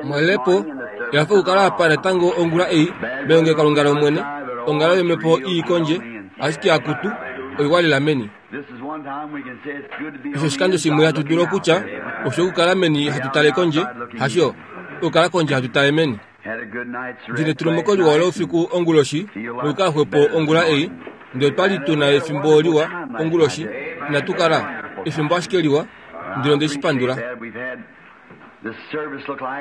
Mwelepo yafa okukala apa natango ongula ei melongelokalunga lOmwene, onghalo yomhepo ii kondje, ashike akutu, oiwa lela meni. Osho oshikando shimwe hatu dulu okutya osho okukala meni hatu tale kondje, hasho okukala kondje hatu tale meni. Ndine tulumuko liwa loufiku onguloshi nokukala xwepo ongula ei, ndele otwa li tu na efimbo liwa onguloshi, inatu kala efimbo ashike liwa, ndele onde shi pandula.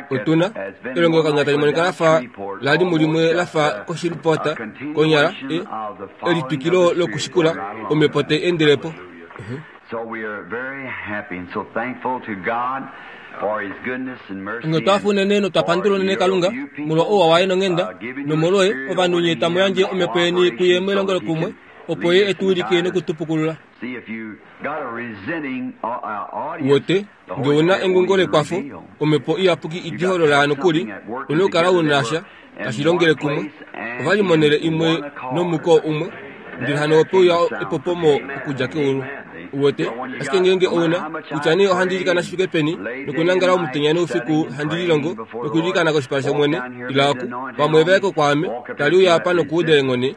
Otu na elongelokalunga tali monika la fa la li mulimwe la fa koshilupota konyala e, elitwikilo lokushikula omhepo tai endele po. Onghee otwa hafa unene notwa pandula unene Kalunga molwa ouwa waye nonghenda, nomolwoye ovanhu nye tamu yandje omhepo yeni kuye melongelokumwe, opo ye e tu wilike noku tu pukulula. Uwete, nge u na engungo lekwafo, Omhepo Iyapuki iti holola nokuli, u na okukala u na sha tashi longele kumwe. Ova li monhele imwe nomuko umwe, ndele hano ope uya epopomo okudja keulu. Uwete? Ashike ngeenge ou na, kutya nee ohandi ilikana shi fike peni, nokunangala omutenya noufiku handi lilongo, nokuilikana koshipala shOmwene, ila oku, vamwe va ye ko kwaame, tali uya apa nokuuda eenghono,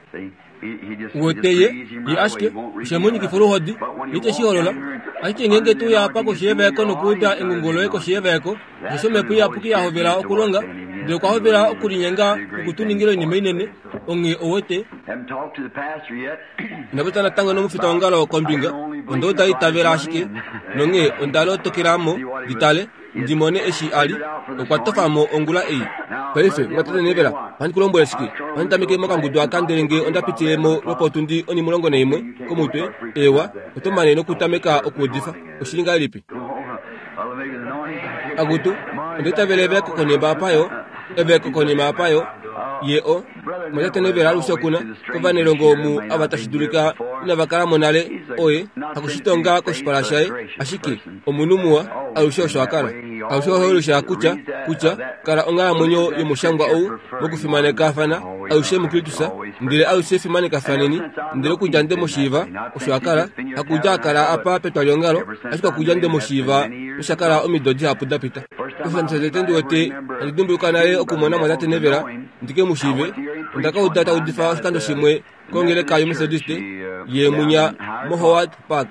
Uwete ye, ye ashike, oshe mu nyikifa oluhodi, ye te shi holola. Ashike ngeenge to uya apa koshi yevaeko nokuuda engungo loye koshi yevaeko, osheshi Omhepo Iyapuki ya hovela okulonga, ndele okwa hovela okulinyenga noku tu ningila oinima inene, onghee ouwete. Ina popya natango nomufitaongalo kombinga, onda uda itavela ashike, nonghee onda lotokela mo ndi tale. ndi mone eshi a li. Okwa tofa mo ongula ei. Paife, mwatate Neville, ohandi ku lombwele shike? Ohandi tameke mokangudu aka ndele nge onda pitile mo lwopotundi onimulongo naimwe komutwe, eewa, oto mane nokutameka okuudifa. Oshi li ngahelipi? Akutu, onda itavela evaeko konima apa yo, evaeko konima apa yo, ye o. Mwatate Neville alushe oku na, kovanelongo omu ava tashi dulika inava kala mo nale, oye, hakushitonga koshipala shaye, ashike Omunhu muwa, alushe osho a kala. Alushe ohe ulusha kutya, kutya, kala onghalamwenyo yomushangwa ou, mokufimanekafana, alushe muKristus, ndele alushe fimanekafaneni. Ndele okudja nde mu shiiva, osho a kala, hakudja a kala apa petwaliongalo, ashike okudja nde mu shiiva, nosha kala omido dihapu da pita. Oshikando shotete ndi wete, handi dimbuluka nale okumona Mwatate Neville, ndi ke mu shiive, onda ka uda ta udifa oshikando shimwe, kongeleka yoMethodiste yeemunya moHoward Park.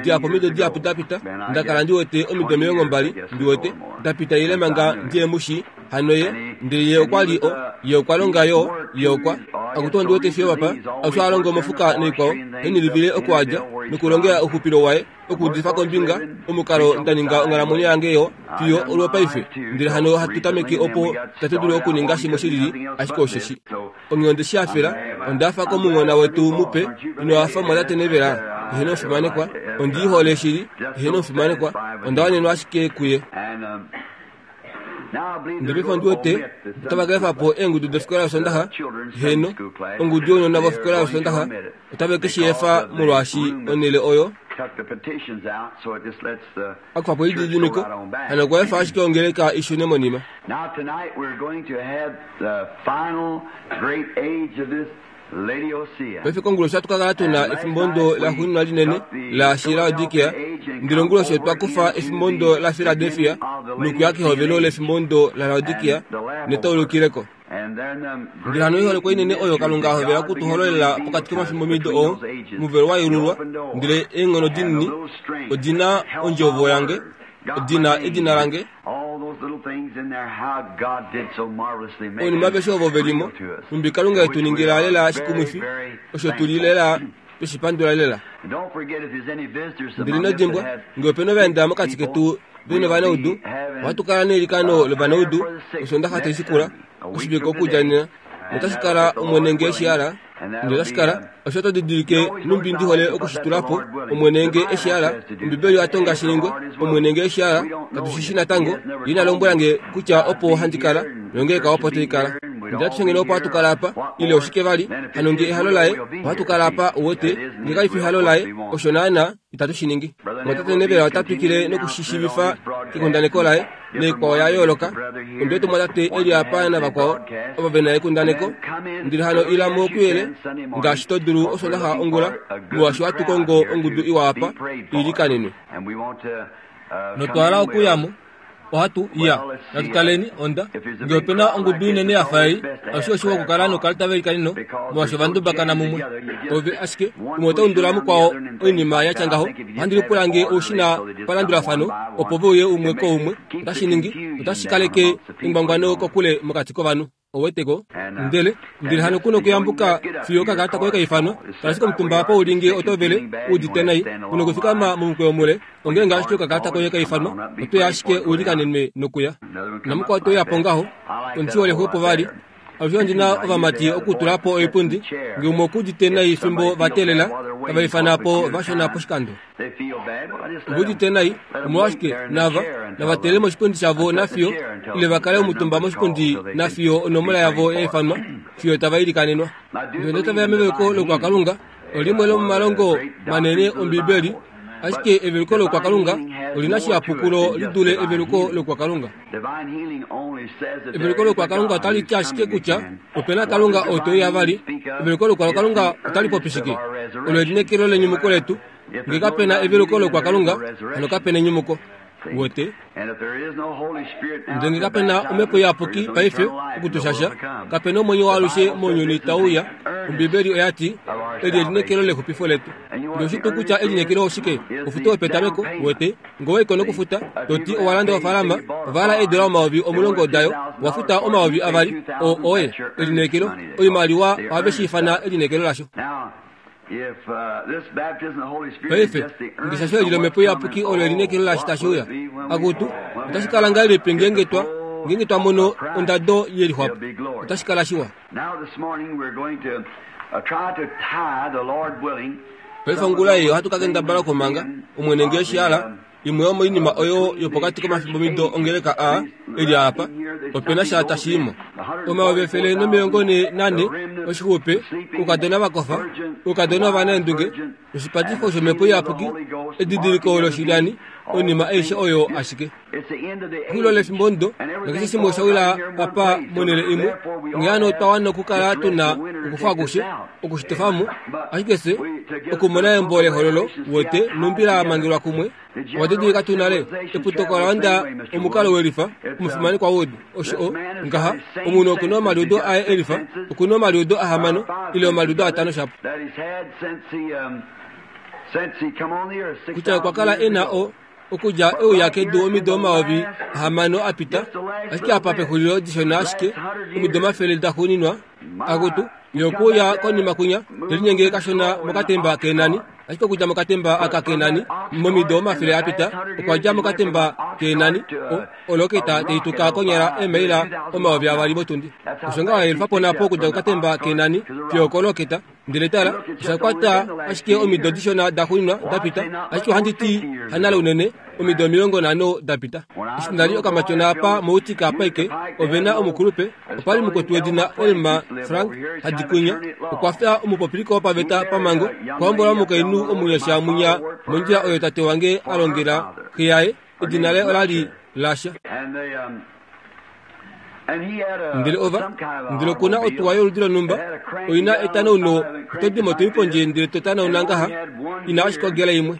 Dihapu omido dihapu da pita, nda kala ndi wete omido 20, ndi wete, da pita ile manga ndihe mu shii. Hano ye, ndele ye okwa li o, ye okwa longa yo, ye okwa. Akutu ondi wete fiyo papa, osho a longa omofuka noikwao, henilivile oku a dja, nokulongela ouxupilo waye, okuudifa kombinga, omukalo nda ninga onghalamwenyo yange yo, fiyo olwopaife. Ndele hano hatu tameke opo itatu dulu okuninga shimwe shilili, ashike osheshi. Onghee onde shi hafela. Onda hafa komunghona wetu mupe. Ino hafa mwatate Neville? Eheno omufimanekwa. Ondi i hole shili. Eheno omufimanekwa. Onda wanenwa ashike kuye. Ndele paife ondi wete otava ka efa po eengudu dofikola yOsondaxa. Eheno, ongudu younona vofikola yOsondaxa otave ke shi efa molwaashi onhele oyo a kufa po elididimiko hano okwa efa ashike ongeleka i shune monima. Paife konguloshi ohatu ka kala tu na efimbondo laxuuninwa linene laShilaodikia, ndele onguloshi otwa kufa efimbondo laFiladelfia nokuya kehovelo lefimbondo laLaodikia netaulukileko. Ndele hano oiholekwa inene oyo Kalunga a hovela oku tu hololela pokati komafimbomido oo omuvelo wa yeululwa, ndele eenghono dinini odi na ondjovo yange, odi na edina lange, Oinima aveshe ovo ve li mo, nhumbi Kalunga e tu ningila lela shikumwifi, osho tu li lela twe shi pandula lela. Ndele ino dimbwa, nge ope na ovaenda mokati ketu ve novanaudu, ohatu kala neilikano lovanaudu Osondaxa tai shikula, oshivike okudja nena. Notashi kala, Omwene nge e shi hala, ndele otashi kala, osho oto didilike nhumbi ndi hole oku shi tula po, Omwene nge e shi hala, Ombibeli oya tonga shi ningwe, Omwene nge e shi hala, katu shi shi natango, Ye ina lombwela nge kutya opo handi kala, nongeleka opo tai kala. Ndele atushe ngeno opo hatu kala apa, ile oshike vali, hano nge ehalo laye, ohatu kala apa, uwete, nge kai fi ehalo laye, osho naanaa, itatu shi ningi. Mwatate Neville ota twikile noku shi shiivifa kekundaneko laye, naikwao ya yooloka. Ondi wete mwatate e li apa navakwao ovo ve na ekundaneko. Ndele hano ila mo kuyele ngaashi to dulu Osondaxa ongula, molwaashi ohatu kongo ongudu iwa apa i ilikanenwe. Notwa hala okuya mo. Ohatu ya. Natu taleni, onda. Nge ope na ongudu inene ya fa ei, alushe oshiwa okukala nokalita velikaneno, molwaashi ova ndubakana mumwe. Ove ashike, umwe ota undula mukwao oinima ya tya ngaho. Ohandi lipula nge ou shi na palandulafano, opo ve uye umwe koumwe. Otashi ningi, otashi kaleke engwangwano kokule mokati kovanhu. Oweteko? Ndele, ndele hano ku nokuyambuka fiyo okakalata koye ka ifanwa. Kala ashike omutumba apa u li nge oto vele, u udite nai, u nokufikama momukweyo mule. Onghee ngaashi okakalata koye ka ifanwa, oto ya ashike u likanenwe nokuya. Namukwao te uya po ngaho, omuti wole xwepo vali. Alushe ondi na ovamati okutula po oipundi, nge umwe oku udite nai fimbo va teelela, tava ifana po vashona poshikando. Ove udite nai, omolwashike nava, nava teelele moshipundi shavo nafiyo, ile va kale omutumba moshipundi nafiyo onomola yavo ya ifanwa, fiyo tava ilikanenwa. Ndele tava ya meveluko lokwakalunga, olimwe lomomalongo manene Ombibeli, ashike eveluko lokwakalunga oli na shihapu kulo li dule eveluko lokwakalunga. Eveluko lokwakalunga otali ti ashike kutya ope na Kalunga oo te uya vali. Eveluko lokwakalunga otali popi shike? Olo elineekelo lenyumuko letu. Nge kape na eveluko lokwakalunga, hano kape na enyumuko. Uwete? Ndele nge kape na Omhepo Iyapuki paife oku tu shasha, kape na omwenyo waalushe mounyuni tau uya. Ombibeli oya ti, Eli elineekelo lexupifo letu. Ndele oshi tuu kutya elineekelo oshike? Ofuto yopetameko, uwete. Nge owa i ko nokufuta, to ti owa landa ofaalama, ova hala eedola 10000 dayo, owa futa 2000, oo oye elineekelo. Oimaliwa ohave shi ifana elineekelo lasho. Paife, ngeshasho eli lOmhepo Iyapuki olo elineekelo laashi tashi uya. Akutu, otashi kala ngahelipi ngeenge twa, ngeenge twa mono ondado ye lixwapo? Otashi kala shiwa. Paife ongula ei ohatu ka kendabala okumanga, Omwene nge eshi hala, Imwe yomoinima oyo yopokati komafimbomido ongeleka a e li apa, ope na sha tashi i mo. 1444 oshixupe, oukadona va kofa, oukadona ovanaendunge, noshipatifo shOmhepo Iyapuki, edidiliko loshilyani, oinima aishe oyo ashike. Exulilo lefimbomudo, nakeshe shimwe osha wila apa monhele imwe, onghee hano otwa wana okukala tu na okufa akushe, oku shi tofa mo, ashike fye, okumona embo lEhololo, wote, nombila ya mangelwa kumwe, owa didilika tuu nale eputuko ola onda omukalo welifa, omufimanekwa Wood, osho o, ngaha, omunhu oku na omaliudo aye elifa, oku na omaliudo ahamano, ile omaliudo atano shapo. Kutya okwa kala e na o, okudja e uya kedu omido 6000 a pita, ashike apa pexulilo dishona ashike, omido 100 daxuuninwa, akutu, ye okwe uya konima kwinya, te linyenge kashona mokatemba keenani, ashike okudja mokatemba aka keenani, momido 100 a pita, okwa dja mokatemba keenani, o, oloketa tai tuka konyala eemaila 2000 motundi. Osho ngaho a yelufa po napo okudja kokatemba keenani fiyo okoloketa. Ndele tala, osha kwata ashike omido dishona daxuuninwa da pita, ashike ohandi ti hanale unene, omido 50 da pita. Eshi nda li okamatyona apa moUtica Pike, ove na omukulupe, opa li mukwetu wedina Elmer Frank Hadikunya, okwa fya omupopiliko wopaveta pamhango, okwa hombola omukainhu omunyasha mwinya mondjila oyo tate wange a longela xe yaye, edina laye ola li Lasha. Ndele ova, ndele oku na otuwa yoludi lonhumba, oi na etanauno, oto di mo to i pondje ndele to tanauna ngaha, i na ashike ogela imwe.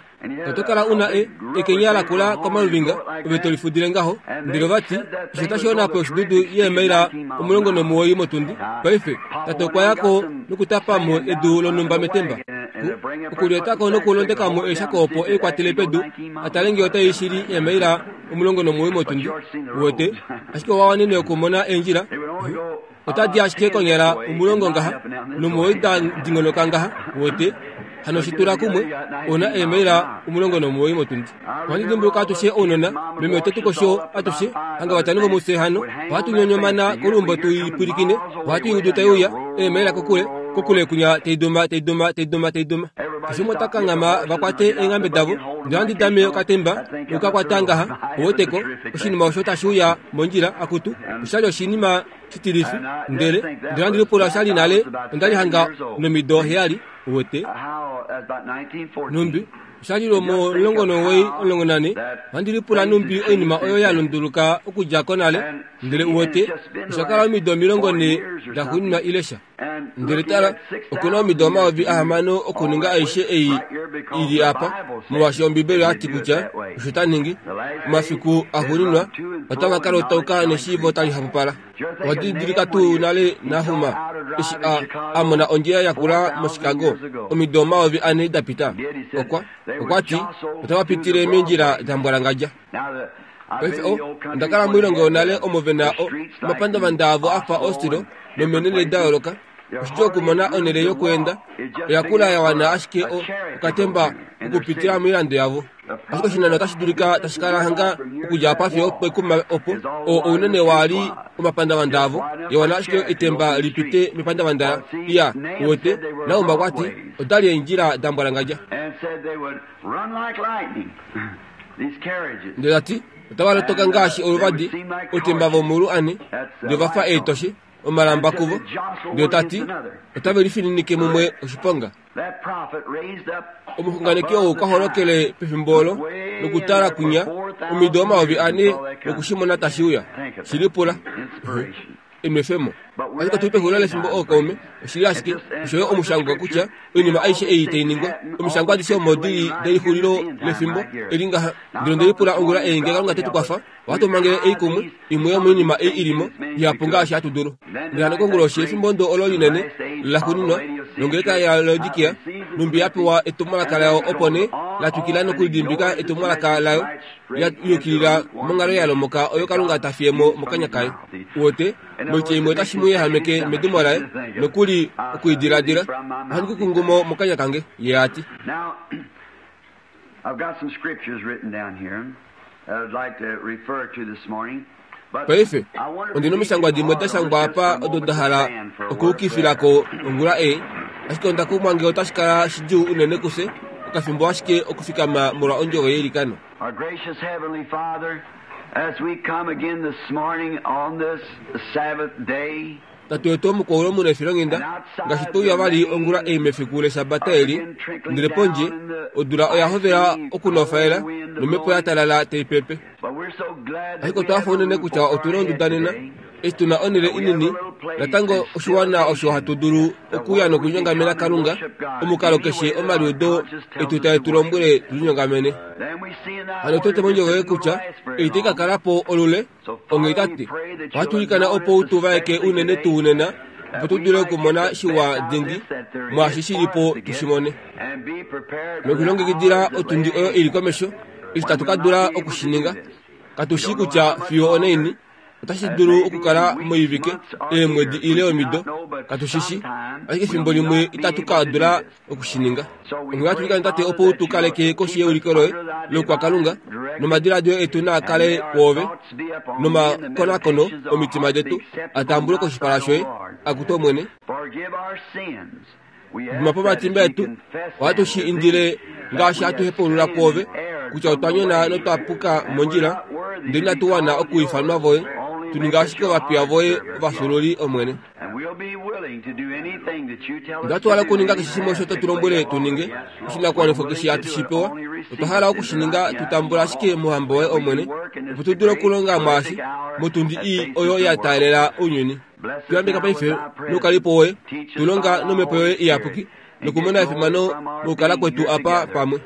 Oto kala u na e, ekenya lakula komaluvinga, ove to lifudile ngaho. Ndele ova ti, Osho otashi wana po oshidudu yeemaila 19 motundi. Paife, tate okwa ya ko nokutapa mo edu lonhumba metemba. Ku, okulyota ko nokulondeka mo eeshako opo e kwatele pedu, a tale ngee otai shili eemaila 19 motundi. Uwete? Ashike owa wanene okumona eendjila. Otadi ashike konyala omulongo ngaha, nomuwoi da dingonoka ngaha, uwete. Hano shi tula kumwe, ou na eemaila 19 motundi. Ohandi dimbuluka atushe ounona, meme ote tu kosho atushe, hanga vatano vomufye hano, ohatu nyonyomana koluumbo tu i pwilikine, ohatu i udu tai uya, eemaila kokule, kokule kunya tai duma, tai duma, tai duma, tai duma. Keshe umwe ota kanghama va kwate eenghambe davo, ndele ohandi dame okatemba noku ka kwata ngaha, ou weteko, oshinima osho tashi uya mondjila, akutu, osha li oshinima shitilifi, ndele, ndele ohandi lipula osha li nale, onda li hanga nomido heyali, uwete. Nhumbi. Osha li lwomo 19, 14, ohandi lipula nhumbi oinima oyo ya lunduluka okudja konale, ndele uwete, osha kala omido 40 daxuuninwa ile sha. Ndele tala, oku na omido 6000 okuninga aishe ei i li apa, molwaashi Ombibeli oya ti kutya osho ta ningi. Omafiku axuuninwa otava ka lotauka neshiivo tali hapupala. Owa didilika tuu nale Nahum eshi a, a mona ondjila ya kula moChicago omido 4000 da pita? Okwa, okwa ti, Otava pitile meendjila da mbwalangadja. Paife o, onda kala moilongo yonale omo ve na o, omapandavanda avo a fa Oslo nomenene da yooloka. Oshidjuu okumona onhele yokweenda. Oya kula ya wana ashike o, okatemba okupitila moilando yavo. Ashike oshinano otashi dulika tashi kala hanga okudja apa fiyo pekuma opo o ounene waali omapandavanda avo ya wana ashike etemba li pite mepandavanda ya uwete. Naumba okwa ti, Oda li eendjila da mbwalangadja. Ndele ta ti, Otava lotoka ngaashi oluvadi, outemba vomuulu ane, ndele ova fa eetoshe, omalamba kuvo. Ndele ta ti, Otave lifininike mumwe oshiponga. Omuxunganeki ou okwa holokele pefimbo olo nokutala kwinya omido 4000 noku shi mona tashi uya. Shi lipula. Enwefemo. Ashike otu li pexulilo lefimbo ookaume, oshi li ashike, osho yo omushangwa kutya oinima aishe ei tai ningwa, omishangwa adishe omo di li delixulilo lefimbo eli ngaha. Ndele onde lipula ongula ei nge Kalunga te tu kwafa, ohatu mangele ei kumwe, imwe yomoinima ei i li mo, ihapu ngaashi hatu dulu. Ndele hano konguloshi yefimbo ndo olo linene laxuuninwa longeleka yaLaodikia, nhumbi ya pewa etumwalaka layo opo nee la twikila nokulidimbika etumwalaka layo, ya yukilila monghalo ya lomoka oyo Kalunga ta fiye mo mokanya kaye. Uwete, moitya imwe otashi mu yehameke medimo laye, nokuli oku i diladila. Ohandi ku kungu mo mokanya kange, ye a ti. Paife, ondi na omishangwa dimwe da shangwa apa odo nda hala okuukifila ko ongula ei, ashike onda kumwa nge otashi kala shidjuu unene kufye okafimbo ashike okufikama molwa ondjovo yeilikano. Our gracious Heavenly Father, as we come again this morning on this Sabbath day, Tate wetu womukwaulu omunefilonghenda, ngaashi twe uya vali ongula ei mefiku lEshabata eli, ndele pondje, odula oya hovela okunofaela nomhepo ya talala tai pepe. Ashike otwa hafa unene kutya otu na onduda nena, eshi tu na onhele inini, natango oshiwana osho hatu dulu okuya nokulinyongamena Kalunga, omukalo keshe omaliudo etu tae tu lombwele tu linyongamene. Hano otu wete mondjovo yoye kutya ei tai ka kala po olule, Onghee Tate, ohatu ilikana opo u tu vaeke unene tuu nena, opo tu dule okumona shiwa dingi mwaashi shi li po tu shi mone. Nokulilongekidila otundi oyo i li komesho, eshi tatu ka dula oku shi ninga. Katu shii kutya fiyo onaini, otashi dulu okukala moivike, eemwedi ile omido, katu shi shii, ashike efimbo limwe itatu ka dula oku shi ninga. Onghee ohatu ilikana Tate opo u tu kaleke koshi yeuliko loye loukwakalunga, nomadiladilo etu naa kale kwoove, nomakonakono omitima detu a tambulwe koshipala shoye, akutu Omwene. Dima po omatimba etu, ohatu shi indile ngaashi hatu hepaulula kwoove kutya otwa nyona notwa puka mondjila, ndele inatu wana okuifanwa voye, tu ninga ashike ovapiya voye ovafyuululi, Omwene. Onda twala okuninga keshe shimwe osho to tu lombwele tu ninge, oshinakuwanifwa keshe hatu shi pewa, otwa hala oku shi ninga tu tambula ashike mouhamba woye Omwene, opo tu dule okulonga mwaashi motundi ii oyo ya taalela ounyuni. Tu yambeka paife noukalipo woye, tu longa nomhepo yoye iyapuki, nokumona efimano mokukala kwetu apa pamwe.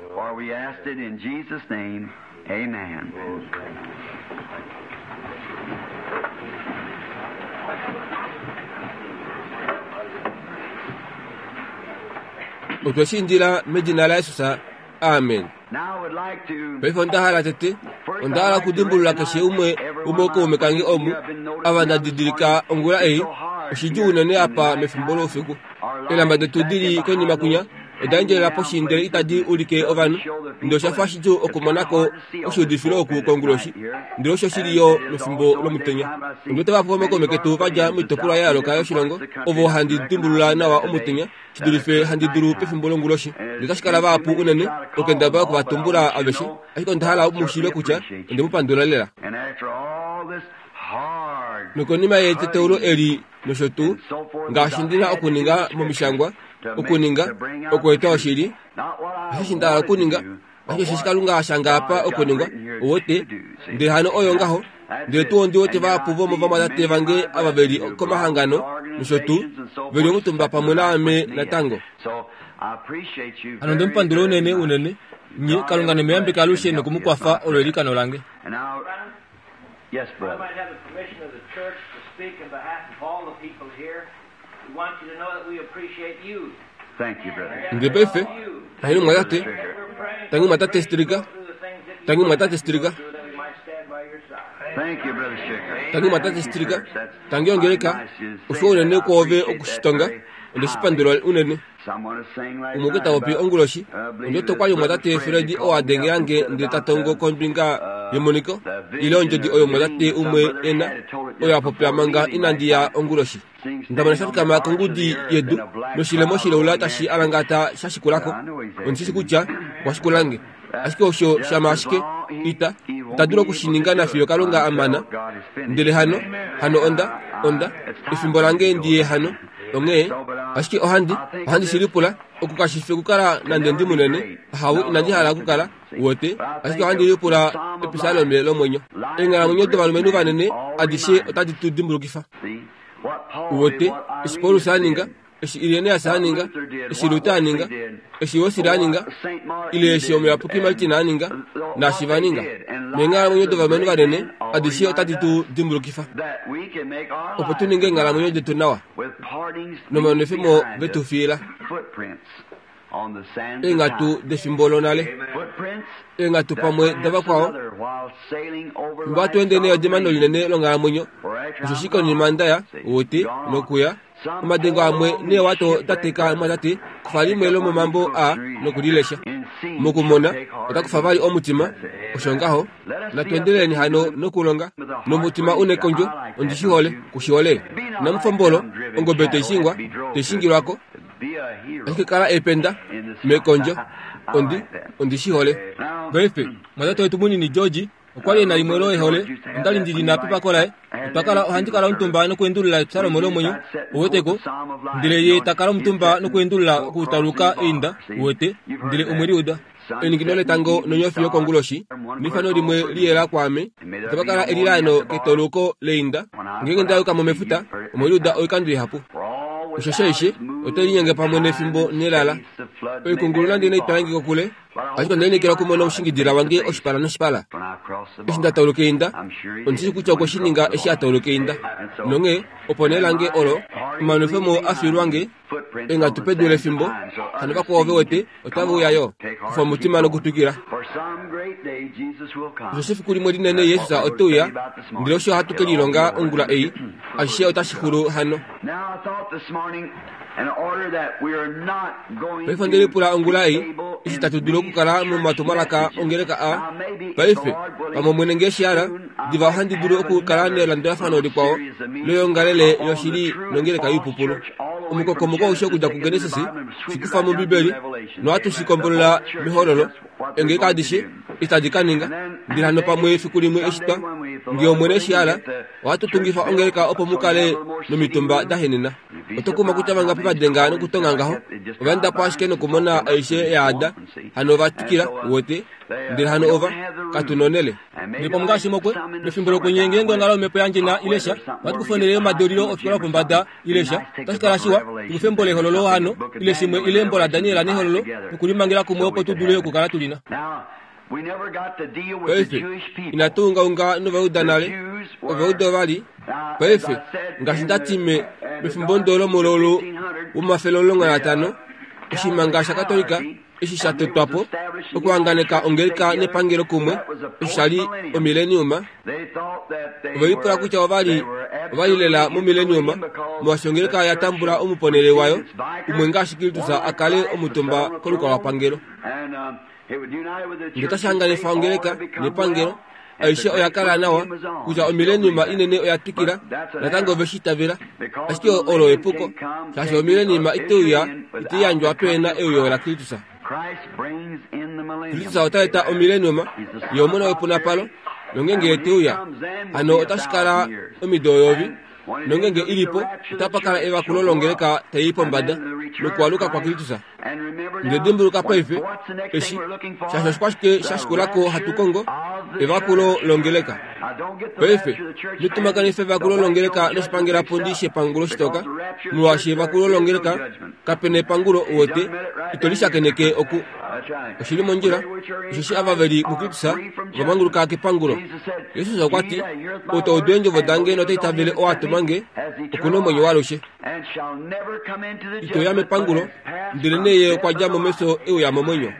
Amen. Otwe shi indila medina laJesus. Amen. Paife onda hala tete, onda hala okudimbulula keshe umwe womookaume kange omu, ava nda didilika ongula ei, oshidjuu unene apa mefimbo loufiku. Eelamba detu di li konima kwinya oda endjelela poshi ndele itadi ulike ovanhu, ndele osha fa shidjuu okumona ko oshiudifilo oku konguloshi, ndele osho shi li yo mefimbo lomutenya. Ondi wete vahapu vomokaume ketu va dja moitopolwa ya yooloka yoshilongo, ovo handi dimbulula nawa omutenya shi dulife handi dulu pefimbo longuloshi. Ndele otashi kala vahapu unene okukendabala oku va tumbula aveshe, ashike onda hala mu shiive kutya onde mu pandula lela. Nokonima yeteteulo eli nosho tuu, ngaashi ndi na okuninga momishangwa. Okuninga, okueta oshili. Osheshi nda hala okuninga, ashike osheshi Kalunga a shanga apa okuningwa, uwete. Ndele hano oyo ngaho. Ndele tuu ondi wete vahapu vomovamwatate vange ava ve li komahangano nosho tuu, ve li omutumba pamwe naame natango. Hano onde mu pandula unene, unene. Nye, Kalunga ne mu yambeke alushe noku mu kwafa, olo eilikano lange. Yes, brother. I might have the permission of the church to speak in behalf of all the people here. We want you to know that we appreciate you. Thank you, brother. Ndele paife, tangi mumwatate, tangi mumwatate Stricker, tangi mumwatate Stricker, Thank you, brother Stricker. tangi mumwatate Stricker, tangi ongeleka, oshiwa unene kwoove okushitonga, onde shi pandula unene. Umwe okwe ta popi onguloshi, ondi wete okwa li omumwatate Fred oo a dengela nge ndele ta tongo kombinga yemoniko ile ondjodi oyo omumwatate umwe e na, oyo a popya manga inandi ya onguloshi. Nda mona sha fikama kongudi yedu noshilemo shilaula tashi alangata sha shikula ko. Ondi shi shii kutya okwa shikula nge. Ashike osho shama ashike ita, ita dulu oku shi ninga nafiyo Kalunga a mana. Ndele hano, hano onda, onda, efimbo lange ndi ye hano. Onghee, ashike ohandi, ohandi shi lipula, oku kashi fi okukala nande ndi munene, ahawe, inandi hala okukala, uwete, ashike ohandi lipula episalome lomwenyo. Eenghalamwenyo dovalumenhu vanene adishe otadi tu dimbulukifa. Uwete, eshi Paulus a ninga, eshi Irenaeus a ninga, eshi Luther a ninga, eshi Wesley a ninga, ile eshi Omuyapuki Martin a ninga, naashi va ninga. Neenghalamwenyo dovalumenhu vanene adishe otadi tu dimbulukifa opo tu ninge eenghalamwenyo detu nawa nomanwefemo ve tu fiila eenghatu defimbo lonale, eenghatu pamwe davakwao. Fimbo hatu ende neodimano linene longhalamwenyo, osheshi konima nda ya, uwete, nokuya, Omadengo amwe neewato da teka mwatate, kufa limwe lomomambo aa noku li lesha. Mokumona, ota kufa vali omutima. Osho ngaho. Natu endeleleni hano nokulonga. Nomutima u nekondjo, ondi shi hole, ku shi hole? Inamu fa ombolo, ongobe tai shingwa, tai shingilwa ko. Ashike kala ependa, mekondjo. Ondi, ondi shi hole. Paife, mwatate wetu munini George, Okwa li e na limwe loehole, onda li ndi li na pepako laye. Otwa kala, ohandi kala omutumba nokuendulula Epsalome lomwenyo, uweteko, ndele ye ta kala omutumba nokuendulula okutauluka einda, uwete, ndele omwe li uda. Eningino letango nonyofi yokonguloshi, nefano limwe liyela kwaame, otapa kala elilaano ketauluko leinda. Ngeenge nda yuka mo mefuta, omwe li uda oikando ihapu. Osheshi aishe otai linyenge pamwe nefimbo nelala. Oikungulu nande nai twalange kokule, Ashike onda lineekela okumona omushingidila wange oshipala noshipala. Eshi nda tauluka einda, ondi shii kutya okwe shi ninga eshi a tauluka einda. Nonghee, opo nee lange olo, omanwefemo a fiilwa nge, eenghatu pedu lefimbo, hano vakwao ve wete, otave uya yo. Kufa omutima nokutwikila. Osheshi efiku limwe linene Jesus ote uya, ndele osho hatu ke lilonga ongula ei, ashishe otashi xulu hano. Paife onde lipula ongula ei, eshi tatu dulu okukala momatumwalaka ongeleka a paife, pamwe Omwene nge shi hala, diva ohandi dulu okukala nelandulafano likwao loyoongalele yoshili nongeleka yoipupulu. Omukokomoko aushe okudja kuGenesis, shi kufa mOmbibeli, nohatu shi kombolola mEhololo, Eengeleka adishe itadi ka ninga. Ndele hano pamwe efiku limwe eshi twa, nge Omwene eshi hala, ohatu tungifa ongeleka opo mu kale nomitumba da henena. Oto kuma kutya vangapi va denga nokutonga ngaho, ova enda po ashike nokumona aishe ya ada, hano ova twikila, uwete, ndele hano ova, katu nonhele. Ndele pamwe ngaashi mokwe, mefimbo lokwenye ngeenge onghalo yomhepo yandje na ile sha, ohatu kufa onhele yomadeulilo ofikola yopombada, ile sha, otashi kala shiwa, tu kufe embo lEhololo hano, ile shimwe, ile embo laDaniel nEhololo, nokulimangela kumwe opo tu dule okukala tu li na. Paife, inatu ungaunga nOvayuda nale. Ovayuda ova li, paife, ngaashi nda ti me, mefimbo ndo lomololu womafele 15, oshimanga shaKatolika eshi sha totwa po okuhanganeka ongeleka nepangelo kumwe, osho sha li omileniuma. Ove lipula kutya ova li ova li lela momileniuma, molwaashi ongeleka oya tambula omuponele wayo umwe ngaashi Kristus a kale omutumba kolukalwapangelo. Ndele otashi hanganifa ongeleka nepangelo. Aishe oya kala nawa kutya omileniuma inene oya twikila natango ove shi itavela. Ashike olo epuko, shaashi omileniuma ite uya ite yandjwa pehe na euyo laKristus. Kristus ota eta omileniuma, Ye Omona wepunapalo, nongeenge Ye te uya, hano otashi kala omido eyovi, nongeenge i li po, otapa kala evakulo longeleka tai i pombada. nokualuka kwaKristus. Ndele dimbuluka paife, eshi, shaashi oshikwashike sha shikula ko hatu kongo? Evakulo longeleka. Paife, nitumakanifa evakulo longeleka noshipangelapundi shepangulo shitoka, molwaashi evakulo longeleka kape na epangulo, uwete, ito li shakeneke oku. Oshi li mondjila, osheshi ava ve li muKristus ova manguluka kepangulo. Jesus okwa ti, Ou ta udu eendjovo dange nota itavele oo a tuma nge, oku na omwenyo waalushe. Ito ya mepangulo, ndelenee ye okwa dja mo mefyo e uya momwenyo.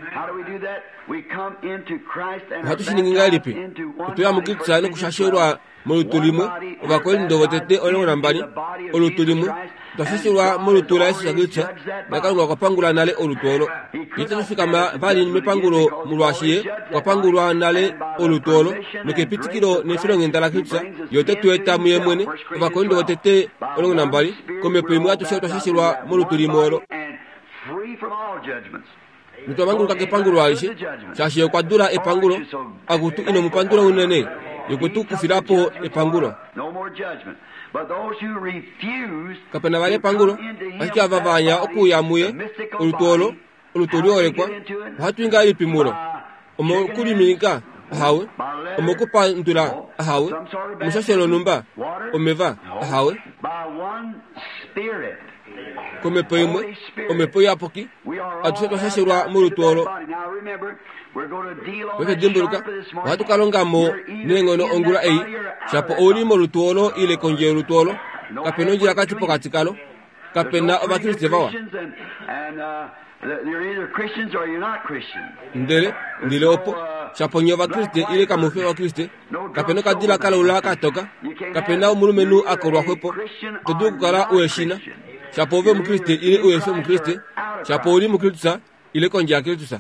Ohatu shi ningi ngahelipi? Otwe ya muKristus nokushashelwa molutu limwe, Ovakorinto votete 12, olutu limwe, otwa shashelwa molutu laJesus Kristus, naKalunga okwa pangula nale olutu olo. Itatu fikama vali mepangulo molwaashi ye okwa pangulwa nale olutu olo, nokepitikilo nefilonghenda laKristus, ye ote tu eta muye mwene, Ovakorinto votete 12, komhepo imwe atushe otwa shashelwa molutu limwe olo. Notwa manguluka kepangulo alishe, shaashi ye okwa dula epangulo. Akutu, ino mu pandula unene, ye okwe tu kufila po epangulo. Kape na vali epangulo, ashike ava va anya okuuya muye, olutu olo, olutu oliholekwa, ohatu i ngahelipi mulo? Omokuliminika? Ahawe. Omokupandula? Ahawe. Omushasho lonhumba? Omeva? Ahawe. Komhepo imwe, Omhepo Iyapuki, atushe otwa shashelwa molutu olo. Paife dimbuluka, ohatu ka longa mo neenghono ongula ei, shapo ou li molutu olo ile kondje yolutu olo, kape na ondjilakati pokati kalo. Kape na Ovakriste vawa. Ndele, ndele opo, shapo nye Ovakriste ile kamu fi Ovakriste, kape na okadila kalaula ka toka, kape na omulumenhu a kolwa xwepo, ito dulu okukala u eshina, shapo ove Omukriste ile u efi Omukriste, shapo ou li muKristus ile kondje yaKristus.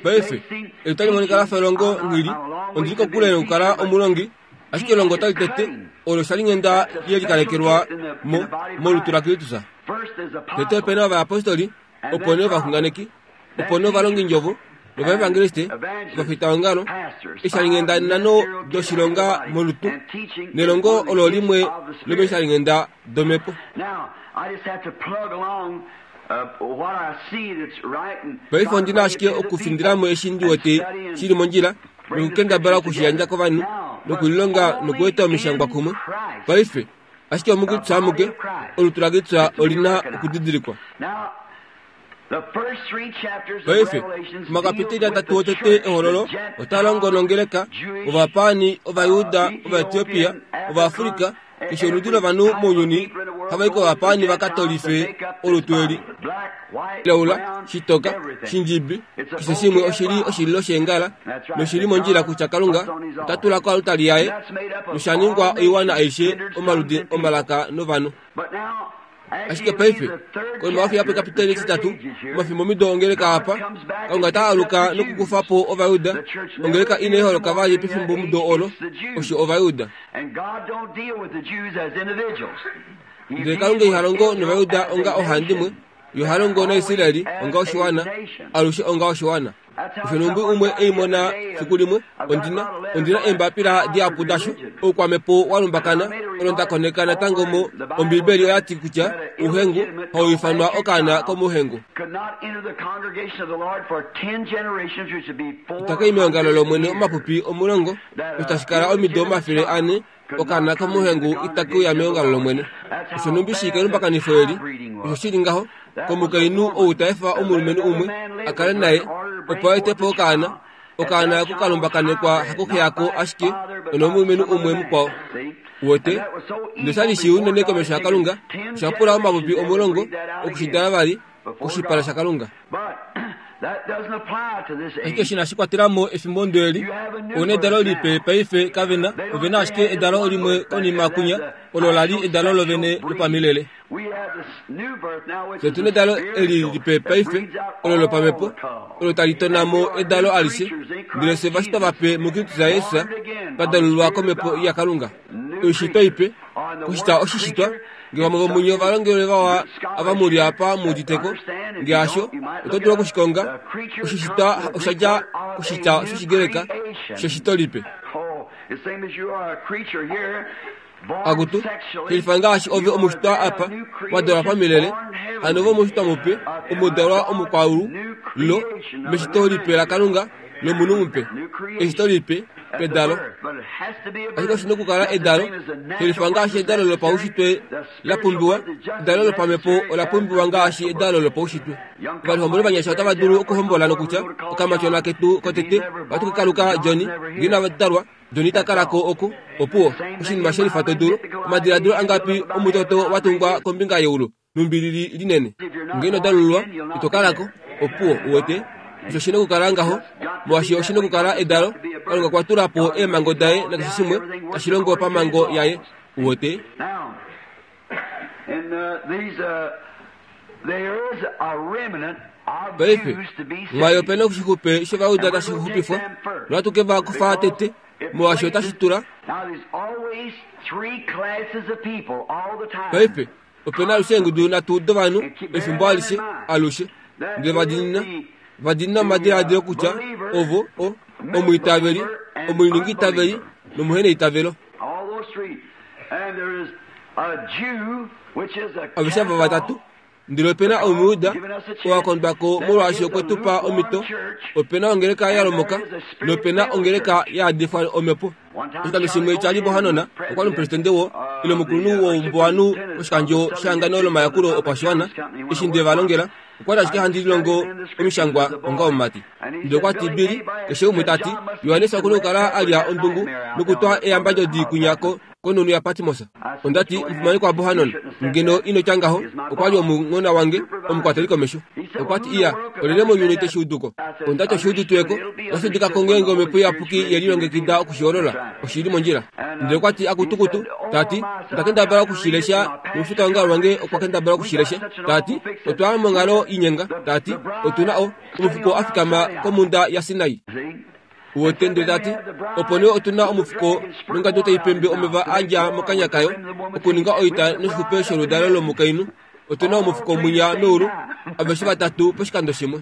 Paife, eli otali monika la fa elongo nghili, ondi li kokule nokukala omulongi, ashike elongo otali tete, olo oshalinghenda ye likalekelwa mo, molutu laKristus. Tete ope na ovayapostoli, opo nee ovaxunganeki, opo nee ovalongindjovo, novaevangeliste, ovafitaongalo, eeshalinghenda nhano doshilonga molutu, nelongo olo limwe lomeeshalinghenda domhepo. Paife ondi na ashike okufindila mo eshi ndi wete shi li mondjila nokukendabala oku shi yandja kovanhu nokulilonga nokueta omishangwa kumwe. Paife, ashike omuKristus amuke, olutu laKristus oli na okudidilikwa. Paife, omakapiteli atatu otete Ehololo otaa longo nongeleka, Ovapaani, Ovajuda, Ovaetiopia, Ovaafrika, keshe oludi lovanhu mounyuni hava i kovapaani va ka tolife olutu eli. Laula, shitoka, shindjibi, keshe shimwe oshi li oshililo sheengala, noshi li mondjila kutya Kalunga ota tula koaltari yaye, nosha ningwa oiwana aishe, omaludi, omalaka novanhu. Ashike paife, konima yokuya pekapiteli etitatu, omafimbomido ongeleka apa, Kalunga ota aluka nokukufa po Ovajuda. Ongeleka inai holoka vali pefimbomudo olo, osho Ovajuda. Ndele Kalunga iha longo nOvajuda onga ohandimwe, Ye oha longo naIsrael onga oshiwana, alushe onga oshiwana. Osho nhumbi umwe ei mona fiku limwe, ondina, ondina eembapila dihapu dasho, oukwamhepo wa lumbakana, olo nda koneka natango mo, Ombibeli oya ti kutya ouhengu hau ifanwa okaana komouhengu. Itaka i meongalo lOmwene omapupi omulongo, osho tashi kala omido 400, Okaana komuhengu itake uya meongalo lOmwene. Osho nhumbi shii kelumbakanifo eli, osho shi li ngaho, komukainhu ou ta efa omulumenhu umwe a kale naye opo a ete po okaana, okaana oko ka lumbakanekwa hakuxe yako ashike onomulumenhu umwe mukwao. Uwete? Nosha li shii unene komesho yaKalunga, osha pula omapupi omulongo oku shi dala vali koshipala shaKalunga. Ashike eshi inashi kwatela mo efimbo ndo eli, ou na edalo lipe paife kave na, ove na ashike edalo limwe konima kwinya, olo la li edalo lovene lopamilele. Fye otu na edalo eli lipe paife, olo lopamhepo, olo tali tona mo edalo alishe, ndele fye ovashitwa vape muKristus Jesus, twa dalululwa kOmhepo yaKalunga. Oishitwa ipe, kushita oshishitwa, Nge vamwe vomunye ovalongelwe vawa ava mu li apa mu udite ko, nge hasho, oto dulu oku shi konga. Oshishitwa osha dja koshitya shOshigreka sheshito lipe. Akutu, shelifa ngaashi ove omushitwa apa, wa dalwa pamilele, hano ove omushitwa mupe, omudalwa omukwaulu, lo, meshito lipe laKalunga, lomunhu mupe. Eshito lipe, pedalo. Ashike oshi nokukala edalo, shelifa ngaashi edalo lopaushitwe la pumbiwa, edalo lopamhepo ola pumbiwa ngaashi edalo lopaushitwe. Ovalihomboli ovanyasha otava dulu okuhombola nokutya, Okamatyona ketu kotete ohatu ka kaluka Johnny, ngee inava dalwa, Johnny ita kala ko oku. Opuwo, oshinima shelifa to dulu. Omadiladilo angapi omutoto wa tungwa kombinga yeulu nhumbi li li linene. Ngee ino dalululwa, ito kala ko. Opuwo, uwete. Osho shi nokukala ngaho, molwaashi oshi nokukala edalo. Kalunga okwa tula po eemhango daye nakeshe shimwe tashi longo pamhango yaye. Uwete? Paife, mwaai ope na oshixupe shOvayuda tashi xupifwa, nohatu ke va kufa tete, molwaashi otashi tula. Paife, ope na alushe eengudu nhatu dovanhu efimbo alishe, alushe. Ndele va diinina, va diinina omadiladilo kutya ovo o, omwiitaveli, omuliningiitaveli nomuheneitavelo. Aveshe ava vatatu. Ndele ope na Omujuda oo a kondwa ko molwaashi okwe tu pa omhito. Ope na ongeleka ya lomoka nope na ongeleka ya yadifwa omhepo. Oshikando shimwe Charlie Bohannon okwa li omupresidente wo ile omukulunhu woumbuwanhu woshikandjo shehangano lomayakulo opashiwana. Eshi nde va longela, okwa li ashike handi lilongo omishangwa onga omumati. Ndele okwa ti, Billy, keshe umwe ta ti, Johannes oku na okukala a lya ondungu nokutwa eyambadjodi kwinya ko konhunhu yaPatmos. Onda ti, Omufimanekwa Bohanon, ngeno ino tya ngaho, okwa li omunghona wange, omukwateli komesho. Okwa ti, Iya, olyelye mounyuni te shi udu ko? Onda ti, Oshi uditiwe ko. Otashi udika ko ngeenge Omhepo Iyapuki ye lilongekida oku shi holola. Oshi li mondjila. Ndele okwa ti, Akutukutu, ta ti, onda kendabala oku shi lesha, nomufitaongalo wange okwa kendabala oku shi lesha. Ta ti, Otwa ya monghalo inyenga. Ta ti, Otu na o, omufuko a fikama komhunda yaSinai. Uwete, ndele ta ti, Opo nee otu na omufuko nongadu tai pembe omeva a dja mokanya kayo, okuninga oita noshixupe sholudalo lomukainhu. Otu na omufuko mwinya meulu, aveshe vatatu poshikando shimwe.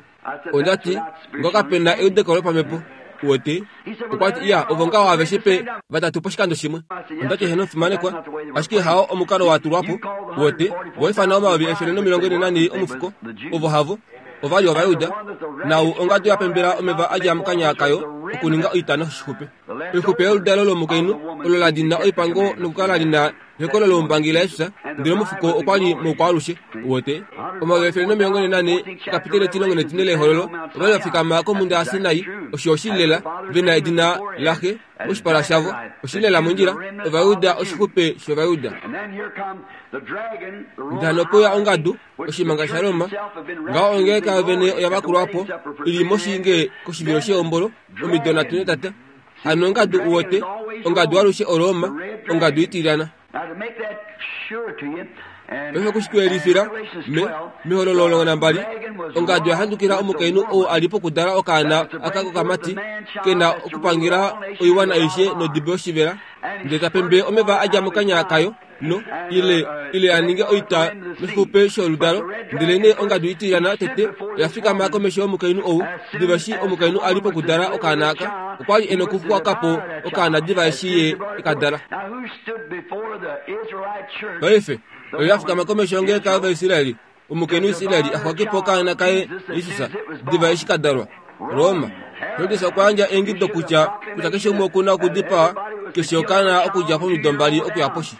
Onda ti, Ngaho kape na eudeko lopamhepo. Uwete? Okwa ti, Iya, ovo ngaho aveshe pe vatatu poshikando shimwe. Onda ti, Heeno, omufimanekwa, ashike hao omukalo wa tulwa po. Uwete, vo ifana 1400 omufuko, ovo havo. Ova li Ovajuda, naau ongadu ya pembela omeva a dja mokanya kayo okuninga oita noshixupe. Oixupe yoludalo lomukainhu olo la dina oipango nokukala li na ehokolo loumbangi laJesus, ndele omufuko okwa li moukwaalushe. Uwete? 144 ekapiteli etimulongo netine lEhololo, ova li va fikama komhunda yaSinai, osho oshili lela, ve na edina laXe moshipala shavo. Oshili lela mondjila, Ovajuda, oshixupe shOvajuda. Ndele hano ope uya ongadu, Oshimanga shaRoma, ngaho ongeleka yovene oya vakulwa po, i li moshinge koshivilo shehombolo, omido nhatu netata. Hano ongadu uwete, ongadu alushe oRoma, ongadu itilyana. Paife oku shi tu yelifila, me, mEhololo 12, ongadu oya handukila omukainhu ou a li pokudala okaana aka kokamati, ke na okupangela oiwana aishe nodibo yoshivela, ndele ta pembe omeva a dja mokanya kayo. no ile ile a ninge oita noshixupe sholudalo. Ndelenee ongadu itilyana tete oya fikama komesho yomukainhu ou. Diva eshi omukainhu a li pokudala okaana aka, okwa li e nokuxwaka po okaana diva eshi ye e ka dala. Paife, oyo ya fikama komesho yongeleka yOvaisraeli, Omukainhu Israel a xwake po okaana kaye Jesus diva eshi ka dalwa. Roma. Herodes okwa yandja eingido kutya kutya keshe umwe oku na okudipawa keshe okaana okudja pomido mbali okuya poshi.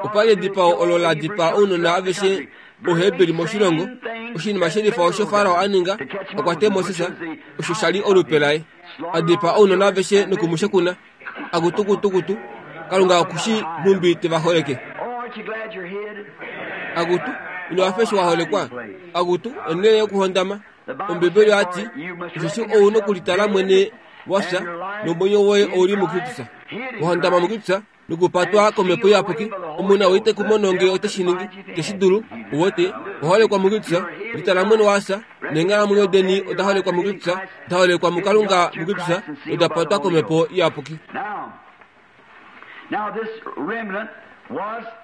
Opa li edipao olo la dipaa ounona aveshe Ouheberi moshilongo. Oshinima shelifa osho Farao a ninga, a kwate Moses, osho sha li olupe laye. A dipaa ounona aveshe noku mu shekuna. Akutukutukutu, Kalunga oku shi nhumbi te va holeke. Akutu, ino hafa eshi wa holekwa? Akutu, onhele yokuhondama. Ombibeli oya ti, Osheshi ou nokulitala mwene wa fya, nomwenyo woye ou li muKristus. Wa hondama muKristus, nokupatwa kOmhepo Iyapuki, omunhu ou ite ku mono nge ote shi ningi, te shi dulu, uwete, wa holekwa muKristus, litala mwene wa fya, neenghalamwenyo deni oda holekwa muKristus, da holekwa muKalunga muKristus, noda patwa kOmhepo Iyapuki.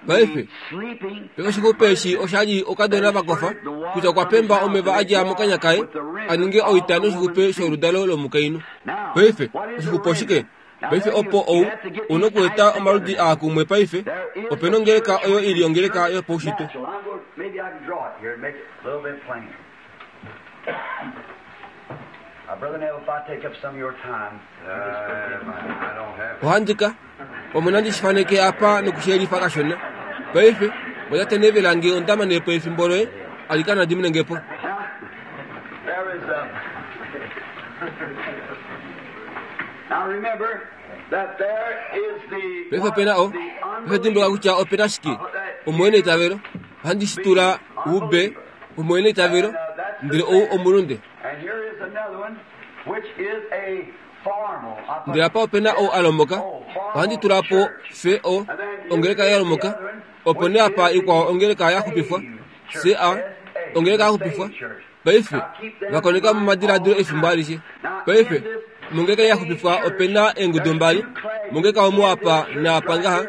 Paife, pefimbo eshi osha li okadona va kofa kutya okwa pemba omeva a dja mokanya kaye a ninge oita noshixupe sholudalo lomukainhu. Paife, oshixupe oshike? Paife opo ou u nokueta omaludi aa kumwe paife, ope nongeleka oyo i li ongeleka yopaushitwe. Ohandi ka pamwe nandi shi faneke apa nokushiyelifa kashona. Paife, otate nevela nge onda mane po efimbo loye, alikana dimine nge po. Paife ope na o, paife dimbuluka kutya ope na shike, omuheneitavelo. Ohandi shi tula ube, omuheneitavelo, ndele ou omulunde. Ndele apa ope na ou a lomoka, ohandi tula po fe o, ongeleka ya lomoka, opo nee apa ikwao ongeleka ya xupifwa, C-A, ongeleka ya xupifwa. Paife, va koneka momadiladilo efimbo alishe. Paife, mongeleka ya xupifwa ope na eengudu mbali, mongeleka omu apa naapa ngaha,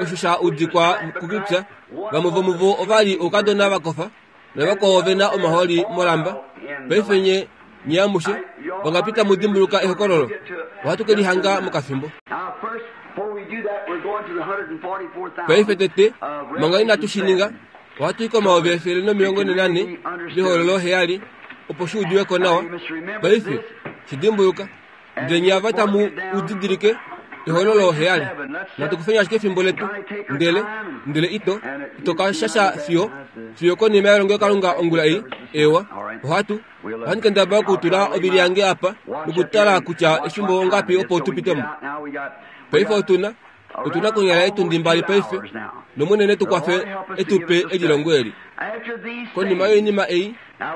osho sha udikwa kukipya, vamwe vomuvo ova li oukadona va kofa, navakwao ove na omahooli molamba. Paife nye, nye amushe, vangapi tamu dimbuluka ehokololo? Ohatu ke lihanga mokafimbo. Paife tete, manga inatu shi ninga, ohatu i komayovi 144 mehololo heyali, opo shi udiwe ko nawa. Paife, shi dimbuluka. Ndele nye ava tamu u didilike, ehololo heyali. Natu kufeni ashike efimbo letu, ndele, ndele ito, ito ka shasha fiyo, fiyo konima yelongelokalunga ongula ei. Eewa, ohatu, ohandi kendabala okutula ovili yange apa nokutala kutya efimbo ongapi opo tu pite mo. Paife otu na, otu na konyala etundi mbali paife, nOmwene ne tu kwafe e tu pe elilongo eli. Konima yoinima ei,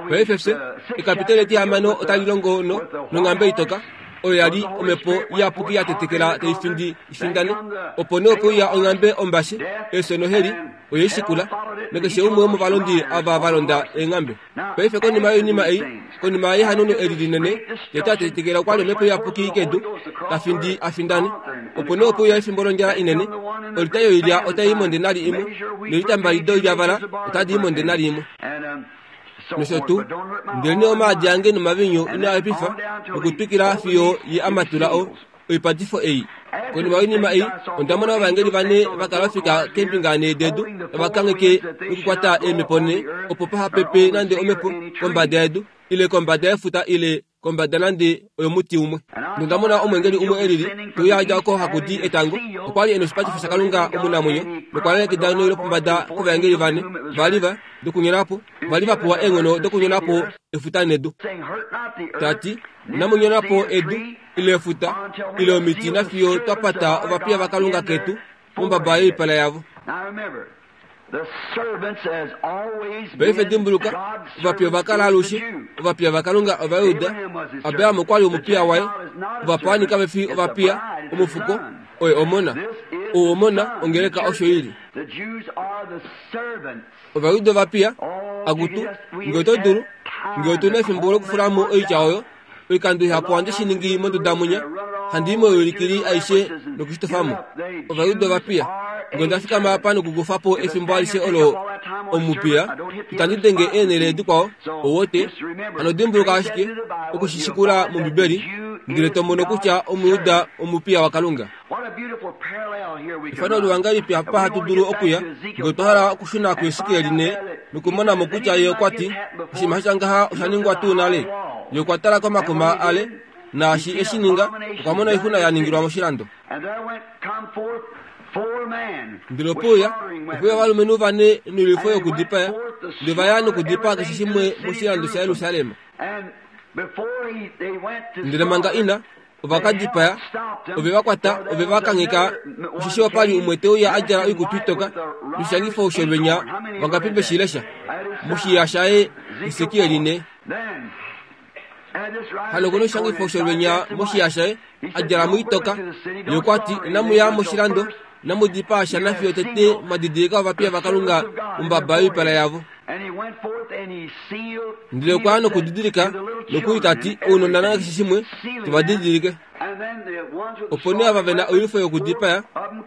paife fye, ekapiteli etihamano otali longo no, nonghambe itoka, oyo ya li omhepo iyapuki ya tetekela tai findi ifindane. Opo nee ope uya onghambe ombashe, efyo noheli oye i shikula, nakeshe umwe womovalondi ava va londa eenghambe. Paife konima yoinima ei, konima yehanono eli linene, tete a tetekela okwa li omhepo iyapuki kedu, ta findi a findane. Opo nee ope uya efimbo londjala inene, olita yoilya otai i mondenari imwe, noilita mbali doilyavala otadi i mondenari imwe. Nosho tuu, ndelenee omaadi ange nomaviinyu ino a hepifa nokutwikila fiyo ye a matula o, oipatifo ei. Konima yoinima ei, onda mona ovaengeli vane va kala ofika keembinga nhee dedu, tava kangheke nokukwata eemhepo nhee, opo paha pepe nande omhepo kombada yedu, ile kombada yefuta ile kombada nande oyomuti umwe. Nonda mona omweengeli umwe e lili, te uya a dja oko haku di etango. Okwa li e noshipatifo shaKalunga omunamwenyo, nokwa lalekida noi lopombada kovaengeli vane, va li va dokunyona po, va li va pewa eenghono dokunyona po efuta nedu, ta ti, Inamu nyona po edu, ile efuta, ile omiti nafiyo twa pata ovapiya vaKalunga ketu mombaba yoipala yavo. Paife dimbuluka, ovapiya ova kala alushe ovapiya vaKalunga Ovajuda. Abraham okwa li omupiya waye. Ovapaani kave fi ovapiya, omufuko, oye omona. Ou omona, ongeleka osho i li. Ovajuda ovapiya, akutu, nge oto dulu, nge otu na efimbo lokufula mo oitya oyo, oikando ihapu ohandi shi ningi monduda munya, handi i moiulikili aishe nokushitofa mo. Ovajuda ovapiya, nge onda fikama apa nokukufa po efimbo alishe olo omupiya, itandi denge eenhele dikwao, owote, hano dimbuluka ashike oku shi shikula mOmbibeli, ndele to mono kutya Omujuda omupiya waKalunga. Efano liwa ngahelipi apa hatu dulu okuya ngee otwa hala okushuna kuHesekiel ne nokumona mo kutya ye okwa ti, Oshinima sha tya ngaha osha ningwa tuu nale? Ye okwa tala komakuma ale, naashi e shi ninga, okwa mona oixuna ya ningilwa moshilando. Ndele ope uya, ope uya ovalumenhu vane noilwifo yokudipaya, ndele va ya nokudipaa keshe shimwe moshilando shaJerusalem. Ndele manga ina ova ka dipaya, ove va kwata, ove va kangheka, osheshi opa li umwe te uya a djala oikutu itoka noshishangifo sholwenya, vangapi ve shi lesha? Moshiya shaye Hesekiel ne. Hano okuna oshishangifo sholwenya moshiya shaye, a djala muitoka. Ye okwa ti, Inamu ya moshilando, inamu dipaa sha nafiyo tete mwa didilika ovapiya vaKalunga mombaba yoipala yavo. Ndele okwa ya nokudidilika nokuli ta ti, Ounona nakeshe shimwe, tu va didilike. Opo nee ava ve na oilwifo yokudipaya,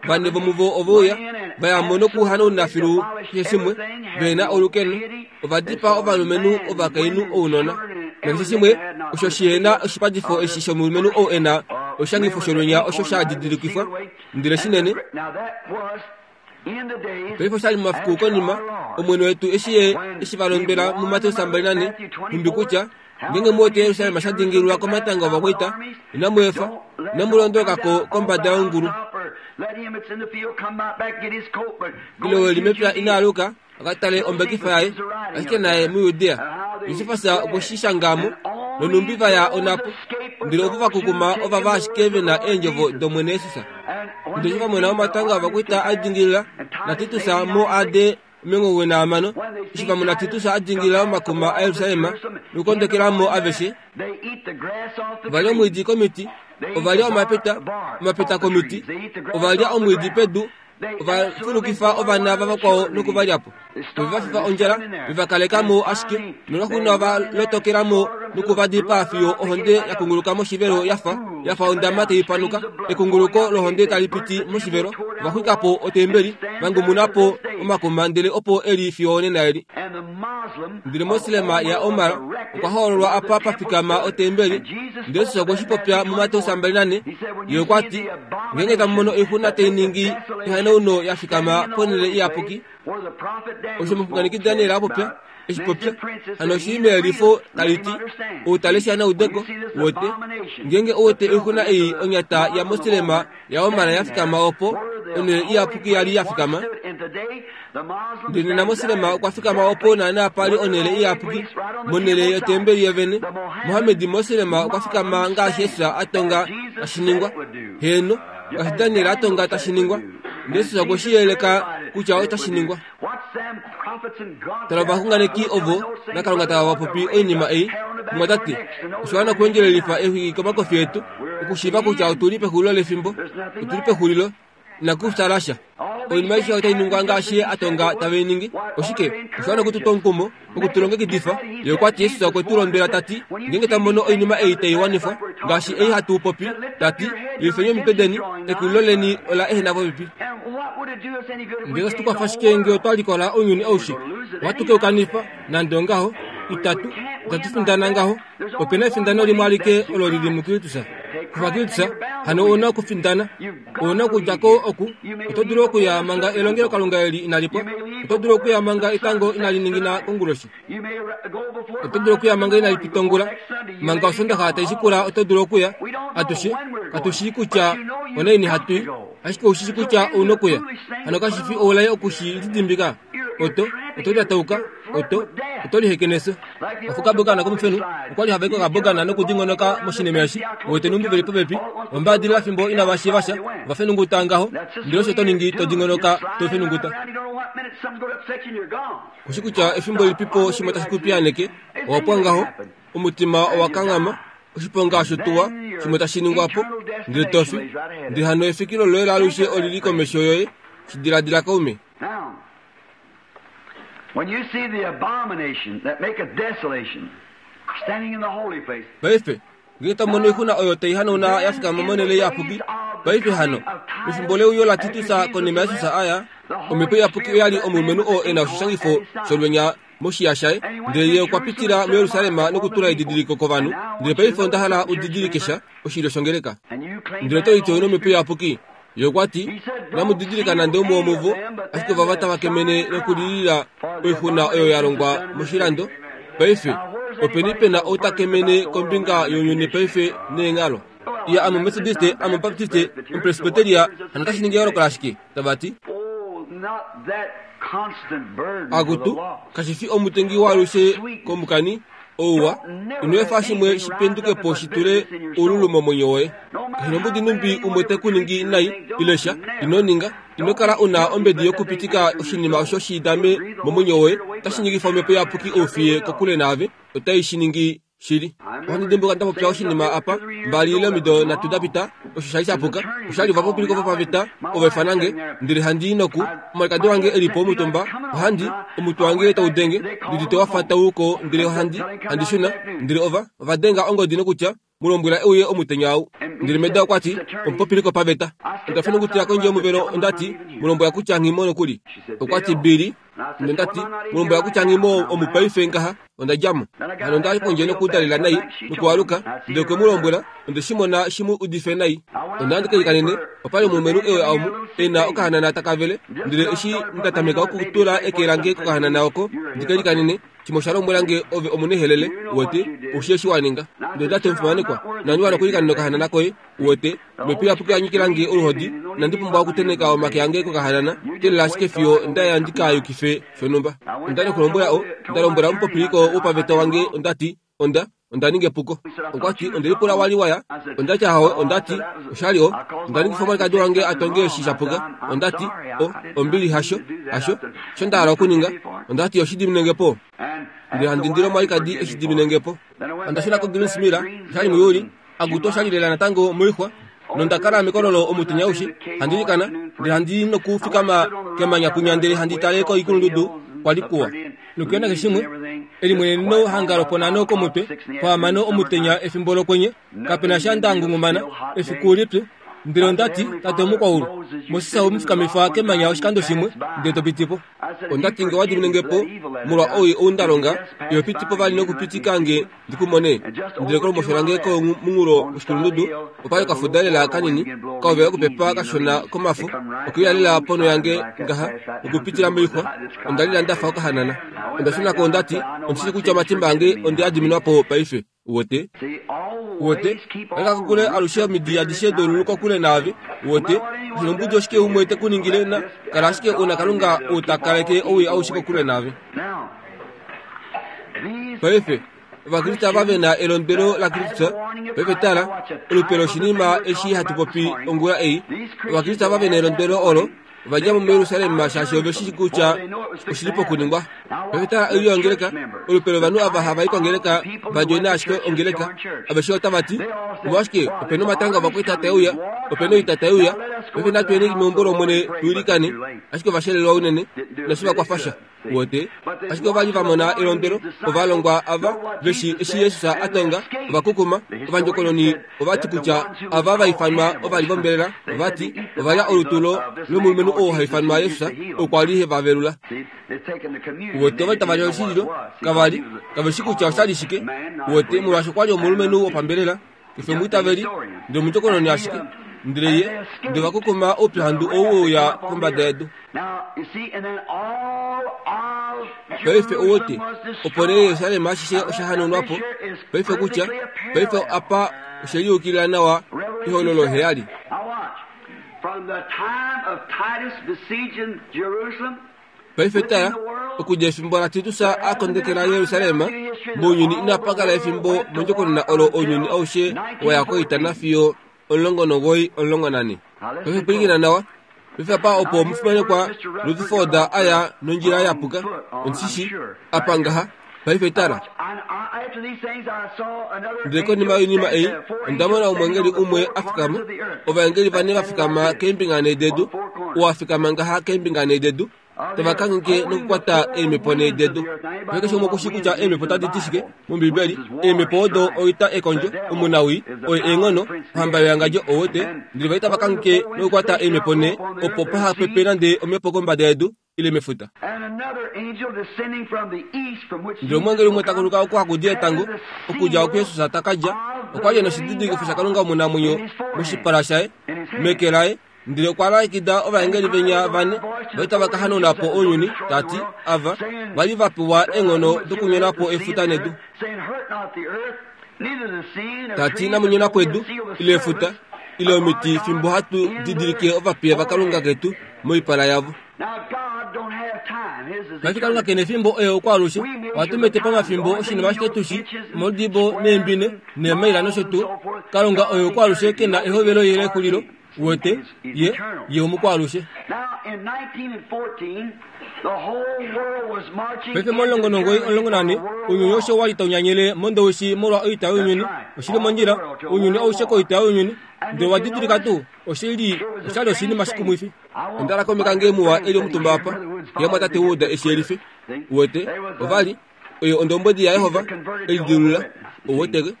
vane vomuvo ove uya, va ya mo nokuhanauna filu keshe shimwe, ve na olukeno, ova dipaa ovalumenhu, ovakainhu, ounona, nakeshe shimwe osho shi he na oshipatifo eshi shomulumenhu ou e na. Oshishangifo sholwenya osho sha didilikifwa, ndele shinene. Paife oshali momafiku konima, Omwene wetu eshi Ye eshi va londwela muMateus 24, nhumbi kutya, Ngeenge mu wete Jerusalem sha dingililwa komatanga ovakwaita, inamu efa, inamu londoloka ko kombada yongulu. Ile ou e li mepya ina aluka a ka tale ombekifa yaye, ashike naye muJudea. Josefas okwe shi shanga mo, nonhumbi va ya onhapo, ndele ovo va kukuma ovava ashike ve na eendjovo dOmwene Jesus. Ndele eshi va mona omatanga ovakwaita a dingilila, naTitus mo AD 95, eshi va mona Titus a dingilila omakuma aJerusalem nokukondekela mo aveshe, ova lya omwiidi komiti, ova lya omapeta, omapeta komiti, ova lya omwiidi pedu, ova fulukifa ovana vavakwao noku va lya po. Ove va fifa ondjala, ve va kaleka mo ashike, nolwaxuuninwa ova lotokela mo noku va dipaa fiyo ohonde ya kunguluka moshivelo ya fa ya fa ondama tai panuka, ekunguluko lohonde tali piti moshivelo. Ova xwika po otembeli, va ngumuna po omakuma ndele opo e li fiyo onena eli. Ndele moslema yaOmar okwa hoololwa apa pa fikama otembeli. Ndele Jesus okwe shi popya muMateus 24, Ye okwa ti, Ngeenge tamu mono oixuna tai ningi ehanauno ya fikama ponhele iyapuki, osho omuxunganeki Daniel a popya, eshi popya, hano oshi li meyelifo tali ti, Ou ta lesha na ude ko, wete, ngeenge ou wete oixuna ei onyata yamoslema yaOmar ya fikama opo onhele iyapuki ya li ya fikama, ndele nena moslema okwa fikama opo naanaa pa li onhele iyapuki, monhele yotembeli yovene. Mohammed moslema okwa fikama ngaashi Jesus a tonga tashi ningwa. Heeno, ngaashi Daniel a tonga tashi ningwa. Ndele Jesus okwe shi yeleka kutya otashi ningwa. Tala ovaxunganeki ovo naKalunga tava va popi oinima ei, mumwatate, osha wana okuendjelelifa exwiki komakofi etu, okushiiva kutya otu li pexulilo lefimbo. Otu li pexulilo. Inaku fyaala sha. Oinima aishe otai ningwa ngaashi ye a tonga tave i ningi. Oshike? Osha wana oku tu twa omukumo, oku tu longekidifa. Ye okwa ti, Jesus okwe tu londwela ta ti, Ngeenge tamu mono oinima ei tai wanifwa, ngaashi ei hatu popi, ta ti, Lilifeni omitwe deni, ekulilo leni ola ehena popepi. Ndele otashi tu kwafa shike nge otwa likola ounyuni aushe? Ohatu ke u kanifa, nande ongaho. Itatu, itatu findana ngaho. Ope na efindano limwe alike olo li li muKristus. Kufa Kristus, hano ou na okufindana. Ou na okudja ko oku. Oto dulu okuya manga elongelokalunga eli inali pwa. Oto dulu okuya manga etango inali ningina konguloshi. Oto dulu okuya manga inali pita ongula. Manga Osondaxa tai shikula oto dulu okuya. Atushe katu shii kutya onaini hatu i, ashike ou shi shii kutya ou na okuya. Hano kashi fi oulai oku shi lidimbika? Oto, oto lyatauka. Oto, oto liheke nefyo. Okukabogana komufenhu okwa li hava i kokabogana nokudingonoka moshinima eshi, wete numbi ve li popepi, ombaadilila fimbo inava shiiva sha, ova fenunguta ngaho, ndele osho to ningi to dingonoka to fenunguta. Kushi kutya efimbo lilipipo shimwe tashi ku piyaaneke, owa pwa ngaho, omutima owa kanghama, oshiponga shotuwa shimwe tashi ningwa po, ndele to fi, ndele hano efikilo loye laalushe oli li komesho yoye. Shi diladila kaume. When you see the abomination that maketh desolation standing in the holy place. Paife, ngee to mono oixuna oyo tai hanauna ya fikama monhele iyapuki, paife hano, mefimbo leuyo laTitus konima Jesus a ya, Omhepo Iyapuki oya li omulumenhu oo e na oshishangifo sholwenya moshiya shaye, ndele ye okwa pitila muJerusalem nokutula edidiliko kovanhu. Ndele paife onda hala u didilike sha, oshilyo shongeleka. Ndele oto liti ou na Omhepo Iyapuki? Ye okwa ti, Inamu didilika nande umwe womuvo, ashike ovava tava kemene nokulilila oixuna oyo ya longwa moshilando. Paife, openi pe na ou ta kemene kombinga younyuni paife neenghalo? Iya, ame Omumetodiste, ame Omubaptiste, Omupresbyteria, hano otashi ningi eyooloko lashike? Tava ti. Akutu, kashi fi omutengi waalushe komukani, ouwa, ino efa shimwe shi penduke po shi tule oululu momwenyo woye. Kashi nombudi numbi umwe te ku ningi nai ile sha, ino ninga, ino kala u na ombedi yokupitika oshinima osho shi dame momwenyo woye, otashi ningifa omhepo iyapuki oufiye kokule naave, otai shi ningi shili. Ohandi dimbuka nda popya oshinima apa mbali ile omido nhatu da pita, osho sha li sha puka. Osha li ovapopiliko vopaveta ova ifana nge, ndele handi i noku, omwalikadi wange e li po omutumba, ohandi, omutwe wange tau denge, ndi udite wa fa tau ko, ndele ohandi, handi shuna, ndele ova, ova denga ongodi nokutya, Mu lombwela e uye omutenya ou. Ndele Meda okwa ti, Omupopiliko paveta. Onda fenungutila kondje yomuvelo, onda ti, Mu lombwela kutya nghi mo nokuli. Okwa ti, Billy. Nonda ti, Mu lombwela kutya nghi mo omu paife ngaha. Onda dja mo. Hano onda ya pondje nokutalila nai, nokualuka, ndele okwe mu lombwela, Onde shi mona shi mu udife nai. Onda ya ndi ke likanene, opa li omulumenhu e uya omu, e na okahanana taka vele. Ndele eshi nda tameka okutula eke lange kokahanana oko, ndi ke likanene, Shimwe osha lombwela nge, Ove omunehelele, uwete, ou shii eshi wa ninga. Ndele onda ti, Omufimanekwa, inandi wana okulikanena okahanana koye, uwete. Omhepo Iyapuki oya nyikila nge oluhodi, inandi pumbwa okutenheka omake ange kokahanana, teelela ashike fiyo nda ya ndi ka yukife shonhumba. Onda li nokulombwela o, nda lombwela omupopiliko wopaveta wange, onda ti, Onda, onda ninga epuko. Okwa ti, Onde lipula wa li wa ya. Onda ti, Ahowe. Onda ti, Osha li o. Onda ningifa omwalikadi wange a tonge eshi sha puka. Onda ti, O, ombili, hasho, hasho, osho nda hala okuninga. Onda ti, Oshi diminenge po. Ndele handi indile omwalikadi e shi diminenge po. Onda shuna koGreens Mill, osha li muJuli. Akutu osha li lela natango moixwa, nonda kala mekololo omutenya aushe, handi ilikana, ndele handi nokufikama kemanya kwinya ndele handi tale koikulundudu kwa li kuwa. Nokuya nakeshe shimwe, elimweneneno hanga loponhano komutwe, pohamano omutenya efimbo lokwenye, kape na sha nda ngungumana, efiku lipyu. Ndele onda ti, Tate omukwaulu, Moses owe mu fikamifa kemanya oshikando shimwe, ndele to piti po. Onda ti, Nge wa dimine nge po molwa owii ou nda longa, iho piti po vali nokupitika nge ndi ku mone. Ndele kolumosho lange komunghulo woshikulundudu opa li okafuda lela kanini, kahovela okupepa kashona komafo, okeuya lela ponho yange ngaha, okupitila moixwa. Onda lila nda fa okahanana. Onda shuna ko onda ti, Ondi shii kutya omatimba ange onde a diminwa po paife. Uwete? Uwete? Kaleka kokule alushe omidi adishe dolulu kokule naave. Uwete? Oshinombudi oshike umwe te ku ningile na kala ashike u na Kalunga ou ta kaleke owii aushe kokule naave. Paife, Ovakriste ava ve na elondwelo laKristus, paife tala, olupe loshinima eshi hatu popi ongula ei. Ovakriste ava ve na elondwelo olo, ova dja mo muJerusalem shaashi ove shi kutya oshi li pokuningwa. Paife tala oilyo yongeleka, olupe lovanhu ava hava i kongeleka va djoina ashike ongeleka. Aveshe otava ti, Omolwashike, ope na omatanga ovakwaita tae uya, ope na oita tai uya, paife natu yeni meumbo lOmwene tu ilikane. Ashike ova shelelwa unene, inashi va kwafa sha. Uwete? Ashike ova li va mona elondwelo, ovalongwa ava, ve shii eshi Jesus a tonga, ova kukuma, ovandjokononi ova ti kutya ava va ifanwa ova li vombelela, ova ti, ova lya olutu lo, lomulumenhu oo ha ifanwa Jesus, okwa li he va velula. Uwete, ova li tava li oshililo, kava li, kave shi kutya osha li shike, uwete, molwaashi okwa li omulumenhu wopambelela. Ke fi omwiitaveli, ndele omundjokononi ashike. Ndele ye, ndele va kukuma oupyuhandu ou we uya kombada yedu. Paife ou wete, opo nee Jerusalem ashishe osha hanaunwa po. Paife kutya, paife apa oshe liyukilila nawa ehololo heyali. Paife tala, okudja efimbo laTitus a kondekela Jerusalem, mounyuni inapa kala efimbo mondjokonona olo ounyuni aushe wa ya koita nafiyo 19 14. Paife pwilikina nawa. Paife apa opo omufimanekwa Rutherford a ya nondjila ya puka, ondi shi shii, apa ngaha. Paife tala. Ndele konima yoinima ei, onda mona omwengeli umwe a fikama, ovaengeli vane va fikama keembinga nhee dedu, oo a fikama ngaha keembinga nhee dedu, tava kangheke nokukwata eemhepo nhee dedu. Paife keshe umwe oku shii kutya eemhepo otadi ti shike mOmbibeli. Eemhepo odo oita ekondjo, omunawii, oye eenghono, ohamba yoyangadjo, ou wete. Ndele va li tava kangheke nokukwata eemhepo nhee, opo paha pepe nande omhepo kombada yedu, ile mefuta. Ndele omweengeli umwe ta kuluka oko haku di etango, okudja oku Jesus ta ka dja, okwa li e noshididilikifo shaKalunga omunamwenyo moshipala shaye, meke laye, ndele okwa lalekida ovaengeli venya vane va li tava ka hanauna po ounyuni, ta ti, Ava va li va pewa eenghono dokunyona po efuta nedu. Ta ti, Inamu nyona po edu, ile efuta, ile omiti fimbo hatu didilike ovapiya vaKalunga ketu moipala yavo. Paife Kalunga ke na efimbo oye okwaalushe. Ohatu mete pamafimbo oshinima ashike tu shi, omaudibo neembine, neemaila nosho tuu. Kalunga oye okwaalushe ke na ehovelo ile exulilo. Uwete, Ye, Ye omukwaalushe. Paife momulongo nomugoyi 14, ounyuni aushe owa li tau nyanyele mondowishi molwa oita younyuni. Oshi li mondjila, ounyuni aushe koita younyuni. Ndele owa didilika tuu, oshi li, osha li oshinima shikumwifi. Onda laka omeka nge muwa e li omutumba apa, ye mwatate Wood e shi yelife. Uwete, ova li, oye ondombwedi yaJehova, e lidilulula. Uweteke?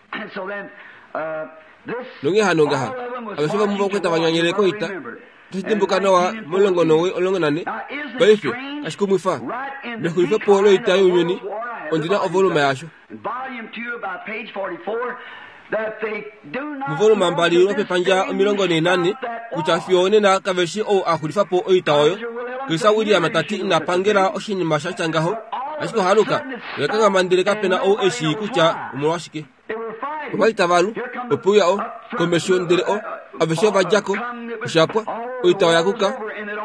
Nonghee hano ngaha, aveshe vomuvo okwa tava nyanyele koita. Otashi dimbuka nawa momulongo nowe 14, paife, kashi kumwifa, mexulifepo loita younyuni. Ondi na ovoluma yasho. Muvoluma 2 lwopepandja 44 kutya fiyo onena kave shi ou a xulifa po oita oyo. Chris William ta ti ina pangela oshinima sha tya ngaho, ashike ohaluka oya kanghama ndele kape na ou e shii kutya omolwashike. Ova li tava lu, ope uya o, komesho ndele o, aveshe ova dja ko, osha pwa, oita oya kuka,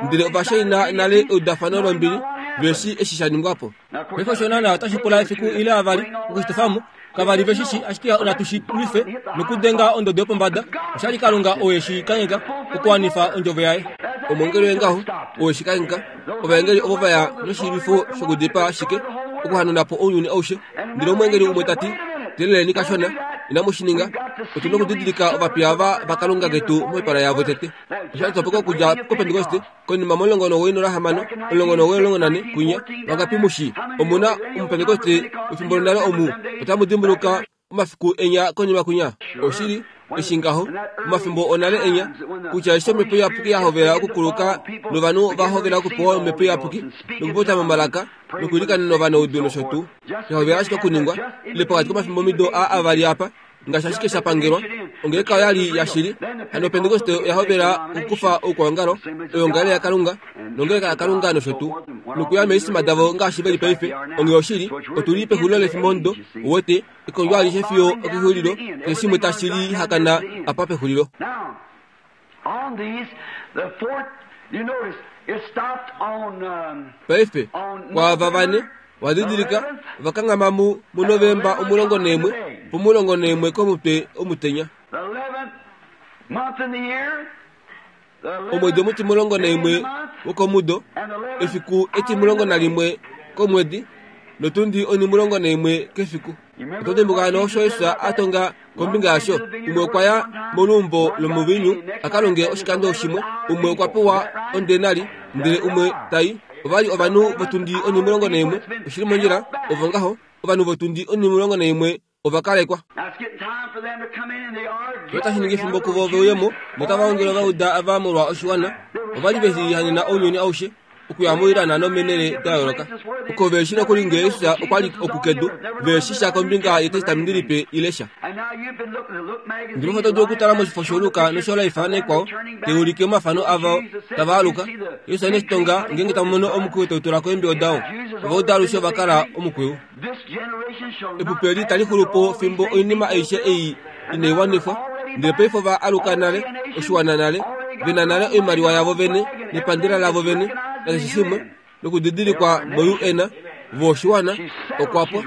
ndele ova shaina nale eudafano lombili, ve shii eshi sha ningwa po. Paife osho naana otashi pula efiku ile avali okushitofa mo. Kava li ve shi shii, ashike natu shi lwife nokudenga ondodo yopombada. Osha li Kalunga ou e shi kangheka okuwanifa ondjovo yaye. Omwengeli oye ngaho ou e shi kangheka. Ovaengeli ovo va ya noshilwifo shokudipaa ashike, okuhanuna po ounyuni aushe. Ndele omwengeli umwe ta ti, Teeleleni kashona, inamu shi ninga. Otu nokudidilika ovapiya ava vaKalunga ketu moipala yavo tete. Osha li topeka okudja kOpentekoste. Konima mo19 16, 1914 kunya, vangapi mu shii? Omu na Omupentekoste wefimbo lonale omu. Otamu dimbuluka omafiku enya konima kunya? Oshili, eshi ngaho, omafimbo onale enya, kutya eshi Omhepo Iyapuki ya hovela okukuluka novanhu ova hovela okupewa Omhepo Iyapuki nokupopya momalaka nokwiilikanena ovanaudu nosho tuu, ya hovela ashike okuningwa, ile pokati komafimbomido aa avali apa, ngaashi ashike sha pangelwa, ongeleka oya li yashili. Hano Opentekoste oya hovela okukufa oukwaongalo, oyoongalele yaKalunga, nongeleka yaKalunga nosho tuu, nokuya meesima davo ngaashi ve li paife. Onghee oshili, otu li pexulilo lefimbomudo, uwete, ekondjo alishe fiyo okexulilo, keshe shimwe tashi lihakana apa pexulilo. Paife, kwaava vane, wa didilika, ova kanghama mu, muNovemba 11, pomulongonaimwe komutwe omutenya. Omwedi omutimulongonaimwe wokomudo, efiku etimulongonalimwe komwedi, notundi onhimulongonaimwe kefiku. Oto dimbuka hano osho Jesus a tonga kombinga yasho? Umwe okwa ya moluumbo lomuviinyu a ka longe oshikando shimwe, umwe okwa pewa ondenari, ndele umwe ta i. Ova li ovanhu votundi onhimulongonaimwe, oshi li mondjila, ovo ngaho, ovanhu votundi onhimulongonaimwe ova kalekwa. Otashi ningi efimbo kuvo ve uye mo, notava ongele Ovajuda ava molwa oshiwana. Ova li ve lihanena ounyuni aushe. okuya moilana nomeenhele da yooloka oko ve shi nokuli ngee Jesus okwa li oku kedu ve shi sha kombinga yEtestamenti Lipe ile sha. Ndele oto dulu okutala moshifo shoLuka noshoLife naikwao tai ulike omafano avo tava aluka. Jesus ine shi tonga ngeenge tamu mono omukwiyu tau tula ko eembiyo dao. Ovauda alushe ova kala omukwiyu. Epupi eli itali xulu po fimbo oinima aishe ei inai wanifwa. Ndele paife ova aluka nale, oshiwana nale, ve na nale oimaliwa yavo vene nepandela lavo vene nakeshe shimwe, nokudidilikwa mo-UN, vo oshiwana, okwa pwa.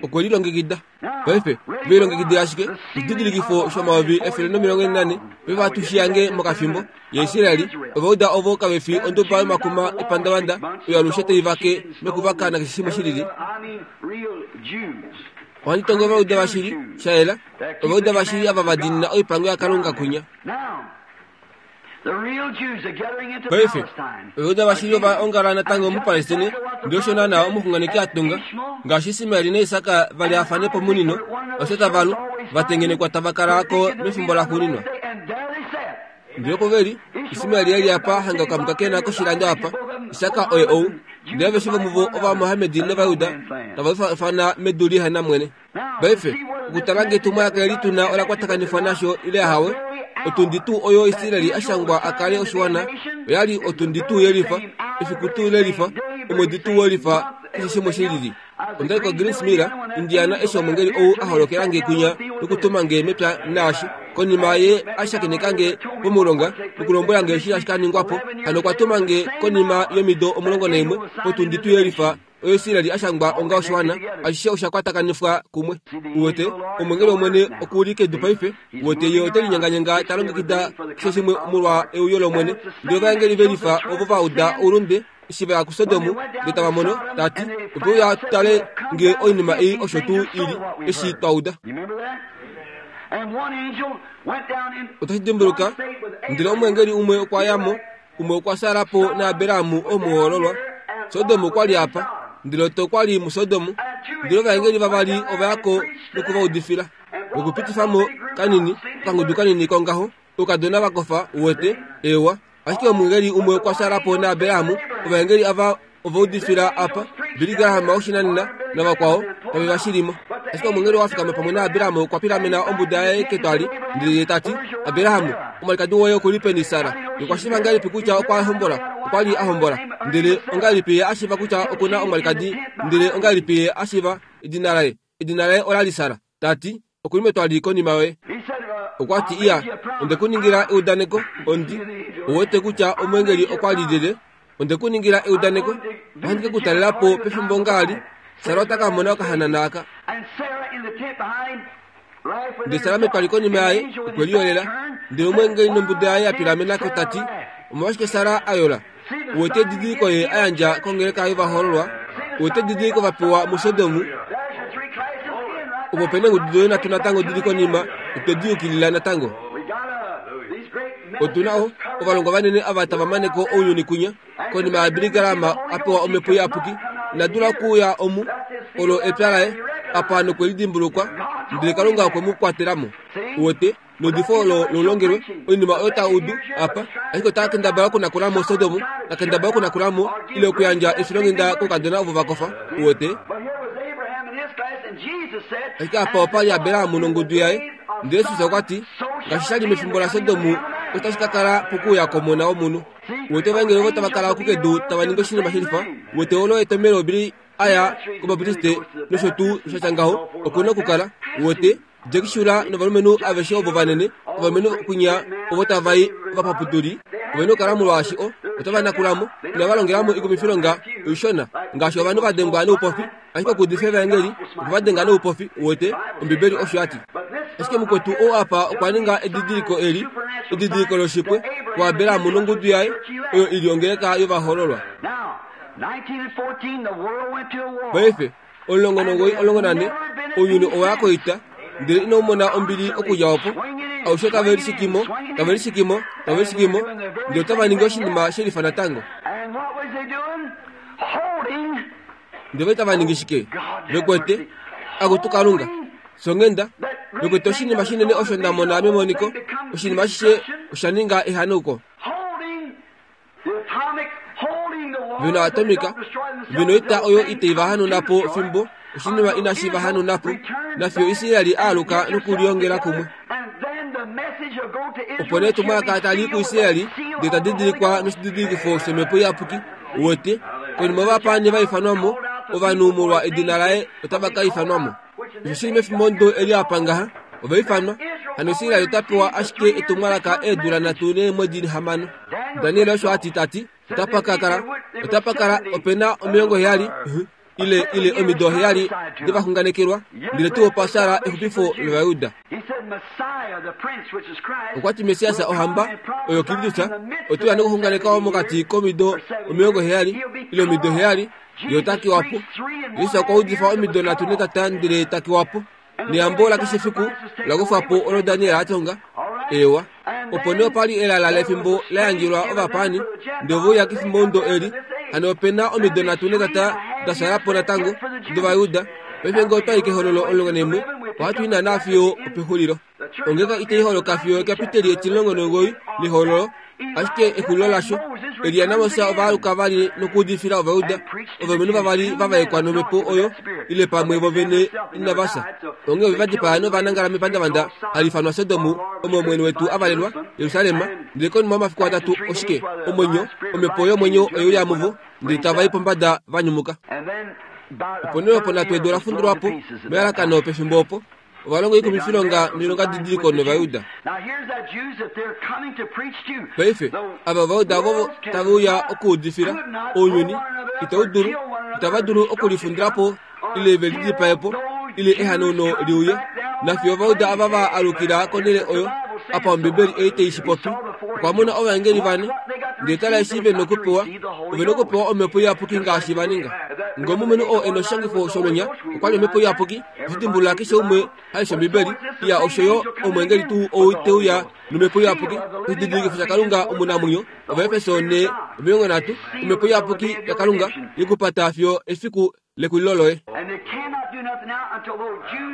Okwe lilongekida. Paife, ve lilongekidila ashike oshididilikifo shomayovi 144, paife ohatu shi yange mokafimbo, yaIsraeli, Ovauda ovo kave fi onduba yomakuma epandavanda oyo alushe tai vake nokuvaka nakeshe shimwe shi lili. Ohandi tongo Ovauda vashili, sha yela, Ovauda vashili ava va diinina oipango yaKalunga kunya. Paife, Ovauda vashili ova ongala natango muPalestine, ndele osho naanaa omuxunganeki a tunga. Ngaashi Ismael naIsak va lyaafane pomunino, osho tava lu, va tengenekwa tava kala ko mefimbo laxuuninwa. Ndele opo ve li, Ismael e li apa hanga okamuka ke na koshilando apa, Isaka oye ou. Ndele aveshe vomuvo Ovamohamedi nOvajuda tava ifana medu lihe na mwene. Paife, okutala ngee etumwalaka eli tu na ola kwatakanifwa nasho ile ahawe, otundi tuu oyo Israel a shangwa a kale oshiwana oya li otundi tuu yelifa, efiku tuu lelifa, omwedi tuu welifa, keshe shimwe shi lili. Onda li koGreens Mill, Indiana eshi omwengeli ou a holokela nge kwinya nokutuma nge mepya naashi konima ye a shakeneka nge pomulonga nokulombwela nge eshi tashi ka ningwa po. Hano okwa tuma nge konima yomido 11 potundi tu yelifa oyo Israel a shangwa onga oshiwana. Ashishe osha kwatakanifwa kumwe. Uwete, omwengeli wOmwene oku li kedu paife. Uwete, ye ote linyenganyenga ta longekida keshe shimwe molwa euyo lOmwene. Ndele ovaengeli ve lifa ovo va uda oulunde eshi va ya kuSodom ndele tava mono, ta ti, Otwe uya tu tale nge oinima ei osho tuu i li, eshi twa uda. Otashi dimbuluka, ndele omweengeli umwe okwa ya mo, umwe okwa sala po naAbraham omuhoololwa. Sodom okwa li apa, ndele Lot okwa li muSodom. Ndele ovaengeli vavali ova ya ko noku va udifila, nokupitifa mo kanini, okangudu kanini kongaho, oukadona va kofa, uwete, eewa. Ashike omweengeli umwe okwa sala po naAbraham, ovaengeli ava ova udifila apa, Billy Graham woshinanena, navakwao tave va shilimo. Ashike omwengeli oo a fikama pamwe naAbraham okwa pilamena ombuda yaye ketwali, ndele ye ta ti, Abraham, omwalikadi woye oku li peni Sara? Ye okwa shiiva ngahelipi kutya okwa hombola? Okwa li a hombola. Ndele ongahelipi ye a shiiva kutya oku na omwalikadi? Ndele ongahelipi ye a shiiva edina laye? Edina laye ola li Sara. Ta ti, Oku li metwali konima yoye. Okwa ti, Iya, onde ku ningila eudaneko. Ondi wete kutya omwengeli okwa li lyelye. Onde ku ningila eudaneko. Ohandi ke ku talela po pefimbo ngaali. Sara ota ka mona okahanana aka. Ndele Sara metwali konima yaye okwe liyolela. Ndele omweengeli nombuda yaye ya pilamena ko ta ti, Omolwashike Sara a yola? Uwete edidiliko ye a yandja kongeleka yovahoololwa? Uwete edidiliko va pewa muSodom? Opo pe neengudu doye nhatu natango di li konima, otwe di yukilila natango. Otu na o, ovalongwa vanene ava tava mane ko ounyuni kwinya. Konima yaBilly Graham a pewa Omhepo Iyapuki, ina dula okuuya omu, olo epya laye, apa nokwe li dimbulukwa, ndele Kalunga okwe mu kwatela mo. Uwete? Neudifo olo lolongelwe, oinima oyo ta udu apa, ashike ota kendabala okunakula mo Sodom, ta kendabala okunakula mo, ile okuyandja efilonghenda koukadona ovo va kofa. Uwete? Ashike apa opa li Abraham nongudu yaye, ndele Jesus okwa ti, Ngaashi sha li mefimbo laSodom, otashi ka kala pokuuya kOmona womunhu. Uwete ovaengeli ovo tava kala oku kedu tava ningi oshinima shelifa? Uwete olo etomhelo Billy a ya kObaptiste nosho tuu sha tya ngaho? Oku na okukala. Uwete? Jack Shula novalumenhu aveshe ovo vanene, ovalumenhu kwinya ovo tava i ovapapuduli, ove na okukala molwaashi o, otava nakula mo, inava longela mo ikumifilonga oishona, ngaashi ovanhu va dengwa noupofi, ashike okuudifa evaengeli okwe va denga noupofi, uwete, Ombibeli osho ya ti. Ashike mukwetu ou apa okwa ninga edidiliko eli, edidiliko loshipwe, kuAbraham nongudu yaye, oyo i li ongeleka yovahoololwa. Paife, 19 14 Ounyuni owa ya koita, ndele inau mona ombili okudja opo. Aushe tave lishikimo, tave lishikimo, tave lishikimo, ndele otava ningi oshinima she lifa natango. Ndele ova tava ningi shike? Ve kwete, Akutu Kalunga, songhenda, ve kwete oshinima shinene osho nda mona memoniko, oshinima ashishe osha ninga ehanauko. Ve na atomika, ve noita oyo itai va hanuna po fimbo oshinima inashi va hanuna po, nafiyo Israel a aluka nokuliongela kumwe. Opo nee etumwalaka tali i kuIsrael, ndele ta didilikwa noshididilikifo shOmhepo Iyapuki, uwete, konima ovapaani va ifanwa mo, ovanhu molwa edina laye otava ka ifanwa mo. Osho shi li mefimbo eli apa ngaha, ova ifanwa. Hano Israel ota pewa ashike etumwalaka eedula nhatu neemwedi hamano. Daniel osho a ti ta ti, otapa ka kala, otapa kala ope na 70, ile, ile omido heyali devaxunganekelwa, ndele tuu opa shala exupifo lOvayuda. Okwa ti Messias ohamba, oyo Kristus, ote uya nokuxunganeka mokati komido 70, ile omido heyali, Ye ota kiwa po. Jesus okwa udifa omido nhatu netata ndele ta kiwa po. Neyambo lakeshe efiku ola kufwa po olo Daniel a tonga. Eewa. Opo nee opa li elala lefimbo la yandjelwa ovapaani, ndele ove uya kefimbo eli. Hano ope na omido nhatu netata da shala po natango dOvayuda. Paife ngee otwa i kEhololo 11, ohatu i naanaa fiyo opexulilo. Ongeleka itai holoka fiyo ekapiteli etimulongo nomugoyi lehololo, ashike exulilo lasho. Elia naMoses ova aluka vali nokuudifila Ovayuda, ovalumenhu vavali va vaekwa nomhepo oyo, ile pamwe vo vene inava fya. Onghee ove va dipaa nova nangala mepandavanda hali ifanwa Sodom, omo Omwene wetu a valelwa, Jerusalem. Ndele konima yomafiku atatu, oshike? Omwenyo, omhepo yomwenyo oye uya muvo, ndele tava i pombada va nyumuka. Opo nee opo nhatu edu ola fundulwa po melalakano pefimbo opo. Ova longa oikumifilonga noilongadidiliko nOvayuda. Paife, ava Ovayuda ovo tave uya okuudifila ounyuni, itau dulu, itava dulu okulifundila po ile ve lidipae po, ile ehanauno li uye. Nafiyo Ovayuda ava va alukila konhele oyo, apa Ombibeli ei tai shi popi, okwa mona ovaengeli vane, ndele tala eshi ve nokupewa, ove nokupewa Omhepo Iyapuki ngaashi va ninga. Ngee omulumenhu oo e noshishangifo shomenya okwa li Omhepo Iyapuki, Oto dimbulula keshe umwe ha lesha Ombibeli, iya osho yo omweengeli tuu ou te uya nomhepo iyapuki, oshididilikifo shaKalunga omunamwenyo, Ovaefeso 4, 30, omhepo iyapuki yaKalunga ye ku pata fiyo efiku lekulilo loye.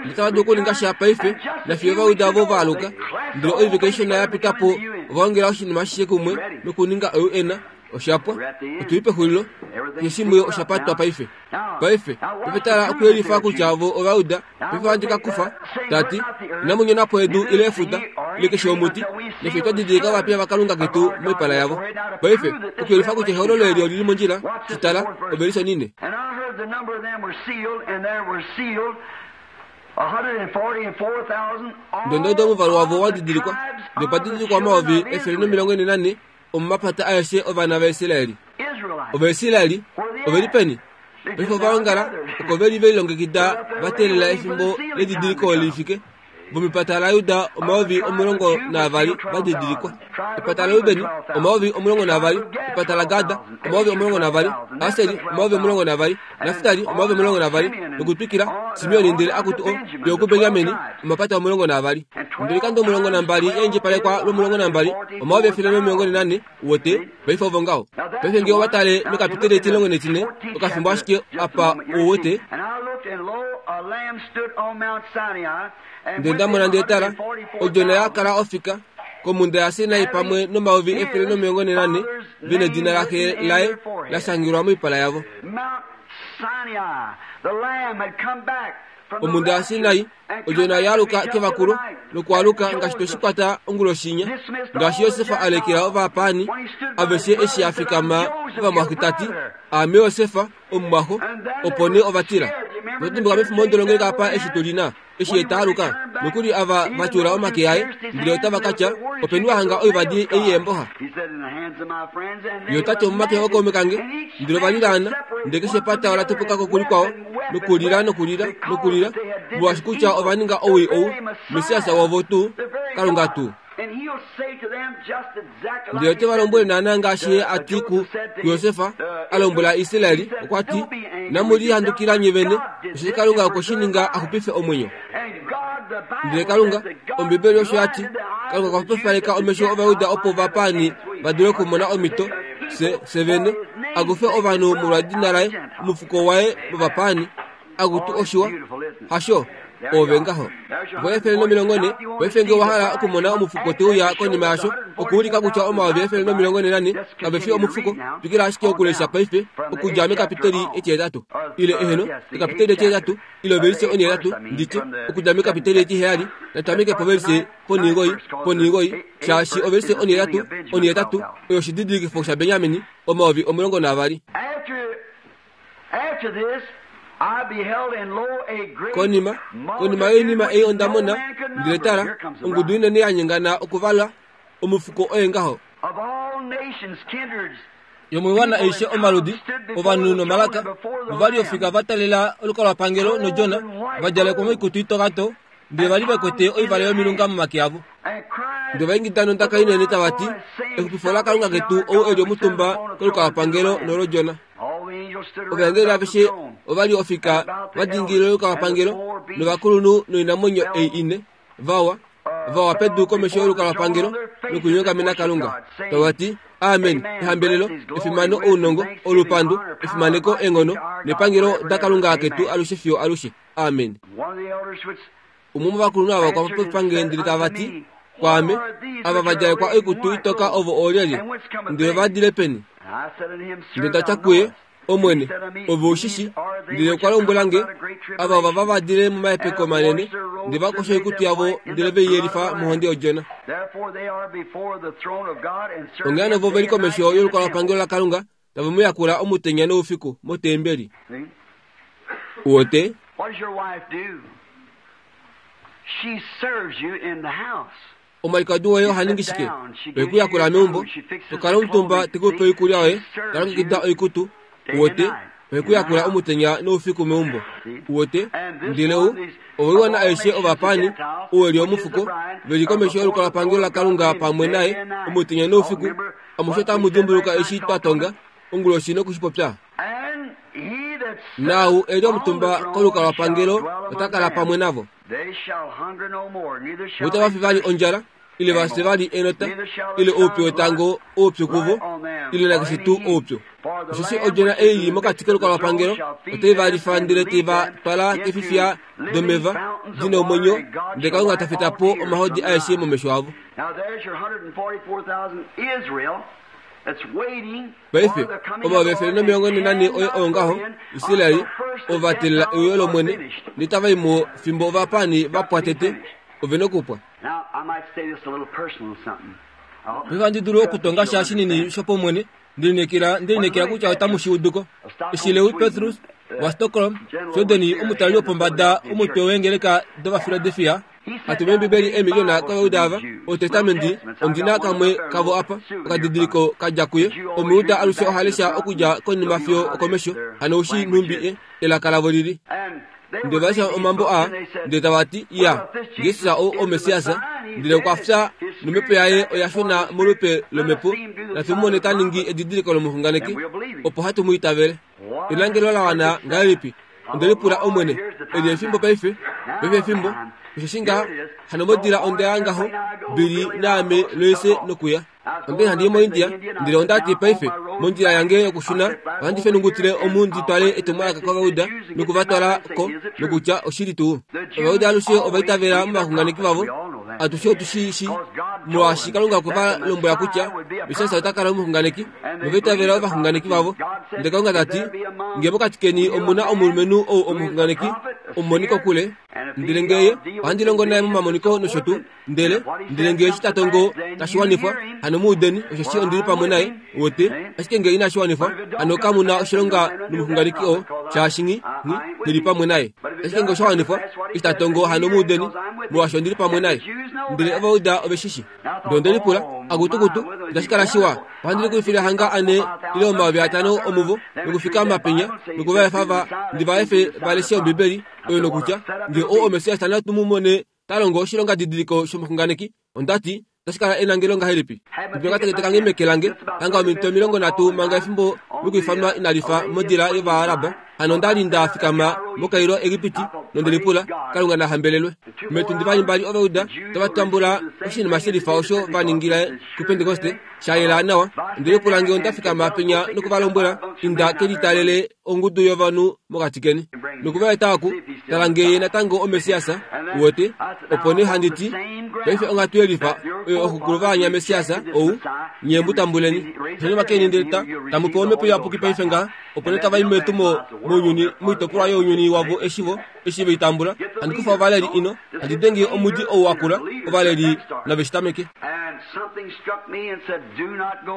Itava dulu okuninga sha paife, nafiyo Ovayuda ovo va aluka. Ndele oivike ishona ya pita po, ova ongela oshinima ashishe kumwe nokuninga oUN. Osha pwa. Otu li pexulilo. Keshe shimwe osha patwa paife. Paife, paife tala okuyelifa kutya vo ova uda. Paife ohandi ka kufa, ta ti, Inamu nyona po edu ile efuta, ile keshe omuti, nefyo twa didilika ovapiya vaKalunga ketu moipala yavo. Paife, okuyelifa kutya ehololo eli oli li mondjila, shi tala, ovelisha onine. Ndondodo omuvalu wavo wa didilikwa, nopa didilikwa 144,000 omomapata aeshe ovana vaIsraeli. Ovaisraeli ove li peni? Paife ova ongala oko ve li ve lilongekida va teelela efimbo ledidiliko li fike. Vomepata laJuda 12,000 va didilikwa. Epata laRuben 12,000, epata laGad 12,000, Aseri 12,000, Naftali 12,000, nokutwikila, Simeon ndele akutu o fiyo okuBenjamin omapata 12. Ndele oikando 12 ya indjipalekwa lwomulongo nambali, 144,000, wote, paife ovo ngaho. Paife nge owa tale mekapiteli etilongo netine, okafimbo ashike apa u wete. Ndele nda mona ndele tala, odjona ya kala ofika komhunda yaSinai pamwe no144,000 ve nedina laxe laye la shangelwa moipala yavo. Omhunda yaSinai, odjona ya aluka kevakulo nokwaaluka ngaashi twe shi kwata onguloshinya, ngaashi Josef a lekela ovapaani aveshe eshi a fikama povamwaxe ta ti, Aame Josef, omumwaxo, opo nee ova tila. Oto dimbuka mefimbo londolongeleka apa eshi tu li na, eshi ye ta aluka, nokuli ava va tyuula omake aye, ndele otava ka tya, Openi wa hanga oivadi ei yeemboxa? Ye ota ti, Omomake ookaume kange. Ndele ova lilaana, ndele keshe epata ola topoka ko kulikwao, nokulila nokulila nokulila, molwaashi kutya ova ninga owii ou, Messias wovo tuu, Kalunga tuu. Ndele ote va lombwele naanaa ngaashi ye a ti kuJosef, a lombwela Israel, okwa ti, Inamu lihandukila nye vene, osheshi Kalunga okwe shi ninga a xupife omwenyo. Ndele Kalunga, Ombibeli osho ya ti, Kalunga okwa xwepopaleka omesho Ovajuda opo ovapaani va dule okumona omhito, se, se vene, a kufe ovanhu molwadina laye, omufuko waye movapaani. Akutu oshiwa, hasho? Oove ngaho. Vo 140, paife nge owa hala okumona omufuko te uya konima yasho, okuulika kutya 144,000 kave fi omufuko, twikila ashike okulesha paife, okudja mekapiteli etihetatu. Ile, eheno, ekapiteli etihetatu, ile ovelise onhetatu, nditye, okudja mekapiteli etiheyali, natameke povelise ponhigoi, ponhigoi, shaashi ovelise onhetatu, onhetatu, oyo oshididilikifo shaBenjamin, 12,000. Konima, konima yoinima ei onda mona, ndele tala, ongudu inene ya nyengana okuvalwa, omufuko oye ngaho. Yomoiwana aishe omaludi, ovanhu nomalaka, ova li ofika va talela olukalwapangelo nOdjona, va djalekwa moikutu itoka to, ndele va li ve kwete oivale yomilunga momake avo. Ndele ova ingida nondaka inene tava ti, Exupifo laKalunga ketu ou e li omutumba kolukalwapangelo noloDjona. Ovaengeli aveshe ova li ofika va dingilila olukalwapangelo novakulunhu noinamwenyo ei ine, vawa, vawa pedu komesho yolukalwapangelo nokunyongamena Kalunga, tava ti, Amen! Ehambelelo, efimano, ounongo, olupandu, efimaneko, eenghono nepangelo daKalunga ketu alushe fiyo alushe. Amen! Umwe womovakulunhu ava okwa popifa nge ndele tava ti kwaame, Ava va djalekwa oikutu itoka ovo oolyelye, ndele ova dile peni? Ndele nda tya kuye, Omwene, ove u shi shii. Ndele okwa lombwela nge, Ava ovava va dile momahepeko manene, ndele va kosha oikutu yavo ndele ve i yelifa mohonde yOdjona. Onghee hano vo ve li komesho yolukalwapangelo laKalunga, tave mu yakula omutenya noufiku motembeli. Uwete? Omwalikadi woye oha ningi shike? Ohe ku yakula meumbo, to kala omutumba te ku pe oikulya yoye, ta longekida oikutu. Uwete? Ohe ku yakula omutenya noufiku meumbo. Uwete? Ndele u, ovoiwana aishe ovapaani, ou e li omufuko, ve li komesho yolukalwapangelo laKalunga pamwe naye, omutenya noufiku. Amushe otamu dimbuluka eshi twa tonga onguloshi noku shi popya? Naau e li omutumba kolukalwapangelo ota kala pamwe navo. Vo itava fi vali ondjala, ile va fye vali enota, ile oupyu wetango oupyu kuvo, ile nakeshe tuu oupyu. Osheshi Odjona ei i li mokati kolukalwapangelo otai va lifa ndele tai va twala keefifiya domeva di na omwenyo, ndele Kalunga ta feta po omahodi aeshe momesho avo. Now there's your 144,000 Israel. Paife, 144 oye oo ngaho, Israel, ova teelela euyo lOmwene, notava i mo fimbo ovapaani va pwa tete. Ove nokupwa. Paife ohandi dulu okutonga sha shinini shopaumwene, Ndelineekela, ndelineekela kutya otamu shi udu ko. Eshi Lewi Petrus waStockholm, Sweden, omutali wopombada womutwe weengeleka dOvafiladelfia, a tuma Eembibeli eemiliona kOvayuda ava, Otestamenti, ondi na kamwe kavo apa, okadidiliko ka dja kuye. Omuyuda alushe oha lesha okudja konima fiyo okomesho, hano ou shii nhumbi e, elaka lavo li li. Ndele ova lesha omambo aa, ndele tava ti, Ya, Jesus ou oMessias. Ndele okwa fya, nomhepo yaye oya shuna molupe lomhepo. Natu mu mone ta ningi edidiliko lomuxunganeki, opo hatu mu itavele. Elangelo la wana ngahelipi! Onde lipula, Omwene, eli efimbo paife? Paife efimbo. Osheshi ngaha, hano modila onda ya ngaho, Billy naame loise nokuya. Onde handi i moIndia, ndele onda ti paife, mondjila yange yokushuna, ohandi fenungutile omu ndi twale etumwalaka kOvayuda noku va twala ko, nokutya oshili tuu. Ovayuda alushe ova itavela movaxunganeki vavo. Atushe otu shi shii, molwaashi Kalunga okwe va lombwela kutya Messias ota kala omuxunganeki, nova itavela ovaxunganeki vavo. Ndele Kalunga ta ti, Nge mokati keni omu na omulumenhu ou omuxunganeki, omumoni kokule, ndele nge ye, ohandi longo naye momamoniko nosho tuu, Ndele, ndele nge eshi ta tongo tashi wanifwa, hano mu udeni, osheshi ondi li pamwe naye, wote. Ashike nge inashi wanifwa, hano kamu na oshilonga nomuxunganeki oo, shaashi nghi, nghi, nghi li pamwe naye. Ashike nge osha wanifwa, eshi ta tongo, hano mu udeni, molwaashi ondi li pamwe naye. Ndele Ovauda ove shi shi. Ndele onde lipula, Akutukutu, itashi kala shiwa, ohandi likulifile hanga ane ile 5000 omuvo, nokufikama penya, noku va efa va, ndi va efe va leshe Ombibeli oyo nokutya, nge oo oMessias, natu mu mone ta longo oshilongadidiliko shomuxunganeki, onda ti, Otashi kala enangelo ngahelipi? Ndi okatekete kange meke lange, hanga ominute 30 manga efimbo lokuifanwa inali fa modila yOvaaraba. Hano onda li nda fikama moKairo, Egipiti, nonde lipula, Kalunga na hambelelwe. Meetundi valimbali Ovauda tava tambula oshinima she lifa osho va ningile kuPentekoste, sha yela nawa. Onde lipula nge onda fikama penya noku va lombwela, Inda ke litalele ongudu yovanhu mokati keni noku va eta oku tala nge ye natango oMessias, uwete. Opo nee handi ti, Paife onghatu yelifa oyo ooxokulu va anya Messias ou, nye mu tambuleni. Osha keni ndele ta, tamu pewa Omhepo Iyapuki paife ngaha. Opo nee tava i metumo mounyuni, moitopolwa younyuni wavo eshi vo, eshi ve i tambula. Handi kufa ovaleli ino, handi denge omudi ou wa kula, ovaleli nave shi tameke.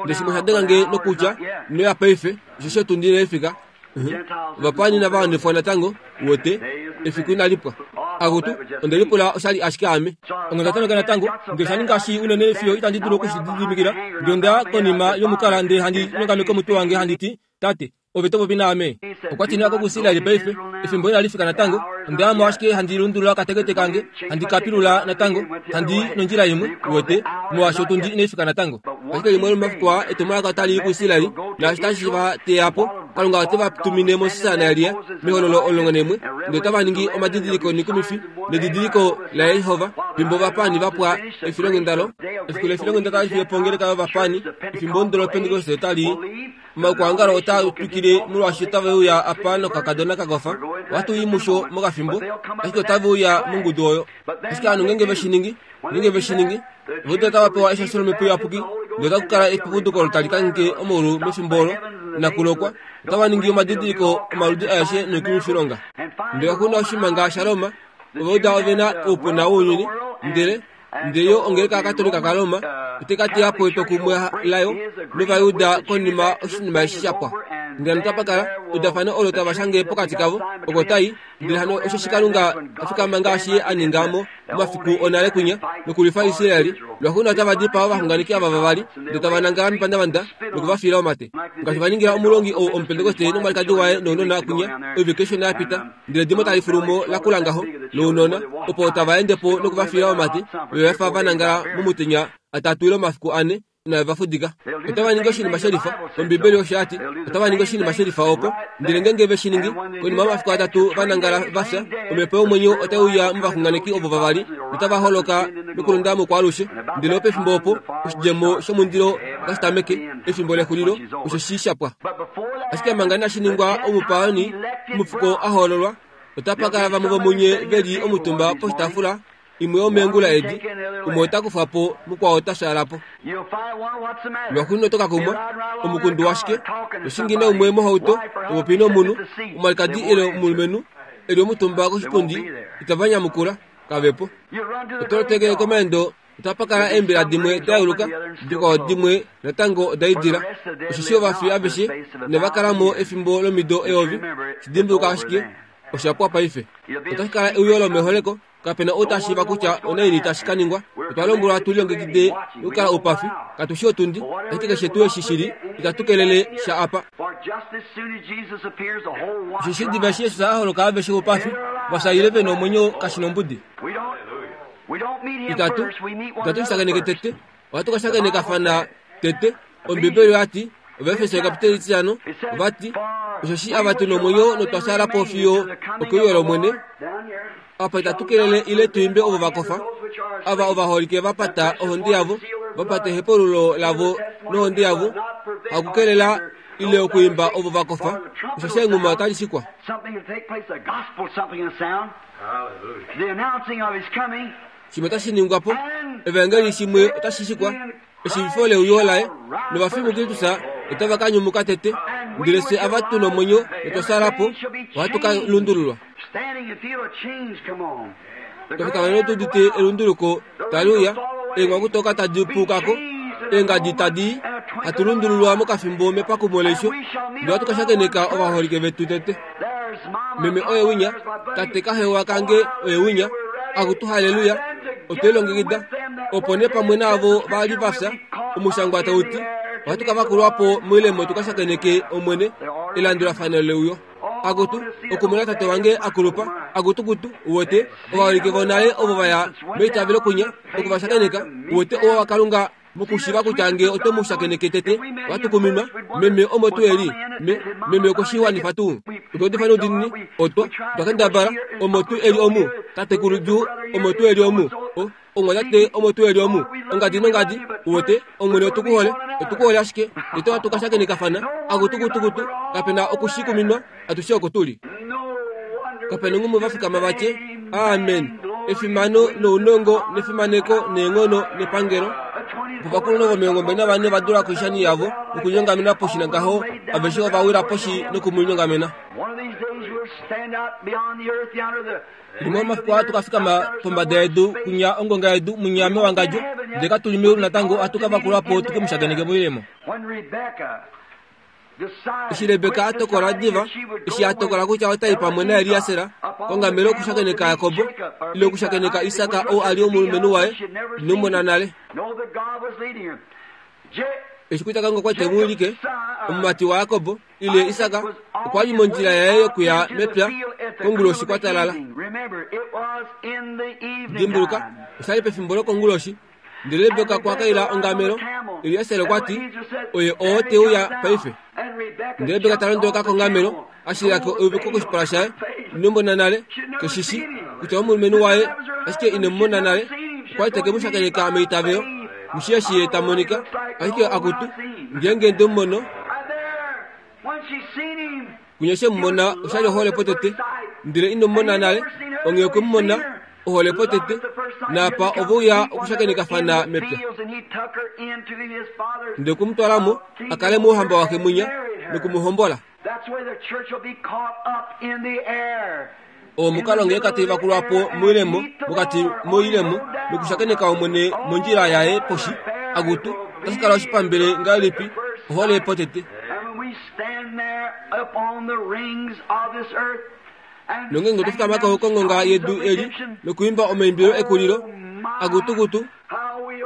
Ndele shimwe osha denga nge nokutya, Ino ya paife, osheshi otundi inai fika. Ovapaani inava wanifwa natango, uwete, efiku inali pwa. Akutu, onde lipula osha li ashike ame. Onda tameka natango, ndele osha ninga shii unene fiyo itandi dulu oku shi lididimikila. Ndele onda ya konima yomukala ndele handi nyongameke omutwe wange handi ti, Tate, ove to popi naame. Okwa ti, Ino ya ko kuIsrael paife, efimbo inali fika natango. Onda ya mo ashike handi lundulula okatekete kange, handi ka pilula natango, handi i nondjila imwe, uwete, molwaashi otundi inai fika natango. Ashike limwe lomomafiku aa etumwalaka otali i kuIsrael, naashi tashi va teya po, Kalunga ote va tumine Moses naElia mehololo 11, ndele otava ningi omadidiliko noikumifi nedidiliko laJehova fimbo ovapaani va pwa efilonghenda lo. Efiku lefilonghenda tali fiye po ongeleka yovapaani, efimbo omudo loPentekoste otali i. Omaukwaongalo otaa twikile molwaashi otave uya apa nokakadona ka kofa. Ohatu i musho mokafimbo, ashike otave uya mongudu oyo. Ashike ovanhu ngeenge ve shi ningi, ngeenge ve shi ningi, vo otava pewa eshasho lOmhepo Iyapuki, ndele otaku kala epukuduko olo tali kangheke omaulu mefimbo olo inaku lokwa. Otava ningi omadidiliko omaludi aeshe noikumwifilonga. Ndele oku na oshimanga shaRoma, Ovauda ove na oupuna wounyuni, ndele Ndele yo ongeleka yaKatolika kaRoma otai ka teya po etwokumwe layo nOvayuda konima oshinima eshi sha pwa. Ndele hano otapa kala eudafano olo tava shange pokati kavo, oko tai, ndele hano osheshi Kalunga a fikama ngaashi Ye a ninga mo momafiku onale kwinya, nokulwifa Israel, lwaxuuninwa otava dipaa ovaxunganeki ava vavali, ndele tava nangala mepandavanda noku va fiila omate, ngaashi va ningila omulongi ou Omupentekoste nomwalikadi waye nounona kwinya oivike ishona ya pita. Ndele edimo tali fulu mo la kula ngaho lounona, opo tava ende po noku va fiila omate, ve va fa va nangala momutenya atatu ile omafiku ane, inave va fudika. Otava ningi oshinima shelifa, Ombibeli osho ya ti, otava ningi oshinima shelifa oko. Ndele ngeenge ve shi ningi, konima yomafiku atatu va nangala va fya, omhepo yomwenyo otai uya movaxunganeki ovo vavali, notava holoka nokulonda mokwaalushe. Ndele opefimbo opo oshidjemo shomundilo otashi tameke, efimbo lexulilo, osho shi sha pwa. Ashike manga inashi ningwa omupaani, omufuko a hoololwa, otapa kala vamwe vomunye ve li omutumba poshitaafula Imwe yomeengula edi, umwe ota kufwa po, mukwao ota fyaala po. Lwaxuuninwa oto ka kumwa, omukundu washike, to naumwe mohauto, to popi nomunhu, omwalikadi ile omulumenhu, e li omutumba koshipundi, itava nyamukula, kave po. Oto lotekele komaendo, otapa kala eembila dimwe da yeuluka, dikwao dimwe natango oda idila. Osheshi ovafi aveshe inava kala mo efimbo lomido eyovi. Shi dimbuluka ashike, osha pwa paife. Otashi kala euyo lomeholeko. Kape na ou ta shiiva kutya onaini tashi ka ningwa. Otwa lombwelwa tu lilongekide nokukala oupafi. Katu shii otundi, ashike keshe tuu eshi shi li, itatu kelele sha apa. Osheshi diva eshi Jesus a holoka aveshe oupafi va fya ile ve na omwenyo kashi nombudi. Itatu, itatu shi shakeneke tete, ohatu ka shakenekafana tete. Ombibeli oya ti, Ovaefeso ekapiteli etitano, ova ti, Osheshi ava tu nomwenyo notwa fyaala po fiyo okeuyo lOmwene, apa itatu kelele ile tu imbe ovo va kofa, ava ovaholike va pata ohonde yavo, va pata ehepululo lavo nohonde yavo, hakukelela ile okuimba ovo va kofa, osheshi enghuma otali shikwa. Shimwe otashi ningwa po, evaengeli shimwe otashi shikwa, eshiivifo leuyo laye, novafi muKristus otava ka nyumuka tete, ndele fye ava tu nomwenyo notwa fyaala po, ohatu ka lundululwa. Twa fikama notu udite elunduluko tali uya, eenghakutoka tadi puuka ko, eengadi tadi i, hatu lundululwa mokafimbo mepakumo leisho, ndele ohatu ka shakeneka ovaholike vetu tete. Meme oye winya, tate kahewa kange oye winya, akutu haleluya, otwe lilongekida. Opo nee pamwe naavo va li va fya, omushangwa tau ti, ohatu ka vakulwa po moilemo tu ka shakeneke Omwene, elandulafano leuyo. Akutu, okumona tate wange a kulupa, akutukutu, uwete, ovaholike vonale ovo va ya meitavelo kunya, oku va shakeneka, uwete ouwa waKalunga mokushiva kutya nge oto mu shakeneke tete, wa tukuminwa, meme omo tuu e li, me, meme okwe shi wanifa tuu. Otwa udifa noudiinini, otwa, otwa kendabala, omo tuu e li omu, tatekulu Drew, omo tuu e li omu, o, omwatate omo tuu e li omu, ongadi nongadi, uwete, Omwene otu ku hole, otu ku hole ashike, tete ohatu ka shakenekafana, akutukutukutu, kape na oku shi kuminwa, atushe oko tu li. Kape na ngumwe va fikama va tye, Amen! Efimano nounongo nefimaneko neenghono nepangelo. Opo ovakulunhu vomilongo navane va dula koishani yavo nokunyongamena poshi nangaho aveshe ova wila poshi noku mu nyongamena. Limwe omafiku ohatu ka fikama pombada yedu kunya ongonga yedu munya mewangadjo, ndele katu li meulu natango ohatu ka vakulwa po tu ke mu shakeneke moilemo. Eshi Rebeka a tokola diva, eshi a tokola kutya ota i pamwe naEliaser kongamelo okushakeneka Jakob ile okushakeneka Isak ou a li omulumenhu waye, ino mona nale. Eshi kutya Kalunga okwa li te mu wilike, omumati waJakob ile Isak okwa li mondjila yaye yokuya mepya konguloshi kwa talala. Dimbuluka, osha li pefimbo lokonguloshi. Ndele Rebeka okwa kaila ongamelo. Elieser okwa ti, Oye oo te uya paife. Ndele Rebeka ta londoloka kongamelo, a shilila ko euviko koshipala shaye. Ino mona nale, ke shi shi kutya omulumenhu waye, ashike ine mu mona nale. Okwa li te ke mu shakeneka meitavelo, mushi eshi ye ta monika, ashike akutu, ngeenge nde mu mono, Kunya she mu mona osha li ohole potete, ndele ino mu mona nale, onghee okwe mu mona ohole potete, naapa ove uya okushakenekafana mepya. Ndele okwe mu twala mo, a kale mouhamba waxe mwinya, noku mu hombola. Oo omukalo ngee kati vakulwa po moilemo, mokati moilemo, nokushakeneka Omwene mondjila yaye poshi, akutu, otashi kala oshipambele ngahelipi, ohole potete. Nongeenge otwa fikama ko kongonga yedu eli nokuimba omaimbilo ekulilo, akutukutu,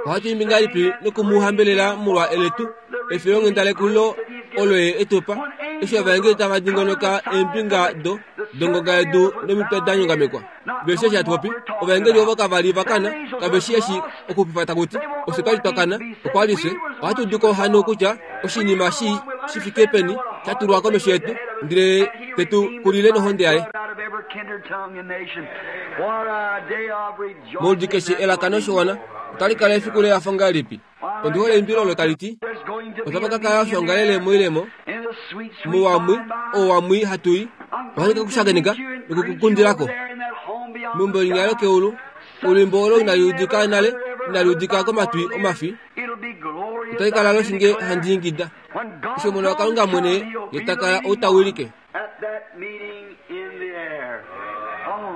Ohatu imbi ngahelipi noku mu hambelela molwa eletu efilonghenda lekulilo olo ye e tu pa, eshi ovaengeli tava dingonoka eembinga do dongonga yedu nomitwe da nyongamekwa. Ve shii eshi hatu popi. Ovaengeli ovo kava li va kana, kave shii eshi okuxupifa taku ti. Ofye twa li twa kana, okwa li fye. Ohatu udu ko hano kutya oshinima shii shi fike peni sha tulwa komesho yetu, ndele te tu kulile nohonde yaye. Moludi keshe elaka noshiwana otali kala efiku lehafo ngahelipi? Ondi hole eimbilo olo tali ti, Otapa ka kala oshoongalele moilemo, muwamwi owamwi hatu i, ohandi ka ku shakeneka noku ku kundila ko. Meumbo linya lokeulu. Olwiimbo olo inali udika nale, inali udika komatwi omafi. Otai kala loshinge handi ingida. Eshi Omona waKalunga mwene ye ta kala ou ta wilike.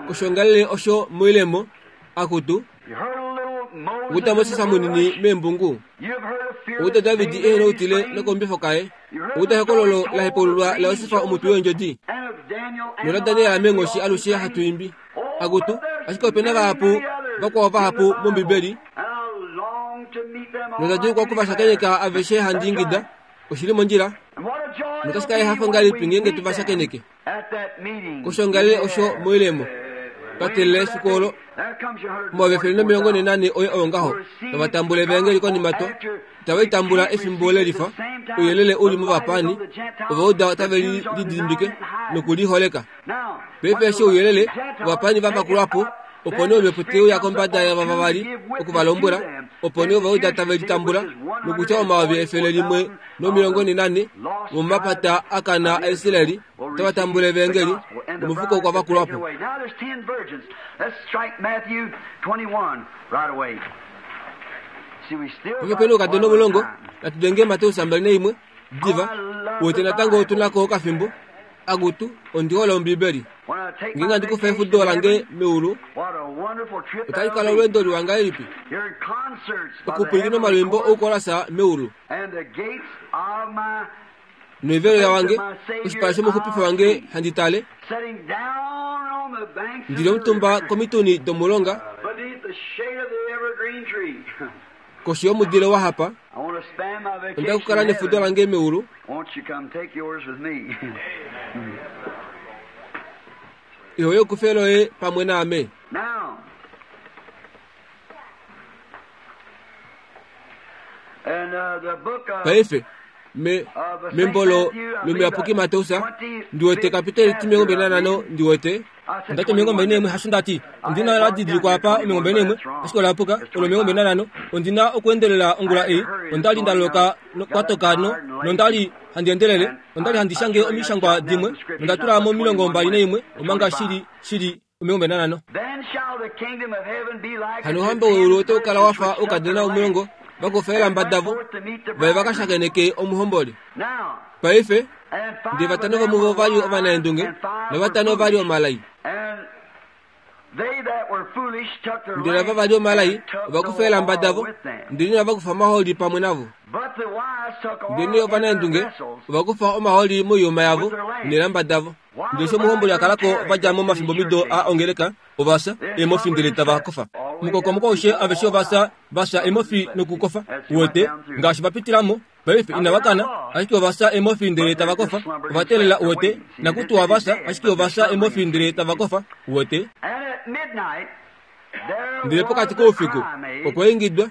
Koshoongalele osho moilemo, akutu, Okuta Moses munini meembungu. Okuta David ehena outile nokombifo kaye. Okuta ehokololo la hepaululwa laJosef omutwi weendjodi. Nola Daniel meenghoshi alushe hatu imbi. Akutu, ashike ope na vahapu vakwao vahapu mOmbibeli. Nonda djuulukwa oku va shakeneka aveshe handi ingida, Oshi li mondjila. Notashi kala ehafo ngahelipi ngeenge tu va shakeneke. Koshoongalele osho moilemo. Twa teelela efiku olo. 144 oye oyo ngaho. Tava tambula evaengeli konima twa. Itava li tambula efimbo lelifa. Ouyelele u li movapaani. Ovauda otave li lidimbike noku li holeka. Paife eshi ouyelele ovapaani va vakulwa po, opo nee omhepo te uya kombada yava vavali oku va lombwela, opo nee Ovauda tave li tambula, nokutya 144000 vomomapata a kana aIsraeli otava tambula evaengeli, nomufuko okwa vakulwa po. Paife ope na oukadona omulongo, natu denge Mateus 21, diva, uwete natango otu na ko okafimbo. Akutu, ondi hole Ombibeli. Ngeenge handi kufa efudo lange meulu, otali kala olweendo liwa ngahelipi okupwilikina omalwiimbo oukolasa meulu noivelo yawange oshipala shomuxupifi wange handi tale ndi li omutumba komituni domulonga Koshi yomudile wa hapa, onda kukala nefudo lange meulu. Iho yokufe loye pamwe naame. Paife, me, membo lo, lomuyapuki Mateus, ndi wete kapiteli 25, ndi wete. Ndati 21 hasho ndati ondi na la didilikwa apa 21 ashike ola puka olo 25 ondi na okuendelela ongula ei onda li nda loloka kwatoka no nonda li handi endelele onda li handi shange omishangwa dimwe nonda tula mo 21 omanga shili shili 25 Hano ouhamba weulu otau kala wa fa oukadona omulongo va kufa eelamba davo va ye va ka shakeneke omuhomboli. Paife, ndele vatano vomuvo ova li ovanaendunge navatano ova li omalai. Ndele ava va li omalai ova kufa eelamba davo, ndele inava kufa omahooli pamwe navo. Ndelenee ovanaendunge ova kufa omahooli moiyuma yavo neelamba davo. Ndele eshi omuhomboli a kala ko va dja momafimbomido a ongeleka, ova fya eemofi ndele tava kofa. Mukokomoko aushe aveshe ova fya, va fya eemofi nokukofa. Uwete, ngaashi va pitila mo, Paife inava kana, ashike ova fya emofi ndele tava kofa. Ova teelela, uwete, nakutuwa va fya, ashike ova fya emofi ndele tava kofa. Uwete? Ndele pokati koufiku okwa ingidwa,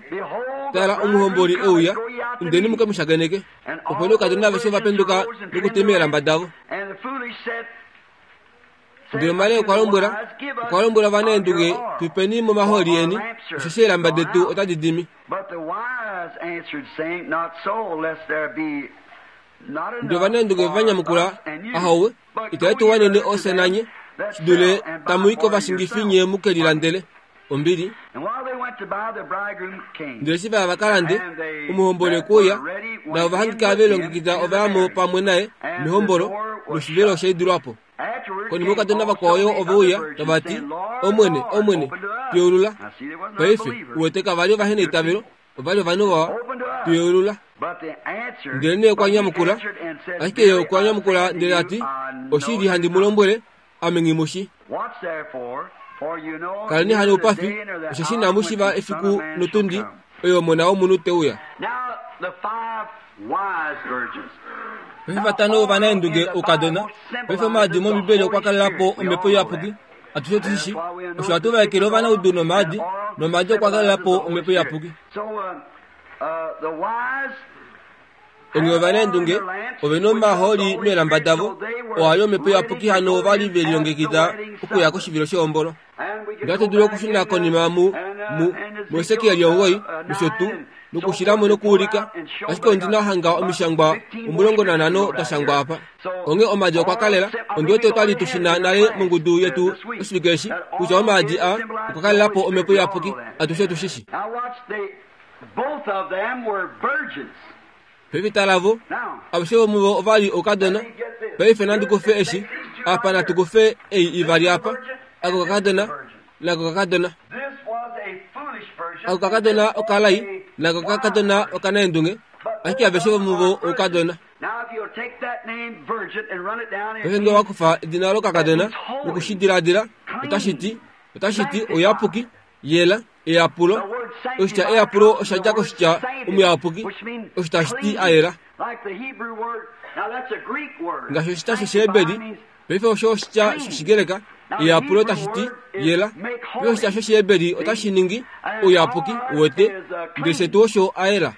Tala, omuhomboli e uya, indeni mu ke mu shakeneke. Opo nee oukadona aveshe ova penduka nokutema eelamba davo. Ndele Maria okwa lombwela okwa lombwela ovanaendunge, tu peni momahooli eni, osheshi eelamba detu otadi dimi. Ndele ovanaendunge va nyamukula, Ahowe, itave tu wanene ofye nanye, shi dule tamu i kovashingifi nye mu ke lilandele. Ombili. Ndele eshi va ya va ka lande, omuhomboli okwe uya, navo va hangika ve lilongekida ova ya mo pamwe naye mehombolo, noshivelo osha idilwa po. Konima oukadona vakwao yo ove uya, tava ti, Omwene, Omwene, tu yeulula. Paife, uwete kava li ovaheneitavelo, ova li ovanhu vawa. Tu yeulula. Ndelenee okwa nyamukula, ashike ye okwa nyamukula ndele a ti, Oshili handi mu lombwele, ame nghi mu shi. Kaleni hano oupafi, osheshi inamu shiva efiku notundi oyo Omona wOmunhu te uya. Paife vatano ovanaendunge oukadona. Paife omaadi mOmbibeli okwa kalela po Omhepo Iyapuki. Atushe otu shi shii. Osho hatu vaekele ovanaudu nomaadi, nomaadi okwa kalela po Omhepo Iyapuki. Onghee ovanaendunge ove na omahooli meelamba davo, oo a li Omhepo Iyapuki hano ova li ve lilongekida okuya koshivilo shehombolo. Ndele ohatu dulu okushuna konima mu, mu, muHesekiel 9, nosho tuu. Nokushilamo nokuulika, ashike ondi na hanga omishangwa 15 da shangwa apa. Onghee omaadi okwa kalela, ondi wete otwali tu shina nale mongudu yetu oshivike eshi, kutya omaadi a okwa kalela po Omhepo Iyapuki, atushe tu shishi. Paife tala vo, aveshe vomuvo ova li oukadona. Paife nandi kufe eshi, apa natu kufe ei ivali apa, ako kakadona nako kakadona. Ako kakadona okalai nako kakadona okanaendunge, ashike aveshe vomuvo oukadona. Paife nge owa kufa edina lokakadona noku shi diladila, otashi ti, otashi ti ouyapuki, yela. Eyapulo. Oshitya eyapulo osha dja koshitya omuyapuki, osho tashi ti a yela. Ngaashi oshitya shOshiheberi, paife osho oshitya shOshigreka, eyapulo tashi ti yela. Paife oshitya shOshiheberi otashi ningi ouyapuki, uwete, ndele shetu osho a yela.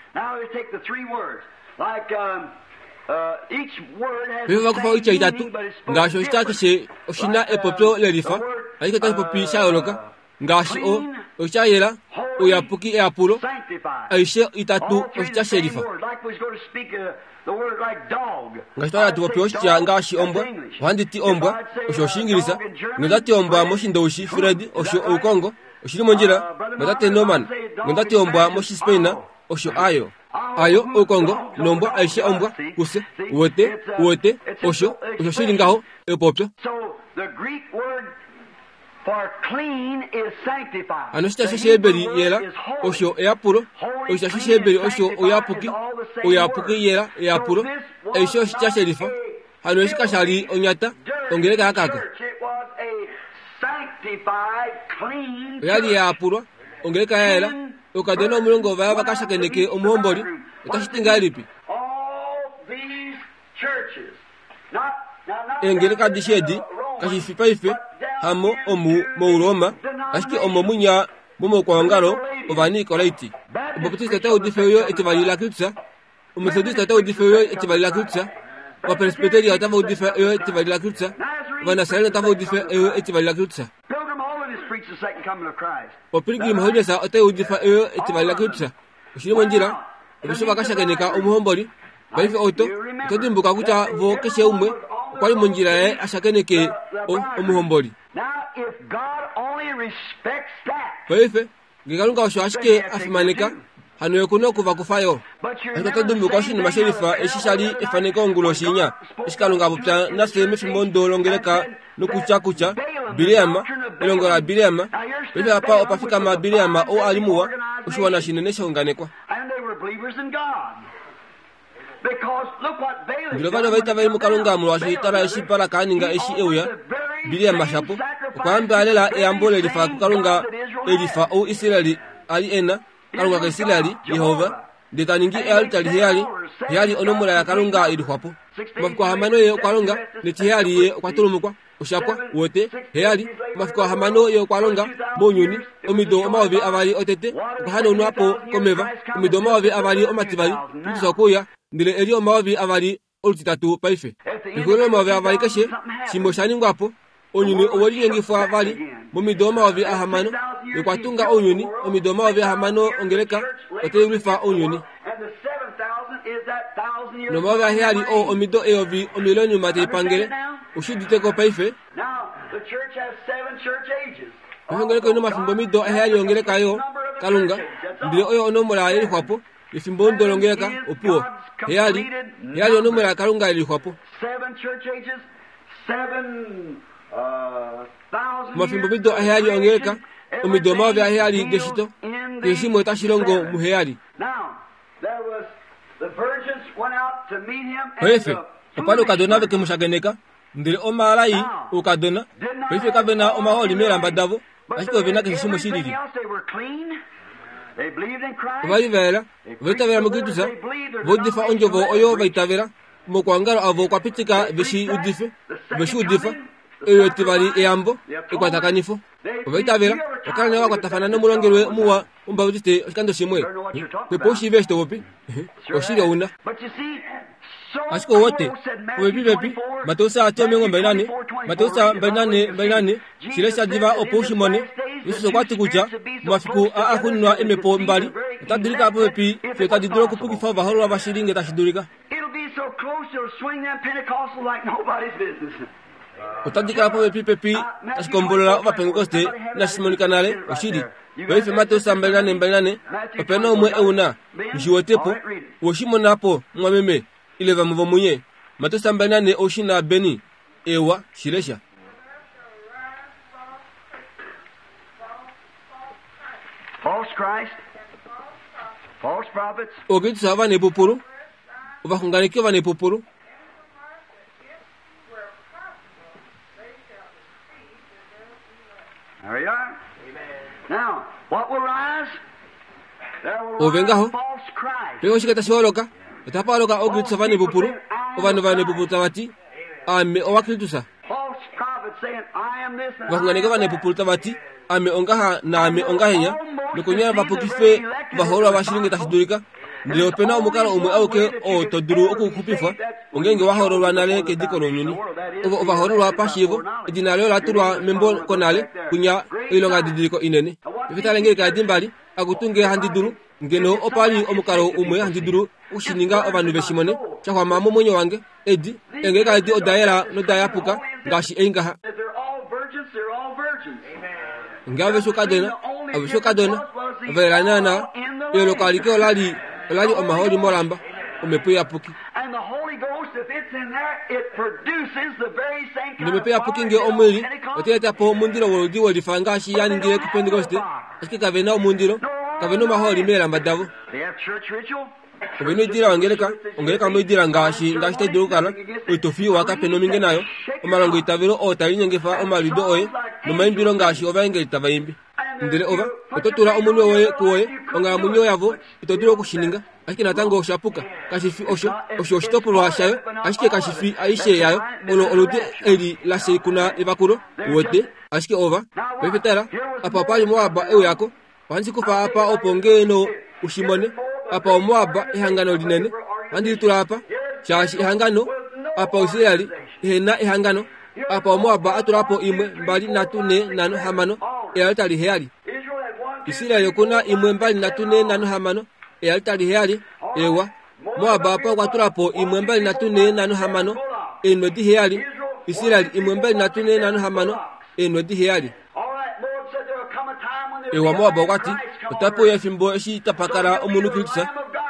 Paife ova kufa oitya itatu, ngaashi oshitya keshe oshi na epopyo lelifa, ashike otashi popi sha yooloka. Ngaashi o, oshitya yela, ouyapuki eyapulo, aishe itatu oshitya shelifa. Ngaashi twali hatu popi oshitya ngaashi ombwa, ohandi ti ombwa, osho Oshiingilisa, nonda ti ombwa mOshindoushi, Fred, osho oukongo, oshi li mondjila, notate Norman, nonda ti ombwa mOshispain, osho ayo. Ayo, oukongo, nombwa, aishe ombwa, kufye. Uwete, uwete, osho, osho shi li ngaho, epopyo. Hano oshitya shOshiheberi yela osho eyapulo, oshitya shOshiheberi osho ouyapuki, ouyapuki yela eyapulo, aishe oshitya shelifa. Hano eshi kasha li onyata, ongeleka ya kaka. Oya li ya yapulwa, ongeleka ya yela, oukadona omulongo ova ya va ka shakeneke omuhomboli. Otashi ti ngahelipi? Eengeleka adishe edi, kashi fi paife, hamo omu mOuroma, ashike omo munya momaukwaongalo Ovanikolaiti. Obaptiste otai udifa euyo etivali laKristus, Ometodiste otai udifa euyo etivali laKristus, Ovapresbiteria otava udifa euyo etivali laKristus, Ovanasareni otava udifa euyo etivali laKristus. OPilgrim Holiness otai udifa euyo etivali laKristus. Oshi li mondjila. Aveshe ova ka shakeneka omuhomboli. Paife oto, oto dimbuka kutya vo keshe umwe okwa li mondjila yaye a shakeneke o, omuhomboli. Paife, nge Kalunga osho ashike a fimaneka, hano ye ku na oku va kufa yo. Ashike oto dimbuka oshinima shelifa eshi sha li efaneko onguloshi inya, eshi Kalunga a popya nafye mefimbo ndo longeleka nokutya kutya Bileam, elongo laBileam, paife apa opa fikama Bileam ou a li muwa, oshiwana shinene sha unganekwa. Ndele ova li ovaitaveli muKalunga molwaashi tala eshi Balak a ninga eshi e uya, Bileam shapo okwa yamba lela eyambo lelifa kuKalunga elifa ou Israel a li e na, Kalunga kaIsrael, Jehova, ndele ta ningi ealtari heyali, heyali onomola yaKalunga i lixwa po. Omafiku ahamano ye okwa longa, netiheyali ye okwa tulumukwa. Osha pwa, uwete, heyali. Omafiku ahamano ye okwa longa mounyuni, omido 2000 otete, okwa hanaunwa po komeva, omido 2000 omativali, Kristus okwe uya, ndele e li 2000 olutitatu paife. Pexulilo lomayovi avali keshe shimwe osha ningwa po. Ounyuni owe linyengifwa vali momido 6000 nokwa tunga ounyuni omido 6000 ongeleka otai lwifa ounyuni. Nomayovi aheyali oo omido eyovi omileniuma tai pangele. Ushi udite ko paife? Paife ongeleka oi na omafimbo omido aheyali ongeleka yo Kalunga, ndele oyo onomola ye lixwapo. Efimbo ndolongeleka opuwo. Heyali, heyali onomola yaKalunga ye lixwapo. Omafimbomido aheyali ongeleka, omido 7000 deshito, keshe shimwe otashi longo muheyali. Paife, opa li oukadona ve ke mu shakeneka, ndele omaalai oukadona paife kave na omahooli meelamba davo, ashike ove na keshe shimwe shi lili. Ova li va yela, ova itavela muKristus, va udifa ondjovo oyo va itavela. Omaukwaongalo avo okwa pitika ve shi udife, ove shi udifa. Eyo etivali eyambo, ekwatakanifo. Ova itavela, va kala nale va kwatafana nomulongelwe muwa wOmubaptiste oshikando shimwe. Pepo u shiive eshi to popi. Oshili ou na. Ashike ouwete, popepipepi, Mateus 24, Mateus 24, 24, shilesha diva opo u shi mone. Jesus okwa ti kutya momafiku aa axuuninwa eemhepo mbali otadi dulika popepi fiyo tadi dulu okupukifa ovahoololwa vashili nge tashi dulika. Otadi kala popepipepi tashi kombolola Ovapentekoste inashi monika nale, oshili. Paife Mateus 24, 24, ope na umwe e u na? Nghi wete po. Owe shi mona po, mumwameme, ile vamwe vomunye? Mateus 24 ou shi na, Benny? Ewa, shi lesha. Ookristus ovanepupulu, ovaxunganeki ovanepupulu. Ove ngaho, paife oshike tashi holoka? Otapa holoka ookristus ovanepupulu, ovanhu ovanepupulu tava ti, Ame owaKristus. Ovaxunganeki ovanepupulu tava ti, Ame ongaha naame ongahenya, nokonyala va pukife ovahoololwa vashili nge tashi dulika. Ndele ope na omukalo umwe auke oo to dulu okuxupifwa, ongeenge wa hoololwa nale kediko lounyuni. Ovo ovahoololwa pashiivo, edina loye ola tulwa membo konale, kwinya oilongadidiliko inene. Paife tale nge eekadi mbali, akutu nge handi dulu, ngeno opa li omukalo umwe handi dulu oku shi ninga ovanhu ve shi mone, sha xwama momwenyo wange. Edi, eengeleka edi oda yela noda yapuka ngaashi ei ngaha. Nge aveshe oukadona, aveshe oukadona, ova yela naanaa. Eyooloko alike ola li, ola li omahooli molamba, Omhepo Iyapuki. NOmhepo Iyapuki nge omo i li, otai eta po omundilo woludi welifa ngaashi ya ningile kuPentekoste, ashike kave na omundilo, kave na omahooli meelamba davo. Ove na oidila yongeleka, ongeleka moidila ngaashi ngaashi tai dulu okukala, oitofi iwa kape nominge nayo, omalongoitavelo oo taa linyengifa omaliudo oye, nomaimbilo ngaashi ovaengeli tava imbi. Ndele ova, oto tula omunwe woye kuwoye, onghalamwenyo yavo, ito dulu oku shi ninga. Ashike natango osha puka. Kashi fi osho. Osho oshitopolwa shayo, ashike kashi fi aishe yayo. Olo oludi eli la sheikuna evakulo, uwete. Ashike ova. Paife tala, apa opa li Moab e uya ko. Ohandi kufa apa opo ngeeno u shi mone. Apa oMoab, ehangano linene. Ohandi li tula apa, shaashi ehangano, apa Oisrael ihe na ehangano. Apa oMoab a tula po imwe, mbali, nhatu, nhe, nhano, hamano, ealtari heyali. Israel oku na imwe, mbali, nhatu, nhe, nhano, hamano, ealtari heyali. Ewa. Moab apa okwa tula po imwe, mbali, nhatu, nhe, nhano, hamano, eenwedi heyali. Israel imwe, mbali, nhatu, nhe, nhano, hamano, eenwedi heyali. Ewa Moab okwa ti, Otape uya efimbo eshi tapa kala omunhu Kristus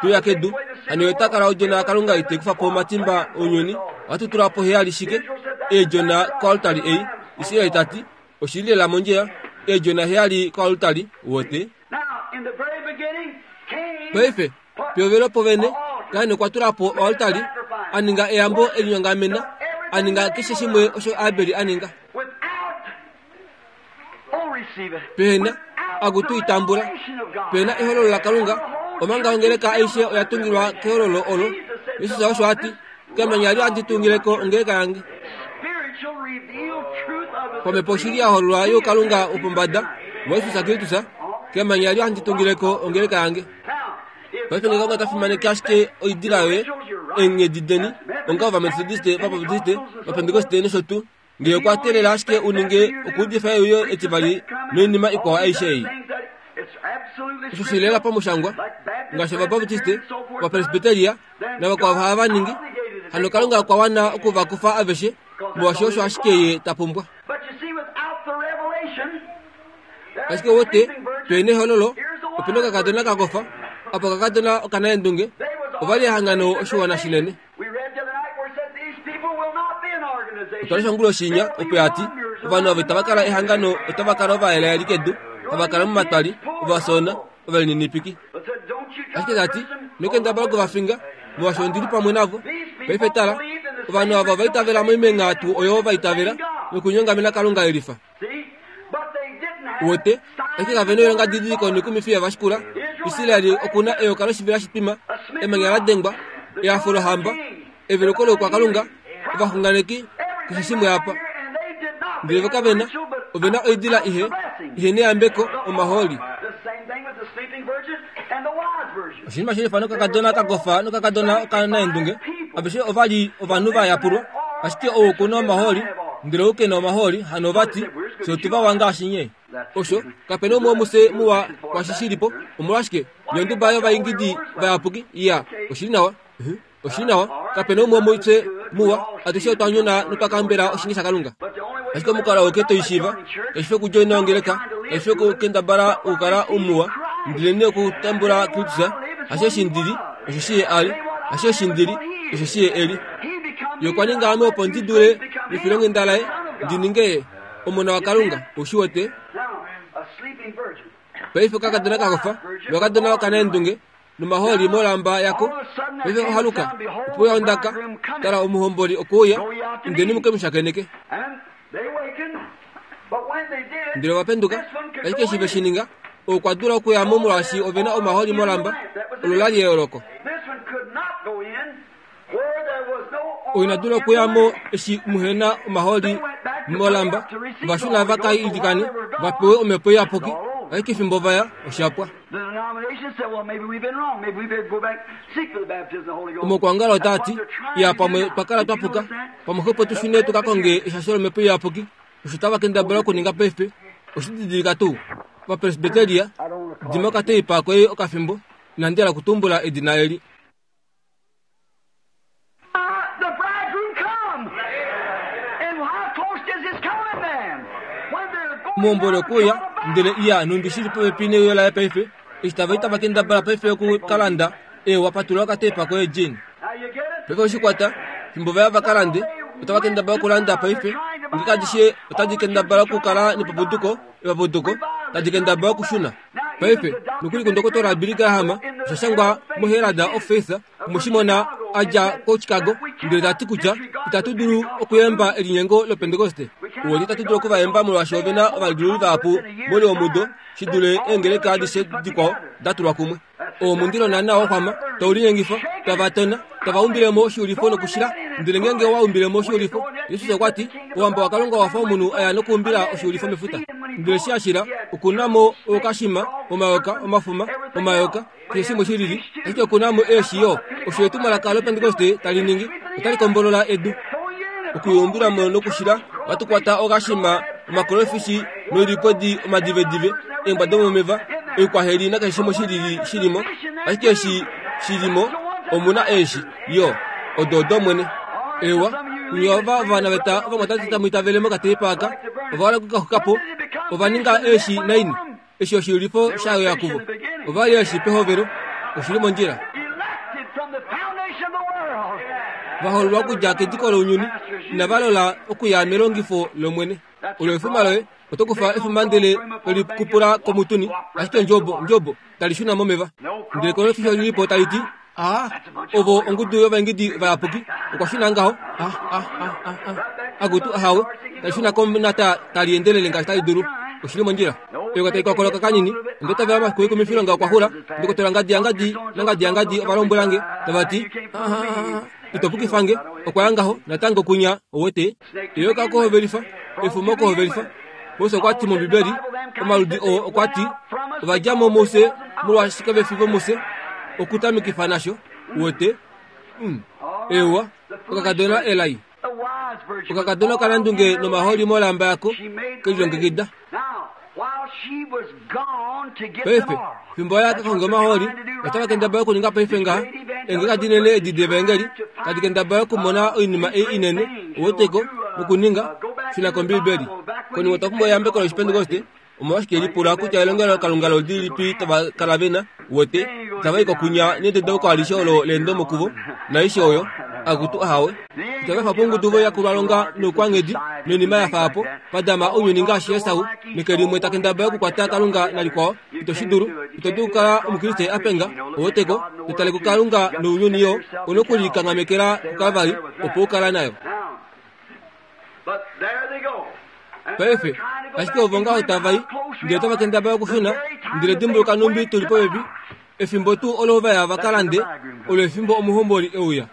te uya kedu, hano ye ota kala odjona yaKalunga ite kufa po omatimba ounyuni. Ohatu tula po heyali shike? Eedjona koaltari ei. Israel ta ti, Oshi li lela mondjila. Eedjona heyali koaltari, wote. Paife, pehovelo povene, Kain okwa tula po oaltari, a ninga eyambo e linyongamena, a ninga keshe shimwe osho Abel a ninga. Pehena, akutu i tambula. Pehena ehololo laKalunga, omanga ongeleka aishe oya tungilwa kehololo olo. Jesus osho a ti, Kemanya eli ohandi tungile ko ongeleka yange. Pamhepo oshili ya hololwa youkalunga wopombada waJesus Kristus, kemanya eli ohandi tungile ko ongeleka yange. Paife nge Kalunga ta fimaneke ashike oidila yoye, eenghedi deni, onga Ovametodiste, Ovabaptiste, Ovapentekoste nosho tuu, Nge okwa teelela ashike u ninge okuudifa euyo etivali noinima ikwao aishe ei. Osho shi lela pamushangwa, ngaashi Ovabaptiste, Ovapresbiteria navakwao hava ningi, hano Kalunga okwa wana oku va kufa aveshe, molwaashi osho ashike Ye ta pumbwa. Ashike wete, tu nehololo, ope na okakadona ka kofa, apa okakadona okanaendunge, ova li ehangano oshiwana shinene. Otwa lesha onguloshi inya, opo ya ti, Ovanhu ava itava kala ehangano, otava kala ovayelaeli kedu, hava kala momatwali, ovasoona, ovalininipiki. Ashike ta ti, Ino kendabala oku va finga, molwaashi ondi li pamwe navo. Paife tala, ovanhu ava ova itavela moimenga tuu oyo va itavela, nokunyongamena Kalunga elifa. Uwete, ashike kave na oilongadidiliko noikumifi ya va shikula. Israel oku na eyoka loshivela shitwima, emanya la dengwa, ehafo lohamba, eveluko loukwakalunga, ovaxunganeki, keshe shimwe apa. Ndele vo kave na, ove na oidila ihe, ihe neyambeko, omahooli. Oshinima shelifa nokakadona ka kofa nokakadona okanaendunge. Aveshe ova li ovanhu va yapulwa, ashike ou oku na omahooli, ndele ou ke na omahooli, hano ova ti, Fye otu vawa ngaashi nye. Osho, kape na umwe womufye muwa kwaashi shi li po. Omolwashike, nye onduba yovaingidi vayapuki. Iya, oshi li nawa. Uh-huh. Oshi li nawa. Kape na umwe womufye muwa. Atushe otwa nyona notwa kambela oshinge shaKalunga. Ashike omukalo auke to i shiiva, kashi fi okudjoina ongeleka, kashi fi okukendabala okukala umuwa, ndelenee okutambula Kristus, hasho eshi ndi li, osho shi ye a li, hasho eshi ndi li, osho shi ye e li. Ye okwa ninga ame opo ndi dule mefilonghenda laye ndi ninge ye omona waKalunga. Ou shi wete? Paife okakadona ka kofa, nokakadona okanaendunge, nomahooli molamba yako. Paife ohaluka, ope uya ondaka, Tala, omuhomboli okwe uya, indeni mu ke mu shakeneke. Ndele ova penduka, ashike eshi ve shi ninga, okwa dula okuya mo molwaashi ove na omahooli molamba. Olo la li eyooloko. Ou ina dula okuya mo eshi muhe na omahooli molamba. Ova shuna va ka ilikane va pewe omhepo iyapuki, ashike fimbo va ya, osha pwa. Omakwangala otaa ti, Ya, pamwe twa kala twa puka, pamwe xwepo tu shune tu ka konge eshasho lomhepo iyapuki. Osho tava kendabala okuninga paife, oshi didilika tuu? Ovapresbiteria, dima okateipa koye okafimbo, inandi hala okutumbula edina eli. Omuhomboli okwe uya, ndele iya nhumbi shi li popepi neuyo laye paife, eshi tava i tava kendabala paife oku ka landa. Eewa, patulula okatepa koye, Gene. Paife owe shi kwata. Fimbo va ya va ka lande, otava kendabala okulanda paife. Nge adishe otadi kendabala okukala nepapuduko, epapuduko, tadi kendabala okushuna. Paife, nokuli kuNdokotola Billy Graham, osha shangwa moHerald of Faith, omwe shi mona a dja koChicago, ndele ta ti kutya itatu dulu okuyemba elinyengo lOpentekoste. Uwete itatu dulu oku va yemba molwaashi ove na ovalidululi vahapu moule womudo shi dule eengeleka adishe dikwao da tulwa kumwe. Oo omundilo naana wa xwama, tau linyengifa, tava tona, tava umbile mo oshiulifo nokushila. Ndele ngeenge owa umbile mo oshiulifo, Jesus okwa ti, Ouhamba waKalunga owa fa omunhu a ya nokuumbila oshiulifo mefuta. Ndele eshi a shila, oku na mo ookashima, omayoka, omafuma, omayoka, keshe shimwe shi lili, ashike oku na mo eeshi yo. Osho etumwalaka lOpentekoste tali ningi, otali kombolola edu. Okuyuumbila mo nokushila, ohatu kwata okashima, omakolofishi noilipwedi omadivedive, eembwa domomeva, oikwaheli nakeshe shimwe shi lili shi li mo. Ashike eshi shi li mo, omu na eeshi, yo. Odo odOmwene. Eewa, kunye ova ovanaveta ovamwatate tamu itavele mokateipa aka, ova hala oku ka xuka po. Ova ninga eeshi naini? Eshi oshiyulifo shayo ya kuvo. Ova li eshi pehovelo. Oshi li mondjila. Va hoololwa okudja kediko lounyuni, inava lola okuya melongifo lOmwene. Olo efuma loye, oto kufa efuma ndele to li kupula komutuni, ashike ndjobo, ndjobo, tali shuna momeva. Ndele kolofisho li li po tali ti, A, ovo ongudu yovaengedi vayapuki. Okwa shuna ngaho. A, a, a, a, a. Akutu, ahawe. Tali shuna komunata tali endelele ngaashi tali dulu. Oshi li mondjila. Eyoka tali kokoloka kanini. Onda itavela omafiku oikumifilonga okwa xula. Ndokotola ngadi yangadi nangadi yangadi ova lombwela nge, tava ti, A, a, a, a, ito pukifa nge. Okwa ya ngaho, natango kunya, ouwete. Eyoka okuhovelifa, efuma okuhovelifa. Mose okwa ti mOmbibeli, omaludi oo okwa ti, ova dja mo mufye molwaashi kave fi vomufye, okutamikifa nasho, uwete. Mm. Ewa, okakadona elai. Okakadona okanandunge nomaholi molamba yako, ke lilongekida. Paife, fimbo ya ka konga omahooli, otava kendabala okuninga paife ngaha, eengeleka dinene edi devaengeli tadi kendabala okumona oinima ei inene, uweteko, nokuninga, shuna kOmbiibeli. Konima otwa pumbwa eyambeko lOshipentekoste. Omolwashike lipula kutya elongelokalunga loludi lilipi tava kala ve na, uwete, itava i kokunya nededauko alishe olo leendomo kuvo, naaishe oyo. Akutu, ahawe. Itava efa po ongudu voyakulwalonga noukwanghedi noinima ya fa apo, va dama ounyuni ngaashi Esau, neke limwe ta kendabala okukwata Kalunga nalikwao. Ito shi dulu. Ito dulu okukala Omukriste a penga, ouweteko, to tale kuKalunga nounyuni yo. U na okulikanghamekela kuKalvari opo u kala nayo. Paife, ashike ovo ngaho tava i, ndele otava kendabala okushuna, ndele dimbuluka nhumbi tu li popepi. Efimbo tuu olo va ya va ka lande, olo efimbo omuhomboli e uya.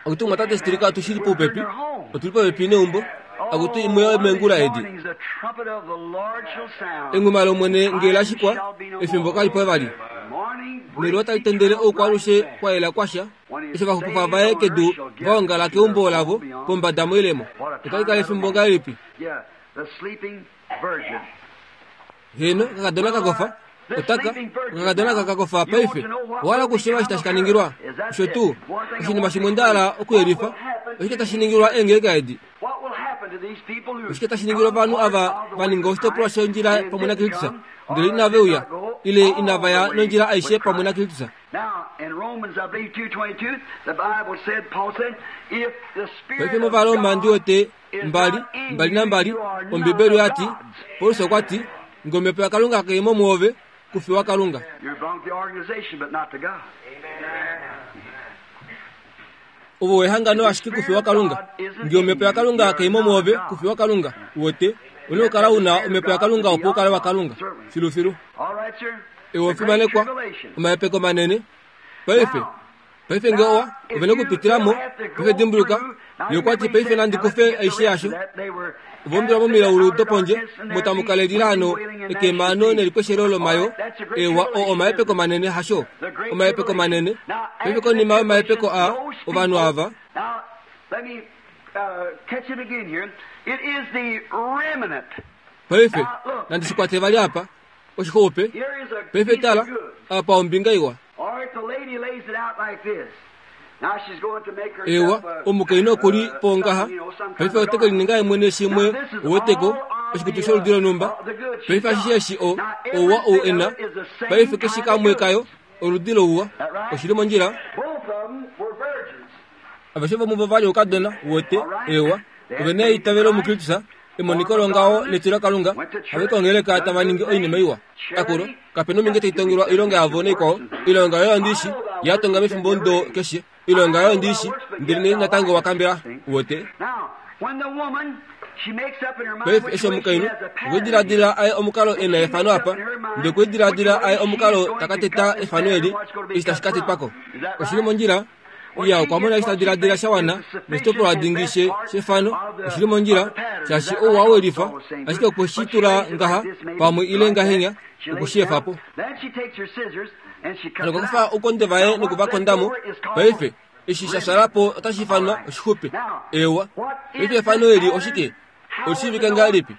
Akutu mwatate Stricker, otu shili poupepi. Otu li popepi neumbo. Akutu imwe yomeengula edi. Enghuma lOmwene nge la shikwa, efimbo kali po vali. Neluwa tali tendele oukwaalushe kwa yela kwasha, eshi ovaxupifwa vaye kedu va ongala keumbo lavo pombada moilemo. Otali kala efimbo ngahelipi? Heeno, okakadona ka kofa. Otaka, okakadona ka ka kofa paife. Owa hala okushiiva eshi tashi ka ningilwa? Osho tuu. Oshinima shimwe nda hala okuyelifa. Oshike tashi ningilwa eengeleka edi? Oshike tashi ningilwa ovanhu ava va ninga oshitopolwa shondjila pamwe naKristus, ndele inave uya, ile inava ya nondjila aishe pamwe naKristus? Paife mOvaroma ndi wete mbali, mbali nambali, Ombibeli oya ti, Paulus okwa ti, Nge Omhepo yaKalunga kai mo muove, ku fi waKalunga. Ovo wehangano ashike ku fi waKalunga. Nge Omhepo yaKalunga kai mo muove, ku fi waKalunga. Uwete, u na okukala u na Omhepo yaKalunga opo u kale waKalunga. Filufilu. Ewe ofimanekwa, omahepeko manene. Paife, Paife nge owa, ove na okupitila mo. Paife dimbuluka, Ye okwa ti, Paife nandi kufe aishe yasho. Ova umbilwa momilaulu dopondje, omo tamu kala elilaano, ekemano nelikweshelo lomayoo. Eewa, oo omahepeko manene, hasho? Omahepeko manene. Paife konima yomahepeko aa, ovanhu ava. Paife, nandi shi kwate vali apa. Oshixupe. Paife tala, apa ombinga iwa. Ewa, omukainhu oku li po ngaha. Paife ote ke lininga ye mwene shimwe, uweteko, oshikutu sholudi lonhumba. Paife ashishe eshi o, ouwa ou e na, paife keshe kamwe kayo, oludi louwa. Oshi li mondjila. Aveshe vomuvo va li oukadona, uwete, ewa, ove na eitavelo muKristus, emoniko longaho netilo Kalunga, have kongeleka tava ningi oinima iwa. Akulo, kape nominge tai tongelwa oilonga yavo naikwao, oilonga yoye ondi shi, ya tonga mefimbo ndo keshe, oilonga yoye ondi shi, ndelenee natango wa kambela, uwete. Paife eshi omukainhu okwe diladila aye omukalo e na efano apa, ndele okwe diladila aye omukalo ta ka teta efano eli, eshi tashi ka tetwa ko. Oshi li mondjila? Iya, okwa mona eshi ta diladila sha wana noshitopolwa dingi she, shefano. Oshi li mondjila, shaashi ouwa we lifa, ashike okwe shi tula ngaha, pamwe ile ngahenya, oku shi efa po. Hano okwa kufa oukonde vaye noku va konda mo. Paife, eshi sha shala po otashi ifanwa oshixupe. Eewa. Paife efano eli oshike? Oli shiivike ngahelipi?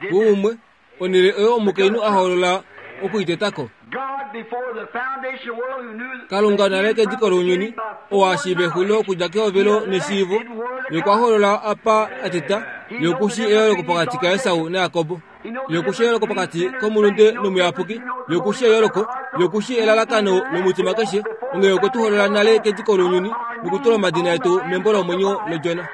Kuumwe, onhele oyo omukainhu a hoolola oku i teta ko. Kalunga nale kediko lounyuni, oo a shiiva exulilo okudja kehovelo neshiivo, ye okwa hoolola apa a teta, ye oku shii eyooloko pokati kaEsau naJakob, ye oku shii eyooloko pokati komulunde nomuyapuki, ye oku shii eyooloko, ye oku shii elalakano lomutima keshe, onghee okwe tu hoolola nale kediko lounyuni nokutula omadina etu membo lomwenyo lOdjona.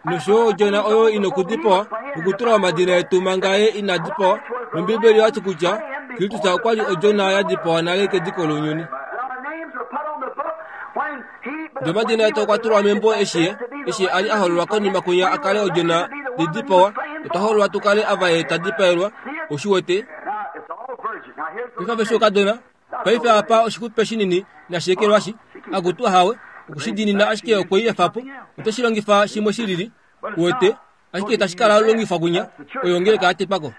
Nosho yo odjona oyo i nokudipawa nokutula omadina etu manga ye ina dipawa. Nombiibeli oya ti kutya Kristus okwa li odjona ya dipawa nale kediko lounyuni. Ndele omadina etu okwa tulwa membo eshi ye, eshi a li a hololwa konima kwinya a kale odjona li dipawa, otwa hololwa tu kale ava ye ta dipaelwa. Ou shi wete? Paife aveshe oukadona, Paife apa oshixupe shinini nashi ekelwashi, akutu ahawe, oku shi diinina ashike okwe i efa po. Ote shi longifa shimwe shi lili, uwete, ashike itashi kala longifwa kwinya, oyo ongeleka ya tetwa ko.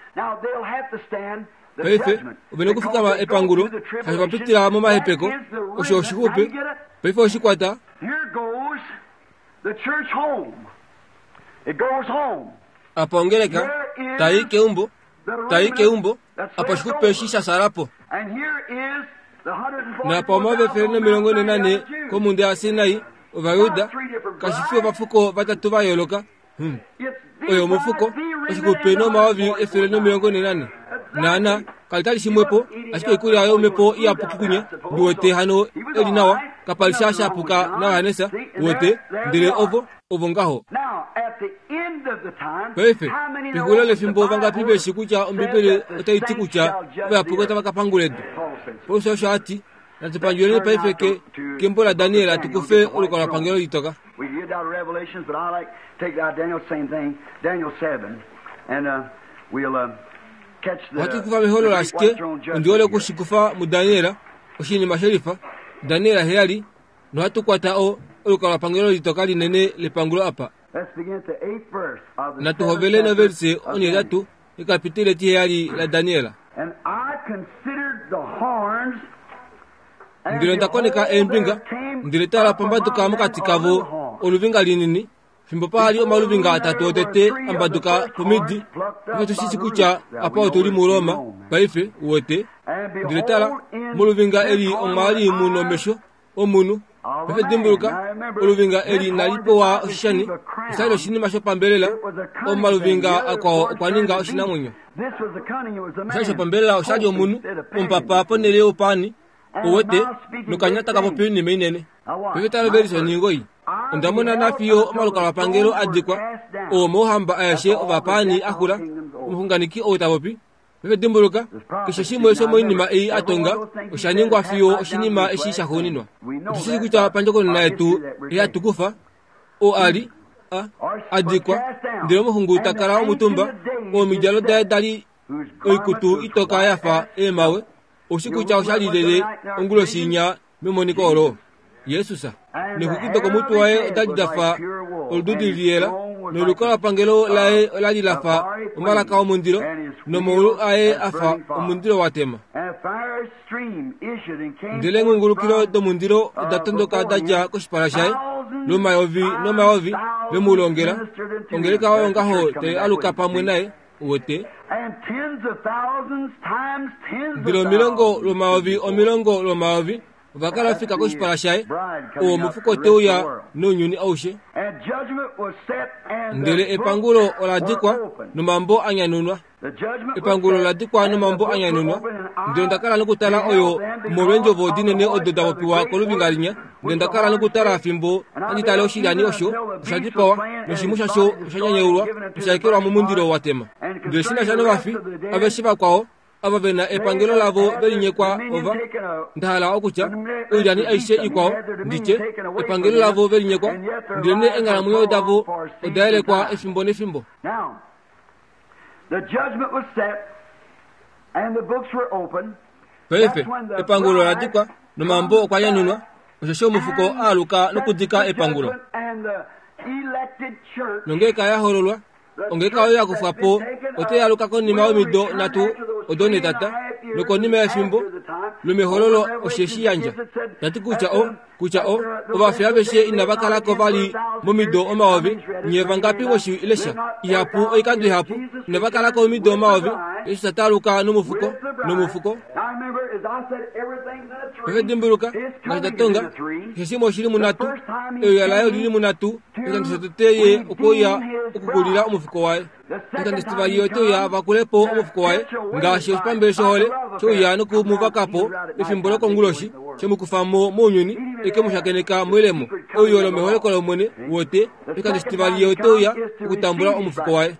Paife, ove na okufikama epangulo, shaashi ova pitila momahepeko. Osho oshixupe. Paife oshi kwata. Apa ongeleka tai keumbo, tai keumbo, apa oshixupe eshi sha sala po. Napa omayovi 144 komhunda yaSinai, Ovajuda, kashi fi ovafuko vatatu va yooloka. Oyo omufuko, oshixupe nomayovi 144. Naana, kali tali shimwepo, ashike oikulya yomhepo iyapuki kunye, ndi wete hano e li nawa, kapa li sha shapuka naJohannes, uwete, ndele ovo, ovo ngaho. Paife, pexulilo lefimbo vangapi ve shi kutya Ombibeli otai ti kutya ovayapuki otava ka pangula edu? Paulus osho a ti. Natu pandjuleni paife ke, kembo laDaniel tu kufe olukalwapangelo litoka. Ohatu kufa mehololo ashike ondi hole oku shi kufa muDaniel, oshinima shelifa, Daniel 7, nohatu kwata o, olukalwapangelo litoka linene lepangulo apa. Natu hovele novelise 8 yekapitile 7 laDaniel. Ndele onda koneka eembinga, ndele tala pambaduka mokati kavo oluvinga linini, fimbo pa li omaluvinga atatu otete a mbaduka pomidi. Paife otu shi shii kutya apa otu li muRoma, paife, uwete. Ndele tala, moluvinga eli omwa li mu nomesho omunhu. Paife dimbuluka, oluvinga eli inali pewa oshishani, osha li oshinima shopambelela. Omaluvinga akwao okwa ninga oshinamwenyo. Osha li shopambelela, osha li omunhu, omupapa ponhele youpaani, uwete, nokanya taka popi oinima inene. Paife tala ovelisha oningoi. Onda mona nafiyo omalukalwapangelo a dikwa, oo omauhamba aeshe ovapaani a xula, omuxunganeki ou ta popi. Paife dimbuluka, keshe shimwe shomoinima ei a tonga osha ningwa fiyo oshinima eshi shaxuuninwa. Otu shii kutya pandjokonona yetu ihatu kufa oo a li a a dikwa, ndele omuxungu ta kala omutumba, oo omidjalo daye da li oikutu itoka ya fa eemhawe. Ou shii kutya osha li lyelye onguloshi inya Memoniko olo, Jesus neexwiki dokomutwe waye oda li da fa olududi liyela, nolukalwapangelo laye ola li la fa omalaka omundilo, nomaulu aye a fa omundilo wa tema. Ndele eengungulukilo domundilo oda tondoka da dja koshipala shaye, lomayovi nomayovi ve mu longela. Ongeleka oyo ngaho tai aluka pamwe naye. Uwete? Ndele omilongo lwomayovi omilongo lwomayovi ova kala ofika koshipala shaye, oo omufuko te uya nounyuni aushe. Ndele epangulo ola dikwa nomambo a nyanunwa. Epangulo ola dikwa nomambo a nyanunwa. Ndele onda kala nokutala oyo omolweendjovo dinene odo da popiwa koluvinga linya. Ndele onda kala nokutala fimbo handi tale oshilyani osho osha dipawa, noshimhu shasho osha nyanyaulwa nosha ekelwa momundilo wa tema. Ndele shi na sha novafi aveshe vakwao, ava ve na epangelo lavo ve linyekwa ova, nda hala okutya, oilyani aishe ikwao, ndi tye, epangelo lavo ve linyekwa, ndelenee eenghalamwenyo davo oda yelekwa efimbo nefimbo. Paife, epangulo ola dikwa, nomambo okwa nyanunwa, osheshi omufuko a aluka nokudika epangulo. Nongeeka ya hololwa, ongeeka oyo ya kufwa po otai aluka konima yomido nhatu odo netata, nokonima yefimbo lomehololo osheshi yandja. Ta ti kutya o, kutya o, ovafi aveshe inava kala ko vali momido omayovi, nye vangapi mweshi lesha ihapu oikando ihapu, inava kala ko omido omayovi, Jesus ta aluka nomufuko, nomufuko. Paife dimbuluka, ngaashi nda tonga, keshe shimwe oshi li munhatu, euya laye oli li munhatu, oshikando shotete ye okwe uya okukulila omufuko waye. Oshikando shitivali ye ote uya a vakule po omufuko waye, ngaashi oshipambele shohole she uya noku mu vaka po pefimbo lokonguloshi, she mu kufa mo mounyuni, e ke mu shakeneka moilemo. Euyo lomeholeko lOmwene, wote. Oshikando shitivali ye ote uya okutambula omufuko waye.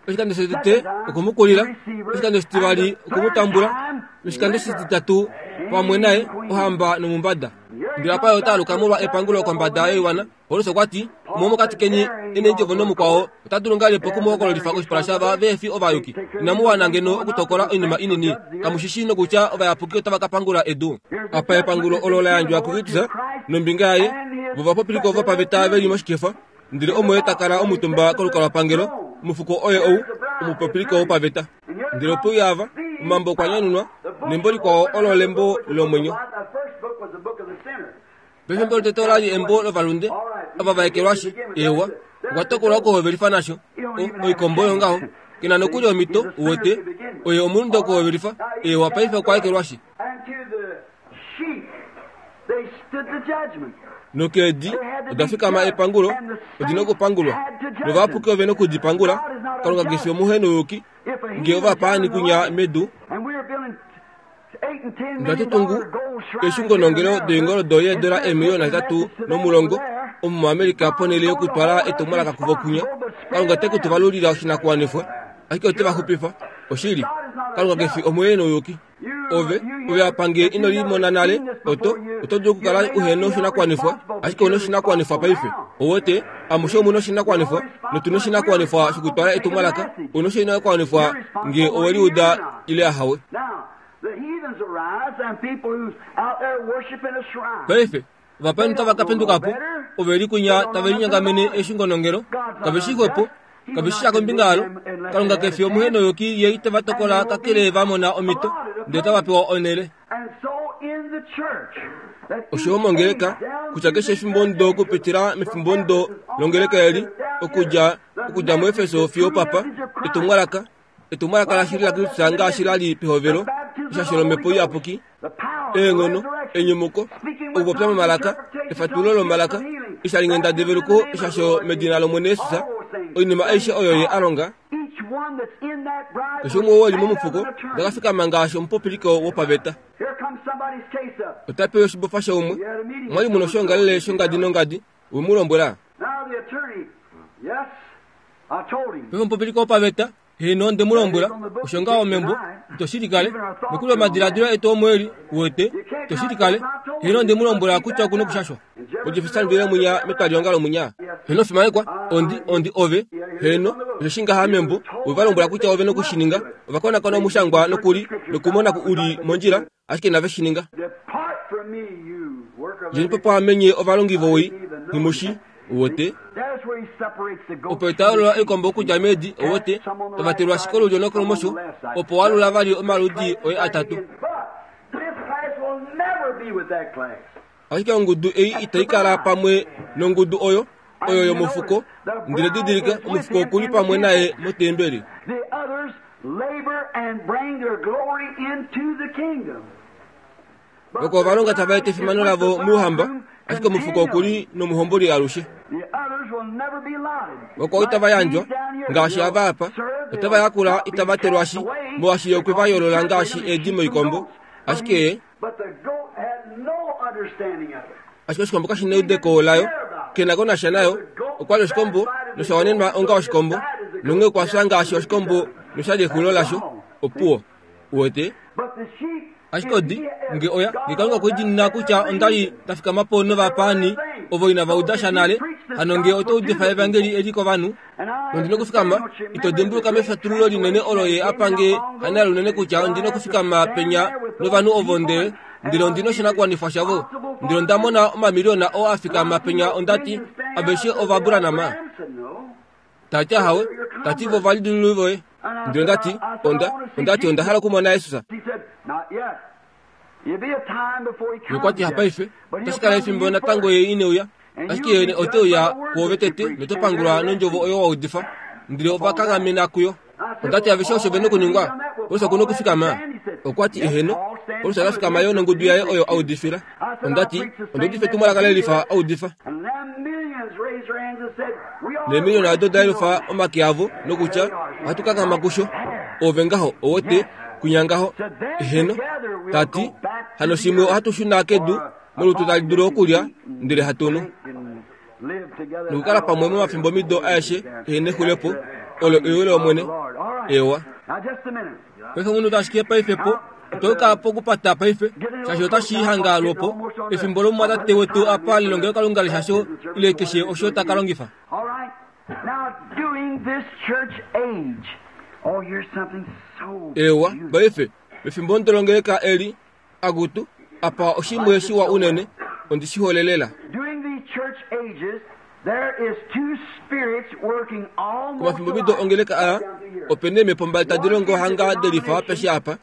Oshikando shotete oku mu kulila, oshikando shitivali oku mu tambula, noshikando shititatu pamwe naye, ohamba nomumbada. Ndele apa ye ota aluka molwa epangulo kombada yoiwana. Paulus okwa ti, Umwe womokati keni e neendjovo nomukwao, ota dulu ngahelipi oku mu hokololifa koshipala shaava vehe fi ovayuki? Inamu wana ngeno okutokola oinima inini? Kamu shi shii nokutya ovayapuki otava ka pangula edu? Apa epangulo olo la yandjwa kuKristus nombinga yaye, vo ovapopiliko vopaveta ve li moshikefa, ndele omo ye ta kala omutumba kolukalwapangelo, omufuko oye ou, omupopiliko wopaveta. Ndele ope uya ava, omambo okwa nyanunwa, nembo likwao olo lembo lomwenyo. Pefimbo lotete ola li embo lovalunde ava va ekelwashi. Eewa, okwa tokolwa okuhovelifa nasho. O, oikombo oyo ngaho. Ke na nokuli omhito, uwete. Oye omulunde okuhovelifa. Eewa, paife okwa ekelwashi. Nokeedi oda fikama epangulo, odi nokupangulwa. Novayapuki ove noku di pangula. Kalunga ke fi omuhenouyuki, nge ovapaani kunya medu. Ndatu tungu eeshungonongelo doingoldo yeedola eemiliyona 80 omu muAmerica ponhele yokutwala etumwalaka kuvo kunya. Kalunga ote ku tu valulila oshinakuwanifwa, ashike ote va xupifa. Oshili, Kalunga ke fi omuhenouyuki. Ove, ove apa nge ino li mona nale, oto, oto dulu okukala uhe noshinakuwanifwa, ashike ou na oshinakuwanifwa paife. Ou wete, amushe omu na oshinakuwanifwa, notu na oshinakuwanifwa shokutwala etumwalaka. Ou na oshinakuwanifwa nge owe li uda ile ahawe. Paife, Ovapaani otava ka penduka po, ove li kwinya tave linyangamene eeshungonongelo. Kave shii xwepo, kave shii sha kombinga yalo. Kalunga ke fi omuhenoyuki ye ite va tokola kakele va mona omhito, ndele otava pewa onhele. Osho yo mongeleka, kutya keshe efimbomudo okupitila mefimbomudo longeleka eli, okudja, okudja muEfeso fiyo opapa, etumwalaka, etumwalaka lashili laKristus ngaashi la li pehovelo, eshasho lOmhepo Iyapuki, eenghono, enyumuko, okupopya momalaka, efatululo lomalaka, eshalinghenda develuko, eshasho medina lOmwene Jesus, oinima aishe oyo ye a longa. Keshe umwe oo e li momufuko ota ka fikama ngaashi omupopiliko wopaveta. Ota pewa oshibofa shaumwe. Omwa li mu na oshoongalele shongadi nongadi, we mu lombwela. Paife omupopiliko wopaveta, Heeno, onde mu lombwela, osho ngaho membo, ito shi likale. Nokuli omadiladilo etu omo e li, uwete, ito shi likale. Heeno, onde mu lombwela kutya oku nokushashwa. Ojefesan vile mwinya metwalihongalo mwinya. Heeno, fimanekwa, ondi, ondi ove. Heeno, osho shi ngaha membo, ove va lombwela kutya ove noku shi ninga. Ova konakona omushangwa nokuli, nokumona ku u li mondjila, ashike inave shi ninga. Djeni po pwaame nye ovalongi vowii, nghi mu shi, uwete. Opo ita yoolola oikombo okudja meedi, uwete, tava telwa ashike olulyo nokolumosho, opo wa lula vali omaludi oye atatu. Ashike ongudu ei itai kala pamwe nongudu oyo, oyo yomufuko, ndele didilika, omufuko oku li pamwe naye motembeli. Oko ovalonga tava eta efimano lavo mouhamba, ashike omufuko oku li nomuhomboli alushe. Oko itava yandjwa, ngaashi ava apa, otava yakula itava telwashi, molwaashi ye okwe va yoolola ngaashi eedi moikombo. Ashike ye Ashike oshikombo kashi neudeko layo, ke na ko nasha nayo. Okwa li oshikombo nosha wanenwa onga oshikombo, nonghee okwa fya ngaashi oshikombo nosha li exulilo lasho. Opuwo. Uwete? Ashike odi, nge oya, nge Kalunga okwe dinina kutya onda li nda fikama po novapaani ovo inava uda sha nale, hano nge oto udifa evangeli eli kovanhu, Ondi nokufikama, ito dimbuluka mefatululo linene olo ye a pange hanale unene kutya ondi nokufikama penya novanhu ovo ndele ndele ondi noshinakuwanifwa shavo. Ndele onda mona omamiliyona oo a fikama penya onda ti, Aveshe Ovaburanama? Ta ti, Ahawe. Ta ti, Vo ovalidilululi voye. Ndele onda ti, Onda, onda ti onda hala okumona Jesus. Nokwa ti, Hapaife, otashi kala efimbo natango ye ine uya. Ashike ye ote uya kwoove tete noto pangulwa nondjovo oyo wa udifa. Ndele ova kanghamena kuyo. Onda ti aveshe osho ve nokuningwa, Paulus oku nokufikama. Okwa ti, Eheno. Paulus ota fikama yo nongudu yaye oyo a udifila. Onda ti, Onda udifa etumwalaka le lifa a udifa. Neemiliona odo da yelufa omake avo nokutya, Ohatu kanghama kusho. Ove ngaho, owote, kwinya ngaho. Eheno. Ta ti, Hano shimwe ohatu shuna kedu molutu tali dulu okulya ndele hatu nu nokukala pamwe momafimbomido aeshe ehe nexulepo olo ewi lOmwene. Ewa. Paife omunhu ashike paife po oto kala pokupata paife shaashi otashi hanga lwopo efimbo lomumwatate wetu apa lelongelokalunga leshasho ile keshe osho ta ka longifa. Ewa, paife, mefimbo ndolongeleka eli, Akutu, apa oshimwe shiwa unene, ondi shi hole lela. Komafimbomido ongeleka aa, ope neemhepo mbali tadi longo hanga de lifa apeshe apa,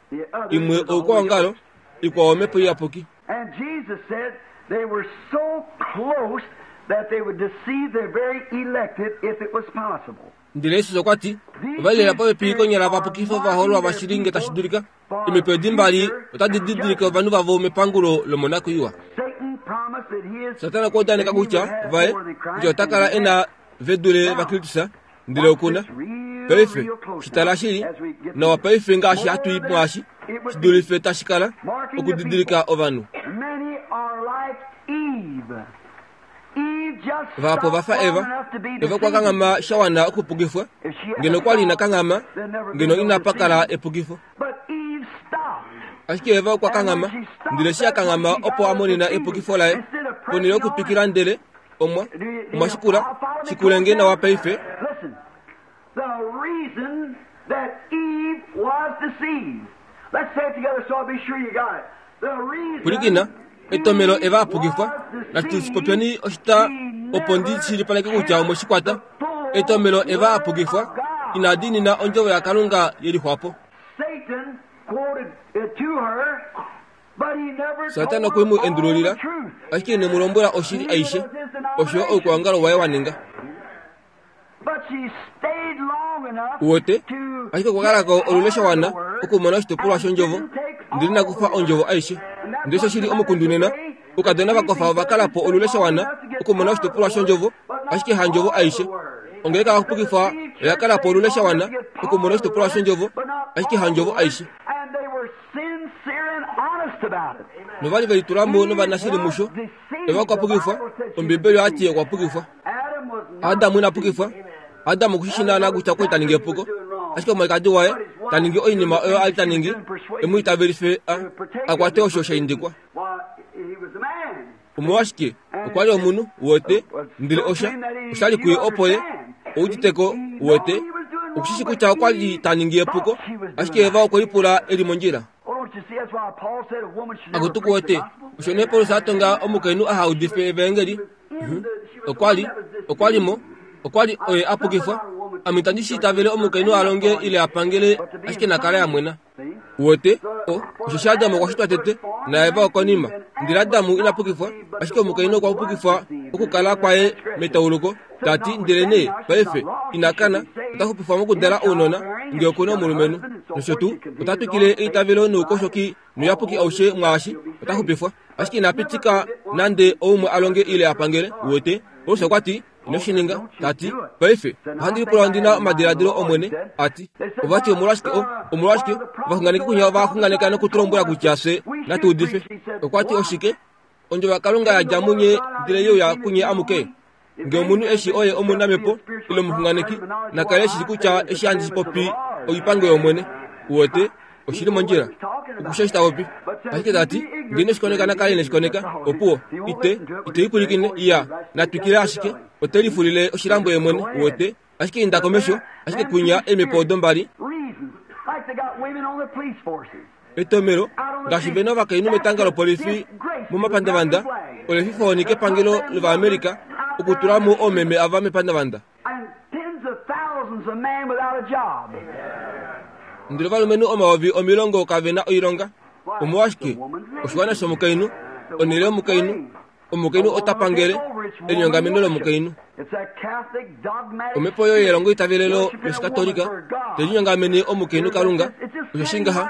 imwe oukwaongalo, ikwao omhepo iyapuki. Ndele Jesus okwa ti, Ova li lela popepi konyala va pukife ovahoololwa vashili nge tashi dulika. Eemhepo edi mbali otadi didilike ovanhu vavo mepangulo lomonakwiiwa. Satana okwa udaneka kutya vaye kutya ota kala e na ve dule vaKristus, ndele oku na. Paife, shi tala shili nawa paife ngaashi hatu i mwaashi, shi dulife tashi kala okudidilika ovanhu. Vahapu ova fa Eva. Eva okwa kanghama sha wana okupukifwa. Ngeno okwa li ina kanghama, ngeno inapa kala epukifo. Ashike Eva okwa kanghama, ndele eshi a kanghama opo a monena epukifo laye, ponhele yokutwikila ndele omwa, omwa shikula, shikule nge nawa paife. Pwilikina, Etomelo eva a pukifwa. Natu shi popyeni oshita opo ndi shilipaleke kutya omwe shi kwata. Etomelo eva a pukifwa ina diinina ondjovo yaKalunga ye lixwapo. Satana okwe mu endululila, ashike ine mu lombwela oshili aishe, osho oukwaongalo waye wa ninga. Uwete, ashike okwa kala ko olule sha wana okumona oshitopolwa shondjovo, ndele ina kufa ondjovo aishe. Ndele osho shi li omukundu nena, oukadona vakofa ova kala po olule sha wana okumona oshitopolwa shondjovo, ashike handjovo aishe. Ongeleka yakupukifwa oya kala po olule sha wana okumona oshitopolwa shondjovo, ashike handjovo aishe. Nova li ve litula mo novanashili musho, Eva okwa pukifwa, Ombibeli oya ti okwa pukifwa. Adam ina pukifwa. Adam oku shi shi naanaa kutya okwa li ta ningi epuko. Ashike omwalikadi waye ta ningi oinima oyo a li ta ningi, e mu itavelife a, a kwate osho sha indikwa. Omolwashike, okwa li omunhu, uwete, ndele osha, osha li kuye opo ye, oudite ko, uwete, oku shi shi kutya okwa li ta ningi epuko, ashike Eva okwe lipula e li mondjila. Akutu kuwete, osho nee Paulus a tonga omukainhu aha udife evaengeli. Mhm. Okwa li, okwa li mo, okwa li oye a pukifwa. Ame itandi shi itavele omukainhu a longe ile a pangele ashike na kale a mwena. Uwete, o, osheshi Adam okwa shitwa tete, naEva okonima. Ndele Adam ina pukifwa, ashike omukainhu okwa pukifwa okukala kwaye metauluko. Ta ti, Ndelenee paife ina kana, ota xupifwa mokudala ounona, nge oku na omulumenhu. Nosho tuu, ota twikile eitavelo noukoshoki nouyapuki aushe mwaashi, ota xupifwa. Ashike ina pitika nande oumwe a longe ile a pangele. Uwete? Paulus okwa ti, Ino shi ninga. Ta ti, Paife, ohandi lipula ondi na omadiladilo Omwene, a ti. Ova ti, Omolwashike o, omolwashike ovaxunganeki kwinya ova xunganeka noku tu lombwela kutya fye natu udife? Okwa ti, Oshike? Ondjovo yaKalunga ya dja munye ndele ye uya kunye amuke? Nge omunhu eshi oye omunamhepo ile omuxunganeki, na kale eshi kutya eshi handi shi popi oipango yOmwene. Uwete, oshi li mondjila. Okusha eshi ta popi. Ashike ta ti, nge ine shi koneka na kale ine shi koneka, opuwo. Ite, ite i pwilikine, iya, na twikile ashike. Ote lifulile oshilambo ye mwene, uwete. Ashike inda komesho, ashike kwinya eemhepo odo mbali. Etomelo, ngaashi ve na ovakainhu metanga lopolifi momapandavanda, ole fifohoni kepangelo lOvaamerica okutula mo oomeme ava mepandavanda. Ndele ovalumenhu 100000 kave na oilonga. Omolwashike? Oshiwana shomukainhu, onhele yomukainhu. Omukainhu ota pangele elinyongameno lomukainhu. Omhepo oyo yelongo itavelelo lOshikatolika te linyongamene omukainhu Kalunga, osho shi ngaha,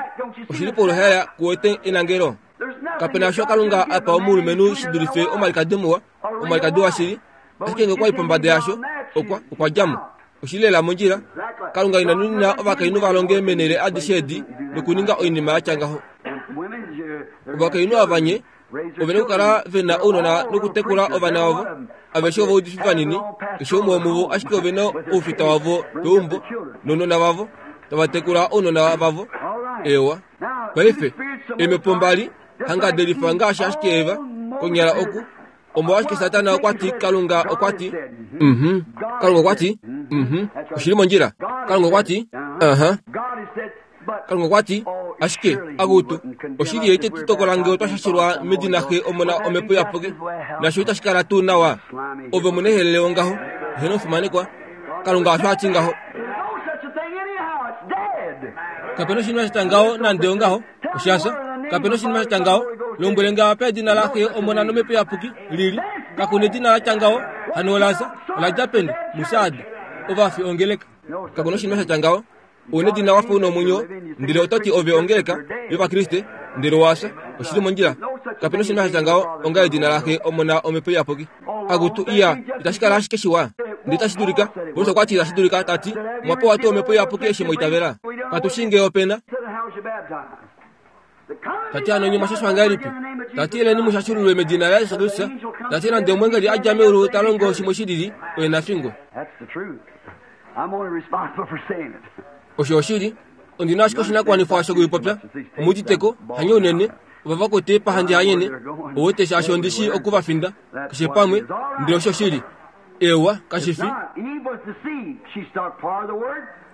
oshi li poluhaela kuwete enangelo. Kape na osho Kalunga a pa omulumenhu shi dulife omwalikadi muwa, omwalikadi washili, ashike nge okwa i pombada yasho, okwa, okwa dja mo. Oshi li lela mondjila. Kalunga ina nunina ovakainhu va longe meenhele adishe edi nokuninga oinima ya tya ngaho. Ovakainhu ava nye, Ove na okukala ve na ounona nokutekula ovana vavo. Aveshe ovaudifi vanini, keshe umwe womuvo ashike ove na oufita wavo peumbo nounona vavo, tava tekula ounona vavo. Eewa. Paife, eemhepo mbali, hanga de lifa ngaashi ashike Eva, konyala oku. Omolwashike Satana okwa ti, Kalunga okwa ti, mhm. Kalunga okwa ti, mhm. Oshi li mondjila. Kalunga okwa ti, aha. Kalunga okwa ti, Ashike, akutu, oshili ye ite tu tokola nge otwa shashilwa medina Xe, Omona, Omhepo Iyapuki, nasho itashi kala tuu nawa. Ove omunehelele wongaho, eheno omufimanekwa. Kalunga osho a ti ngaho. Kape na oshinima sha tya ngaho nande ongaho, osha fya. Kape na oshinima sha tya ngaho. Lombwele nge apa edina laXe, Omona nOmhepo Iyapuki li li. Kaku na edina la tya ngaho, hano ola fya. Ola dja peni? MuSardi. Ovafi ongeleka. Kaku na oshinima sha tya ngaho. U nedina wa fa u na omwenyo, ndele oto ti ove ongeleka yOvakriste, ndele owa fya. Oshi li mondjila. Kape na oshinima sha tya ngaho onga edina laXe, Omona, Omhepo Iyapuki. Akutu, iya, itashi kala ashike shiwa? Ndele itashi dulika. Paulus okwa ti itashi dulika, ta ti, Omwa pewa tuu Omhepo Iyapuki eshi mwa itavela? Katu shii ngee ope na. Ta ti hano nye mwa shashwa ngahelipi? Ta ti eleni mu shashululwe medina laJesus Kristus. Ta ti nande omweengeli a dja meulu ta longo shimwe shi lili, oye na fingwe. Osho oshili. Ondi na ashike oshinakuwanifwa shokuipopya. Omu udite ko, hanye unene, ova va kwete pahandje hanyene, ouwete shaashi ondi shii oku va finda, keshe pamwe, ndele osho oshili. Eewa, kashi fi.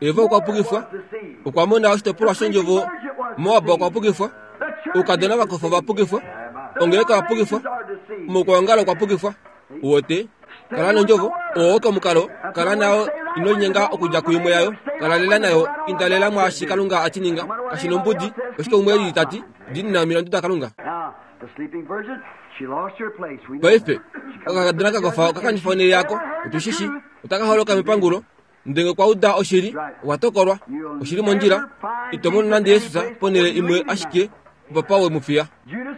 Eva okwa pukifwa, okwa mona oshitopolwa shondjovo. Moab okwa pukifwa, oukadona vakofa ova pukifwa. Ongeleka oya pukifwa, omaukwaongalo okwa pukifwa. Uwete? Kala nondjovo, oo oko omukalo, kala nayo, ino linyenga okudja kuimwe yayo, kala lela nayo, inda lela mwaashi Kalunga a ti ninga, kashi nombudi oshike umwe elili ta ti, diinina omilandu daKalunga. Paife, okakadona ka kofa oka kanifa onhele yako, otu shi shi, otaka holoka mepangulo, Ndele okwa uda oshili, okwa tokolwa. Oshili mondjila, ito mono nande Jesus ponhele imwe ashike opapa we mu fiya.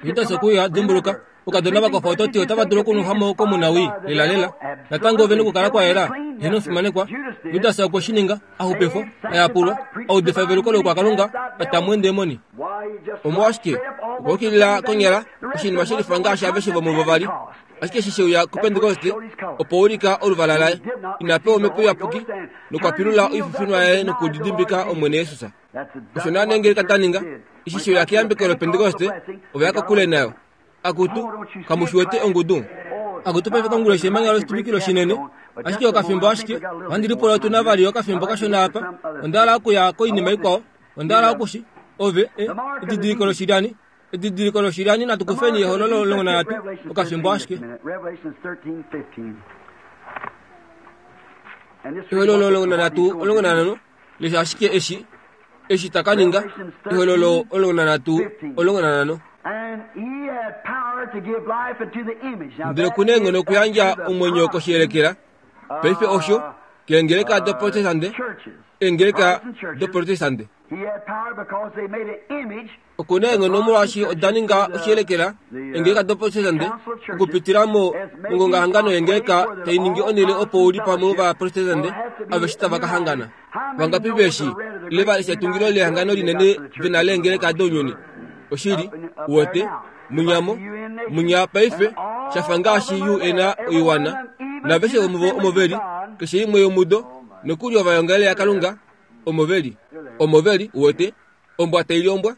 Judas okwe uya, dimbuluka, oukadona va kofa oto ti otava dulu okunwefwa mo komunawii, lelalela. Natango ove nokukala kwa yela, heeno omufimanekwa. Judas okwe shi ninga, a xupifwa, a yapulwa, a udifa eveluko loukwakalunga, a ta mo eendemoni. Omolwashike, okwa yukilila konyala oshinima shelifa ngaashi aveshe vomuvo va li. Ashike eshi she uya kuPentekoste, opo ulika oluvala laye, ina pewa Omhepo Iyapuki, nokwa pilula oififinwa yaye nokudidimbika Omwene Jesus. Osho naana eengeleka da ninga, eshi she uya keyambeko loPentekoste, ova ya kokule nayo. Akutu, kamu shi wete ongudu? Akutu paife konguloshi emanya loshituvikilo shinene, ashike okafimbo ashike, ohandi lipula otu na vali okafimbo kashona apa. Onda hala okuya koinima ikwao. Onda hala oku shi, ove, e, edidiliko loshilyani. Edidiliko loshilyani natu kufeni ehololo longonanhatu okafimbo ashike. Ehololo longonanhatu olongonanhano lesha ashike eshi eshi ta ka ninga ehololo olongonanhatu olongonanhano. Ndele oku na eenghono okuyandja omwenyo koshiyelekela. Paife osho keengeleka doprotestante, eengeleka doprotestante. Oku na eenghono molwaashi oda ninga oshiyelekela eengeleka doProtestante okupitila mo mongongahangano yeengeleka tai ningi onhele opo u li pamwe Ovaprotestante aveshe tava ka hangana. Vangapi ve shi ile va lesha etungilo lehangano linene ve na leengeleka dounyuni? Oshili, uwete, munyamo, munya paife, sha fa ngaashi UN oiwana, naveshe vomuvo omo ve li, keshe imwe yomudo, nokuli ovaongele yaKalunga, omo ve li. Omo ve li, uwete, Ombwa tai li ombwa,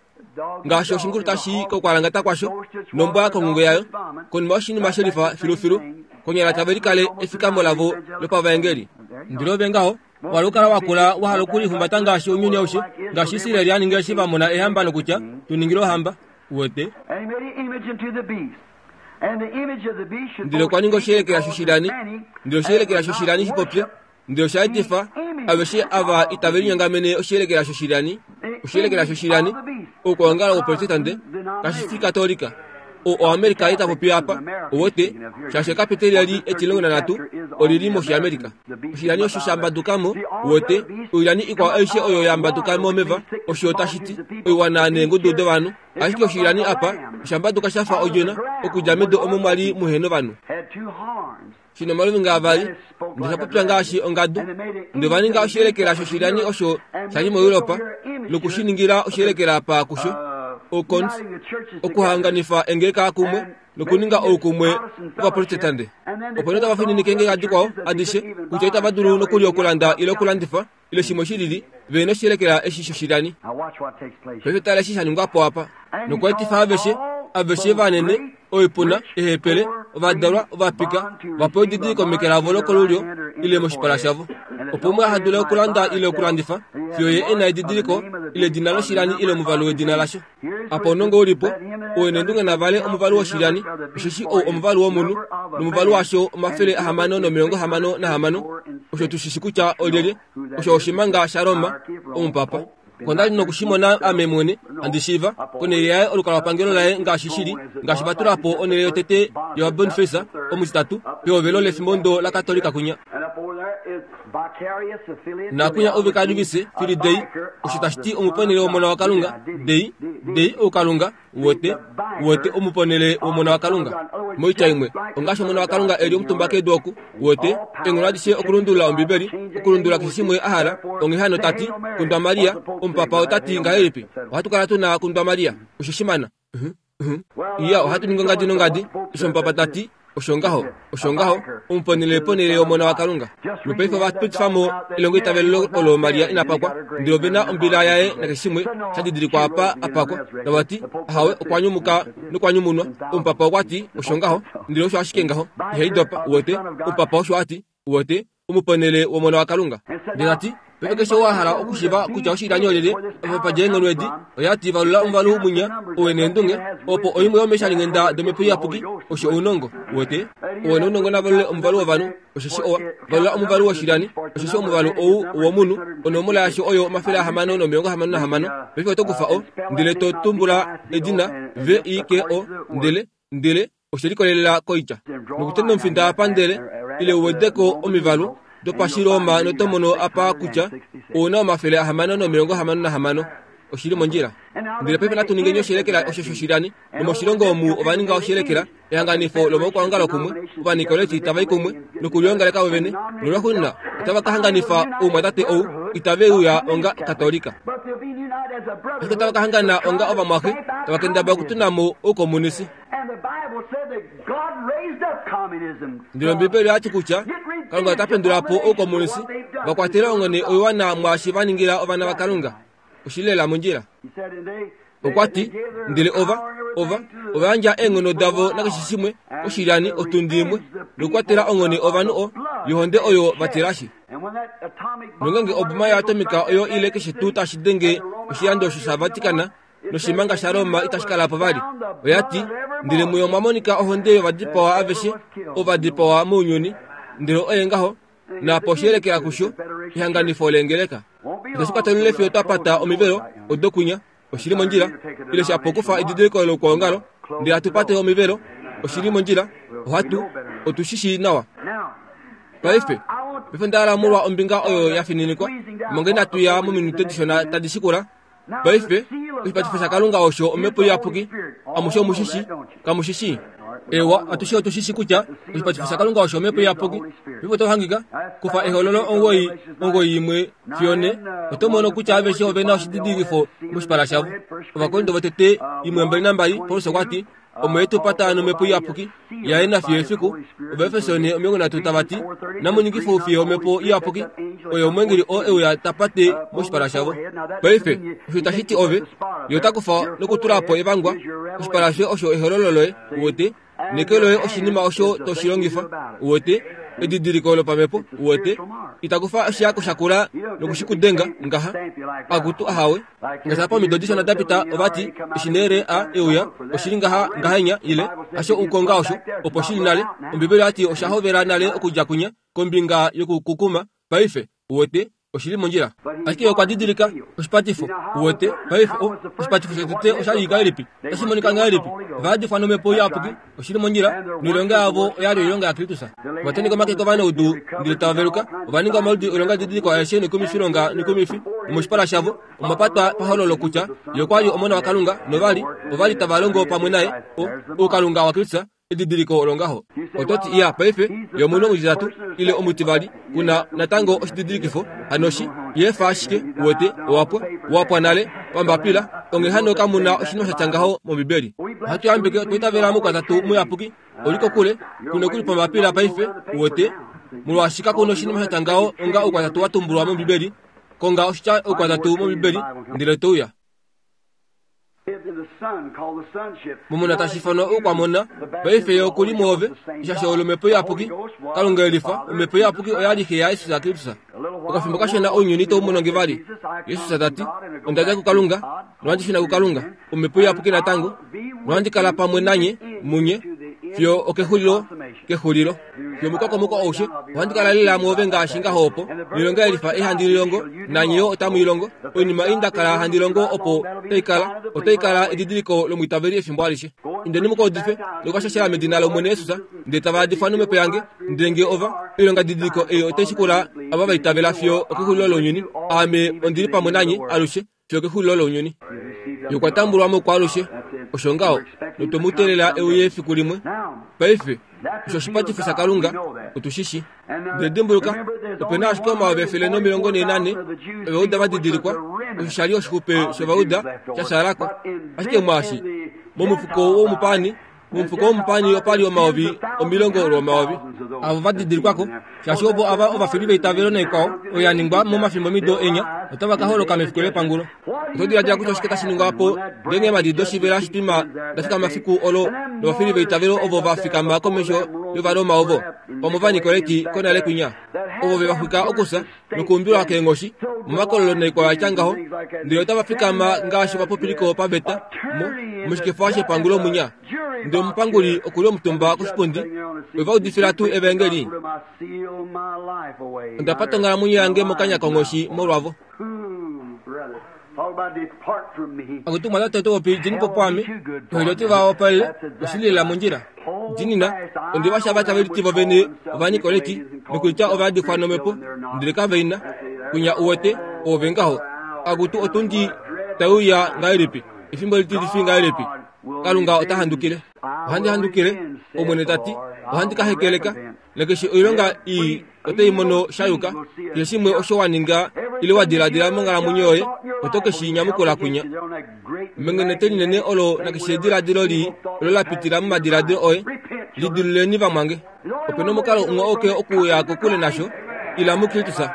ngaashi oshingulu tashi i kokwalangata kwasho, nombwa konghungo yayo, konima yoshinima she lifa filufilu, konyala tave likale efikamo lavo lopavaengeli. Ndele ove ngaho, wa lukala wa kula wa hala okulihumbata ngaashi ounyuni aushe, ngaashi Israel a ninga eshi va mona eehamba nokutya, Tu ningile ohamba. Uwete? Ndele okwa ninga oshiyelekela shoshilani, ndele oshiyelekela shoshilani shi popye, Ndele osha etifa aveshe ava itave linyongamene oshiyelekela shoshilyani, oshiyelekela shoshilyani, oukwaongalo woprotestante, kashi fi katolika. O, oAmerica ita popi apa, uwete, shaashi ekapiteli eli etilongo nanhatu oli li mOshiamerica. Oshilyani osho sha mbaduka mo, uwete, oilyani ikwao aishe oyo ya mbaduka momeva, osho tashi ti, oiwana neengudu dovanhu. Ashike oshilyani apa osha mbaduka sha fa odjona okudja medu omo mwa li muhe novanhu. Shi na omaluvinga avali, ndele sha popya ngaashi ongadu. Ndele ova ninga oshiyelekela shoshilyani osho sha li moEuropa noku shi ningila oshiyelekela pa kusho, Ocons, okuhanganifa engeleka kumwe nokuninga oukumwe wOvaprotestante. Opo nee otava fininike engeleka dikwao adishe kutya itava dulu nokuli okulanda ile okulandifa ile shimwe shi lili, ve noshiyelekela eshi shoshilyani. Paife tala eshi sha ningwa po apa. Nokwa etifa aveshe, aveshe vanene, oipuna, eehepele, ovadalwa, ovapika, va pewe edidiliko meke lavo lokolulyo ile moshipala shavo, opo umwe aha dule okulanda ile okulandifa fiyo ye e na edidiliko ile edina loshilyani ile omuvalu wedina lasho. Apa ounongo u li po, ou e neendunge na vale omuvalu woshilyani, osheshi ou omuvalu womunhu, nomuvalu washo 666, osho tu shi shi kutya olyelye, osho oshimanga shaRoma, omupapa. Onda li noku shi mona ame mwene, handi shiiva, konhele yaye olukalwapangelo laye ngaashi shi li, ngaashi va tula po onhele yotete yovaBoniface omutitatu pehovelo lefimbondo laKatolika kunya. Nakunya Ovicarivus Filii Dei, osho tashi ti omuponhele wOmona waKalunga, Dei, Dei oukalunga, Uwete, uwete omuponhele wOmona waKalunga. Moitya imwe, ongaashi Omona waKalunga e li omutumba kedu oku, uwete, eenghono adishe okulundulula Ombibeli, okulundulula keshe shimwe a hala. Onghee hano ta ti, Kundwa Maria, omupapa ota ti ngahelipi? Ohatu kala tu na Kundwa Maria. Osho shimana. Uh-huh. Uh-huh. Iya, ohatu ningi ongadi nongadi, osho omupapa ta ti. Osho ngaho, osho ngaho, omuponhele ponhele yOmona waKalunga. Nopaife ova pitifa mo elongoitavelo olo Maria ina pakwa, ndele ove na ombila yaye nakeshe shimwe sha didilikwa apa a pakwa. Nova ti, Ahawe, okwa nyumuka nokwa nyumunwa. Omupapa okwa ti, Osho ngaho. Ndele osho ashike ngaho. Ihai dopa, uwete. Omupapa osho a ti, uwete, omuponhele wOmona waKalunga. Ndele ta ti. Paife keshe ou a hala okushiiva kutya oshilyani olyelye, apa pa dja eenghono edi, oya ti, Valula omuvalu mwinya, owe neendunge, opo oimwe yomeeshalinghenda dOmhepo Iyapuki, osho ounongo. Uwete? Owe nounongo na valule omuvalu wovanhu, osheshi owa valula omuvalu woshilyani, osheshi omuvalu ou womunhu, onomola yasho oyo 666. Paife oto kufa o, ndele to tumbula edina, V-I-K-O, ndele, ndele oshe likolelela koitya. Nokutenda omufinda apa ndele, ile u wede ko omivalu dopashiroma noto mono apa kutya ou na 666. Oshi li mondjila. Ndele paife natu ningeni oshiyelekela osho shoshilyani. Nomoshilongo omu ova ninga oshiyelekela, ehanganifo lomaukwaongalo kumwe, Ovanikoleti tava i kumwe nokuliongaleka vovene, nolwaxuuninwa otava ka hanganifa oumwatate ou itave uya onga Katolika. Ashike otava ka hangana onga ovamwaxe, tava kendabala okutuna mo oukomunisi. Ndele Ombibeli oya ti kutya Kalunga ota pendula po oukomunisi va kwatele onghone oiwana mwaashi va ningila ovana vaKalunga. Oshi li lela mondjila. Okwa ti, Ndele ova, ova, ova yandja eenghono davo nakeshe shimwe koshilyani otundi imwe, nokukwatela onghone ovanhu o, yohonde oyo va tilashi. Nongeenge oboma yoatomika oyo ile keshe tuu tashi denge oshilando osho shaVatican noshimanga shaRoma itashi kala po vali. Oya ti, Ndele muyo omwa monika ohonde yovadipawa aveshe ovadipawa mounyuni, ndele oye ngaho, naapo oshiyelekela kusho ehanganifo leengeleka. Itashi kwatelele fiyo twa pata omivelo odo kwinya, oshi li mondjila, ile shapo kufa edidiliko loukwaongalo, ndele hatu pate omivelo, oshi li mondjila, ohatu, otu shi shii nawa. Paife, paife onda hala molwa ombinga oyo ya fininikwa, manga inatu ya mominute dishona tadi shikula. Paife, oshipatifo shaKalunga osho Omhepo Iyapuki. Amushe omu shi shii, kamu shi shii? Ewa, atushe otu shi shii kutya oshipatifo shaKalunga osho Omhepo Iyapuki. Paife oto hangika, kufa Ehololo 9, 9 fiyo 4, oto mono kutya aveshe ove na oshididilikifo moshipala shavo. Ovakorinto votete 1, 22, Paulus okwa ti, Omo e tu pata nomhepo iyapuki yaye nafiyo efiku Ovaefeso 4:30 tava ti, Namu ningife oufiye omhepo iyapuki, oyo omweengeli oo e uya ta pate moshipala shavo. Paife, osho itashi ti ove, ye ota kufa nokutula po evangwa, oshipala shoye osho ehololo loye, uwete, neke loye oshinima osho to shi longifa, uwete, edidiliko lopamhepo, uwete. Ita kufa oshihako shakula noku shi ku denga, ngaha, akutu ahawe. Ngaashi apa omido dishona da pita ova ti, Eshi nee a e uya, oshi li ngaha ngahenya ile hasho ukonga osho, opo shi li nale. Ombibeli oya ti osha hovela nale okudja kwinya kombinga yokukukuma. Paife, uwete, oshi li mondjila. Ashike okwa didilika oshipatifo, uwete. Paife, o, oshipatifo shotete osha li ngahelipi? Otashi monika ngahelipi? Ova yadifwa nomhepo iyapuki. Oshi li mondjila, noilonga yavo oya li oilonga yaKristus. Ova tenheka omake kovanaudu, ndele tava veluka. Ova ninga omaludi oilongadidiliko aeshe noikumifilonga noikumifi, nomoshipala shavo omwa patwa pahololo kutya Ye okwa li Omona waKalunga, nova li, ova li tava longo pamwe naye, o, oukalunga waKristus, edidiliko olongaho. Oto ti, Iya, paife, ye omunhu omutitatu, ile omutivali, ku na natango oshididilikifo, hano shi yefa ashike, uwete, owa pwa, wa pwa nale, pambapila, onghee hano kamu na oshinima sha tya ngaho mOmbibeli. Ohatu yambeke, otwa itavela mOukwatatu Muyapuki, oli kokule, ku nokuli pambapila paife, uwete, molwaashi kaku na oshinima sha tya ngaho onga Oukwatatu wa tumbulwa mOmbibeli. Konga oshitya Oukwatatu mOmbibeli, ndele to uya. Momona tashi ifanwa oukwamona, paife ye oku li mwoove, eshasho lOmhepo Iyapuki. Kalunga e lifa, Omhepo Iyapuki oya li Xe yaJesus Kristus. Okafimbo kashona ounyuni itau mono nge vali. Jesus ta ti, Onda dja kuKalunga, nohandi shuna kuKalunga. Omhepo Iyapuki natango, nohandi kala pamwe nanye, munye, fiyo okexulilo, kexulilo. Fiyo omukokomoko aushe, ohandi kala lela mwoove ngaashi ngaho opo. Noilonga ye lifa ei handi lilongo, nanye yo otamu i longo. Oinima ei nda kala handi longo opo tai kala, otai kala edidiliko lomwiitaveli efimbo alishe. Indeni mu ka udife nokukashashela medina lOmwene Jesus, ndele tava yadifwa nomhepo yange, ndele nge ova, oilongadidiliko ei otai shikula ava va itavela fiyo okexulilo lounyuni. Ame ondi li pamwe nanye alushe fiyo okexulilo lounyuni. Ye okwa tambulwa mo kwaalushe, osho ngaho, notwe mu teelela e uye efiku limwe. Paife, osho oshipatifo shaKalunga, otu shi shi. Ndele dimbuluka, ope na ashike 144,000 Ovauda va didilikwa, osho sha li oshixupe shOvauda sha shaala ko. Ashike mwaashi, momufuko womupaani, Momufuko womupani opa li 10,000 lwomayovi avo va didilikwa ko, shaashi ovo ava ovafili veitavelo naikwao oyo ya ningwa momafimbomido enya otava ka holoka mefiku lepangulo. Oto diladila kutya oshike tashi ningwa po ngeenge eemhadi doshivela shitwima da fikama fiku olo novafili veitavelo ovo va fikama komesho? yOvaroma ovo, pamwe Ovanikoleti konale kwinya, ovo ve va xwika okufya nokuumbilwa keenghoshi momakololo noikwao ya tya ngaho, ndele otava fikama ngaashi ovapopiliko paveta mo, moshikefa shepangulo mwinya. Ndele omupanguli oku li omutumba koshipundi, ove va udifila tuu evaengeli? Onda pata onghalamwenyo yange mokanya konghoshi molwavo. Akutu mwatate oto popi djeni po pwaame, noilyo va wapalele oshili lela mondjila. Dinina, onde va shava tave liti vovene Ovanikoleti nokulitya ovayadifwa nomhepo, ndele kave i na. Kwinya uwete, oove ngaho. Akutu otundi tai uya ngahelipi, efimbo litilifi ngahelipi! Kalunga ota handukile. Ohandi handukile, Omwene ta ti, ohandi ka hekeleka, nakeshe oilonga ii otai mono sha yuka. Keshe shimwe osho wa ninga ile wa diladila monghalamwenyo yoye, oto ke shi nyamukula kwinya. Mengenete linene olo nakeshe ediladilo lii olo la pitila momadiladilo oye, lidiluleni vamwange. Ope na omukalo umwe auke okuuya kokule nasho, ila muKristus.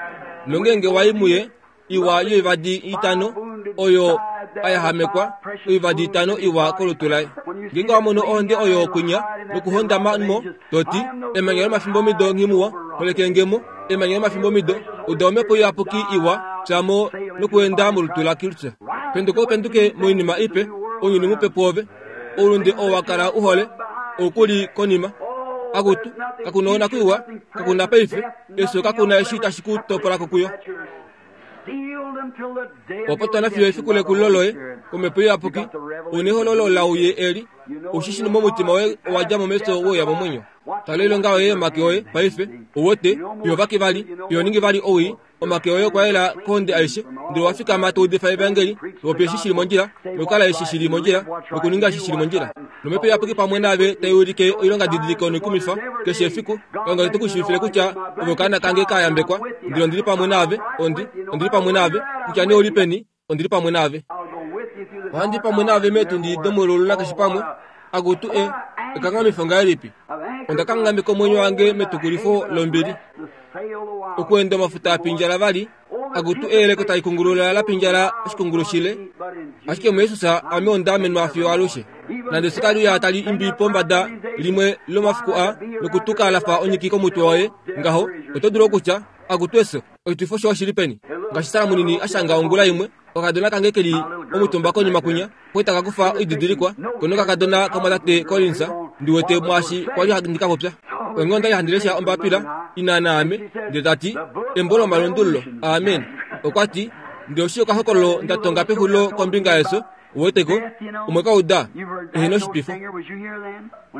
Nongeenge wa i muye, iwa yoivadi itano oyo a yahamekwa oivadi itano iwa kolutu laye. Ngeenge wa mono ohonde oyo kwinya nokuhondama mo, to ti, Emanya lomafimbomido nghi muwa, holeke nge mo. Emanya lomafimbomido, uda omhepo iyapuki iwa, pya mo nokuenda molutu laKristus. Penduka u penduke moinima ipe, ounyuni mupe pwoove. Oulunde oo wa kala u hole, oku li konima. Akutu, kaku na onakwiiwa, kaku na paife, efyo kaku na eshi tashi ku topola ko kuyo. Opo twana fiyo efiku lekulilo loye komhepo iyapuki, u nehololo lauye eli, u shi shi momutima woye owa dja mo mefyo we uya momwenyo. Tala oilonga yoye yomake oye paife, u wete, iho vake vali, iho ningi vali owii, Omake oye okwa yela kohonde aishe, ndele owa fikama to udifa evaengeli, to popi eshi shi li mondjila, nokukala eshi shi li mondjila, nokuninga eshi shi li mondjila. Nomhepo Iyapuki pamwe naave tai ulike oilongadidiliko noikumifa keshe efiku, Kalunga ote ku shiivifile kutya ove okaana kange ka yambekwa, ndele ondi li pamwe naave, ondi, ondi li pamwe naave, kutya nee ou li peni, ondi li pamwe naave. Ohandi pamwe naave meetundi domululu nakeshe pamwe. Akutu e, ekanghamifo ngahelipi! Onda kanghameka omwenyo wange metukulifo lombili. Okuenda omafuta a pindjala vali, akutu eyeleko tali kungulula la pindjala oshikungulu shile. Ashike muJesus ame onda amenwa fiyo alushe. Nande sekaluya tali imbi pombada limwe lomafiku a nokutuka la fa onyiki komutwe waye ngaho, oto dulu okutya, Akutu efyo, oshitwifo shoye oshi li peni? Ngaashi Sara munini a shanga ongula imwe, okakadona kange ke li omutumba konima kwinya, pwe taka kufa oididilikwa, ko nokakadona kamwatate Collins, ndi wete mwaashi kwa li handi ka popya. Onghee onda li handi lesha ombapila ina naame, ndele ta ti, Embo lomalundululo. Amen. Okwa ti, Ndele oshi okahokololo nda tonga pexulilo kombinga yefyo, uwete ko, umwe ka uda, ehena oshitwifo.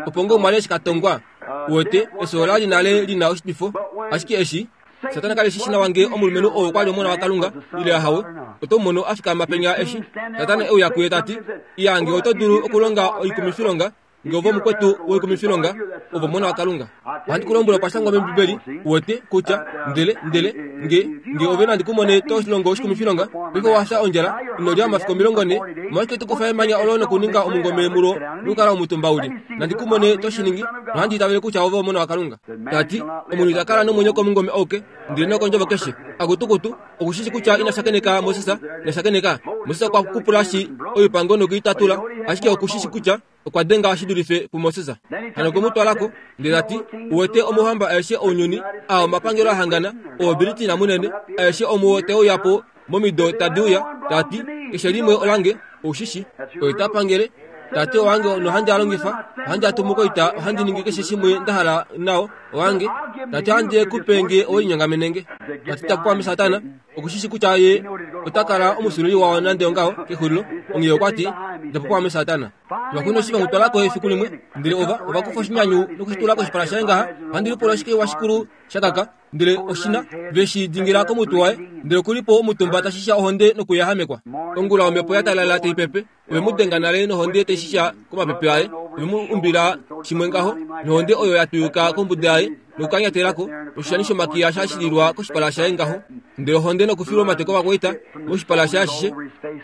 Opo ngoo umwe a li eshi ka tongwa, Uwete, efyo ola li nale li na oshitwifo. Ashike eshi Satana ka li shi shi nawa ngee omulumenhu ou okwa li omona waKalunga ile ahawe, oto mu mono a fikama penya eshi Satana e uya kuye ta ti, Iya, ngee oto dulu okulonga oikumifilonga, ngee ove omukwetu woikumifilonga, ove omona waKalunga. Ohandi ku lombwele okwa shangwa mOmbibeli, uwete, kutya, ndele, ndele, nge, nge ove nandi ku mone to longo oshikumifilonga, paife owa fya ondjala, ino lya omafiku 40, omolwashike to kufa emanya olo nokuninga omungome mulo nokukala omutumba u li? Nandi ku mone to shi ningi, nohandi itavele kutya ove Omona waKalunga. Ta ti, Omunhu ita kala nomwenyo komungome auke, ndele nokondjovo keshe. Akutukutu, oku shi shi kutya ina shakeneka Moses, ina shakeneka. Moses okwa kupulashi oipango noku i tatula, ashike oku shi shi kutya okwa denga shi dulife puMoses. Hano okwe mu twala ko, ndele ta ti, Uwete omauhamba aeshe ounyuni, aa omapangelo a hangana, ooBritina munene, aeshe omuo tae uya po momido tadi uya, ta ti, Keshe limwe olange, ou shi shi. Oye ta pangele, ta ti, Owange nohandi a longifa, ohandi a tumu koita, ohandi ningi keshe shimwe nda hala nao, owange. Ta ti, Ohandi e ku pe nge owe linyongamene nge. Ta ti, Taku ame Satana, oku shi shi kutya ye ota kala omusululi wao nande ongaho kexulilo, onghee okwa ti, Dja po pwaame Satana. Ovakwaina eshi ve mu twala ko efiku limwe, ndele ova, ova kufa oshinyanyu noku shi tula koshipala shaye ngaha, ohandi lipula oshike washikulu sha kaka, ndele oshina, ve shi dingila komutwe waye, ndele oku li po omutumba ta shisha ohonde nokuyahamekwa. Ongula omhepo ya talala tai pepe, ove mu denga nale nohonde tai shisha komapepe aye, ove mu umbila shimwe ngaho, nohonde oyo ya twiyuka kombuda yaye nokukanyatela ko, noshishani shomakiya sha shililwa koshipala shaye ngaho, ndele ohonde nokufilwa omate kovakwaita moshipala shaye ashishe,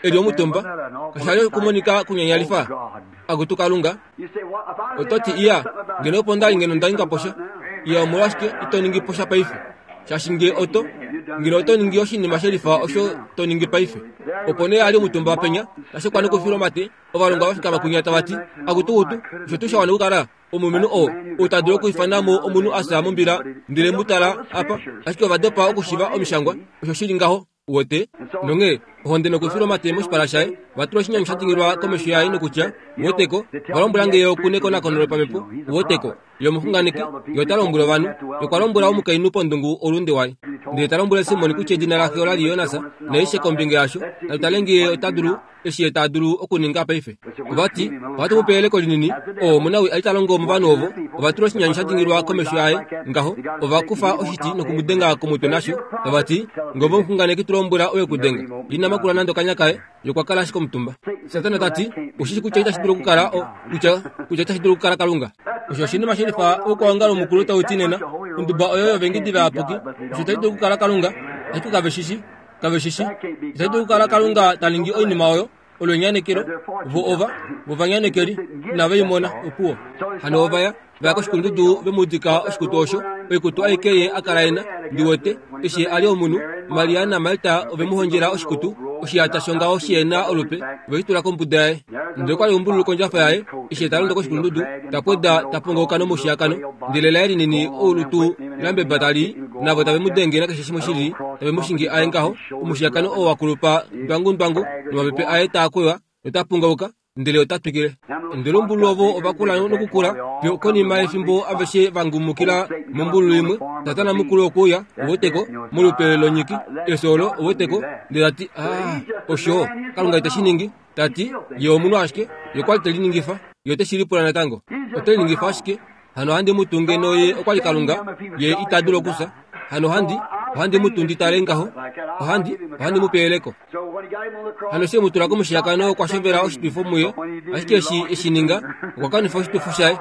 e li omutumba. Kasha li okumonika kunyanyalifa? Akutu Kalunga! Oto ti, Iya, ngeno opo nda li ngeno nda ninga po sha. Iya, omolwashike ito ningi po sha paife? Shaashi nge oto. Ngeno oto ningi oshinima shelifa osho to ningi paife. Opo nee a li omutumba penya, ta shekwa nokufilwa omate, ovalongwa va fikama kwinya tava ti, Akutukutu, osho tuu sha wana okukala omulumenhu oo, ou ta dulu okwiifana mo omunhu a fya mombila, ndele mu tala apa. Ashike ova dopa okushiva Omishangwa, osho shi li ngaho. Uwete? Nonghee, ohonde nokufilwa omate moshipala shaye, va tula oshinyanyu sha dingilwa komesho yaye nokutya, Uweteko, va lombwela nge oku nekonakono lopamhepo, uweteko, ye omuxunganeki, ye ota lombwele ovanhu, ye okwa lombwela omukainhu pondungu oulunde waye. Ndele ta lombwele Simon kutya edina laxe ola li Jonas, naishe kombinga yasho, natu tale nge ye ota dulu, eshi ye ta dulu okuninga paife. Ova ti, Ohatu mu pe eyeleko linini. Oo omunawi a li ta longo movanhu ovo. Ova tula oshinyanyu sha dingilwa komesho yaye, ngaho. Ova kufa oshiti noku mu denga komutwe nasho. Tava ti, Ngove omuxunganeki tu lombwela oye ku denga. Ye ina makula nande okanya kaye. Ye okwa kala ashike omutumba. Satana ta ti, Ou shi shi kutya itashi dulu okukala o, kutya, kutya itashi dulu okukala Kalunga. Osho oshinima shelifa oukwaongalo mukulu tau ti nena, Onduba oyo yovengidi vayapuki. Osho itashi dulu okukala Kalunga. Ashike kave shi shi. Kave shi shi. Itashi dulu okukala Kalunga ta ningi oinima oyo. Olo enyanekelo. Vo ova, vo ovanyanekeli, inave i mona, opuwo. Hano ova ya, va ya koshikulundudu ve mu dika oshikutu osho, oikutu aike ye a kala e na, ndi wete, eshi ye a li omunhu. Maria naMarta ove mu hondjela oshikutu, oshiyata shongaho shi na olupe, ve shi tula kombuda yaye. Ndele okwa li ombululu kondjafa yaye, eshi ye ta londo koshikulundudu, ta pweda, ta pongauka nomushiyakano, ndele laye linini oulutu lambeba tali i, navo tave mu denge nakeshe shimwe shili, tave mu shingi aye ngaho, omushiyakano oo wa kulupa ndwangundwangu, nomapepe aye taa kweywa nota pungauka, ndele ota twikile. Ndele ombululu ovo ova kula nokukula, fiyo konima yefimbo aveshe va ngumukila mombululu imwe. Satana mukulu okwe uya, uweteko, molupe lonyiki, efyo olo, uweteko, ndele ta ti, Ah, osho, Kalunga ite shi ningi. Ta ti, Ye omunhu ashike, ye okwa li te liningifa, ye ote shi lipula natango. Ote liningifa ashike. Hano ohandi mu tu ngeno ye okwa li Kalunga, ye ita dulu okufya. Hano ohandi, ohandi mu tu ndi tale ngaho. Ohandi, ohandi mu pe eyeleko. Hano eshi e mu tula komushiyakano okwa shovela oshitwifo muye, ashike eshi e shi ninga, okwa kanifa oshitwifo shaye.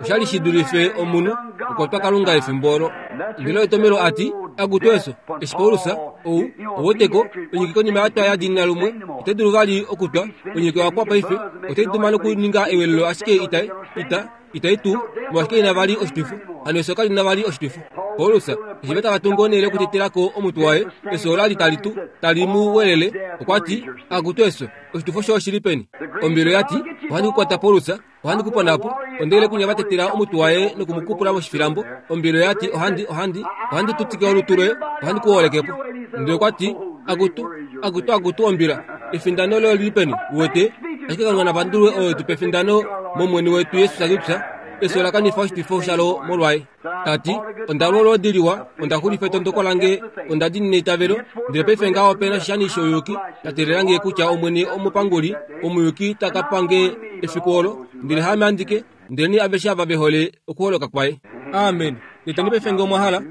Osha li shi dulife omunhu okwa twa Kalunga efimbo olo. Ndele etomelo a ti, Akutu eso, eshi Paulus, ou, oweteko, onyiki konima ya twa ya diinina lumwe, ite dulu vali okutwa, onyiki oya pwa paife, otai duma nokuninga ewelelo ashike ita, ita, Itai tu, molwashike ina vali oshitwifo? Hano efyo kali na vali oshitwifo. Paulus, eshi va tava tungu onhele yokutetela ko omutwe waye, efyo ola li tali tu, tali mu welele, okwa ti, Akutu efyo, oshitwifo shoye oshi li peni? Ombilo ya ti, Ohandi ku kwata Paulus, ohandi ku pona po. Ondele kunya va tetela omutwe waye noku mu kupula moshifilambo. Ombilo ya ti, Ohandi, ohandi, ohandi tutike olutu loye, ohandi ku holeke po. Ndele okwa ti, Akutu, akutu, akutu ombila, efindano loye oli li peni? Uwete? Ashike Kalunga na pandulwe oo e tu pa efindano mOmwene wetu Jesus Kristus, efyo ola kanifa oshitwifo shalo molwaye. Ta ti, Onda lwa olwoodi liwa, onda xulifa etondoko lange, onda diinina eitavelo, ndele paife ngaha ope na oshishani shouyuki sha teelela nge kutya Omwene omupanguli omuyuki ta ka pa nge efiku olo, ndele haame andike, ndelenee aveshe ava ve hole okuholoka kwaye. Amen. Leteni paife nge omwa hala.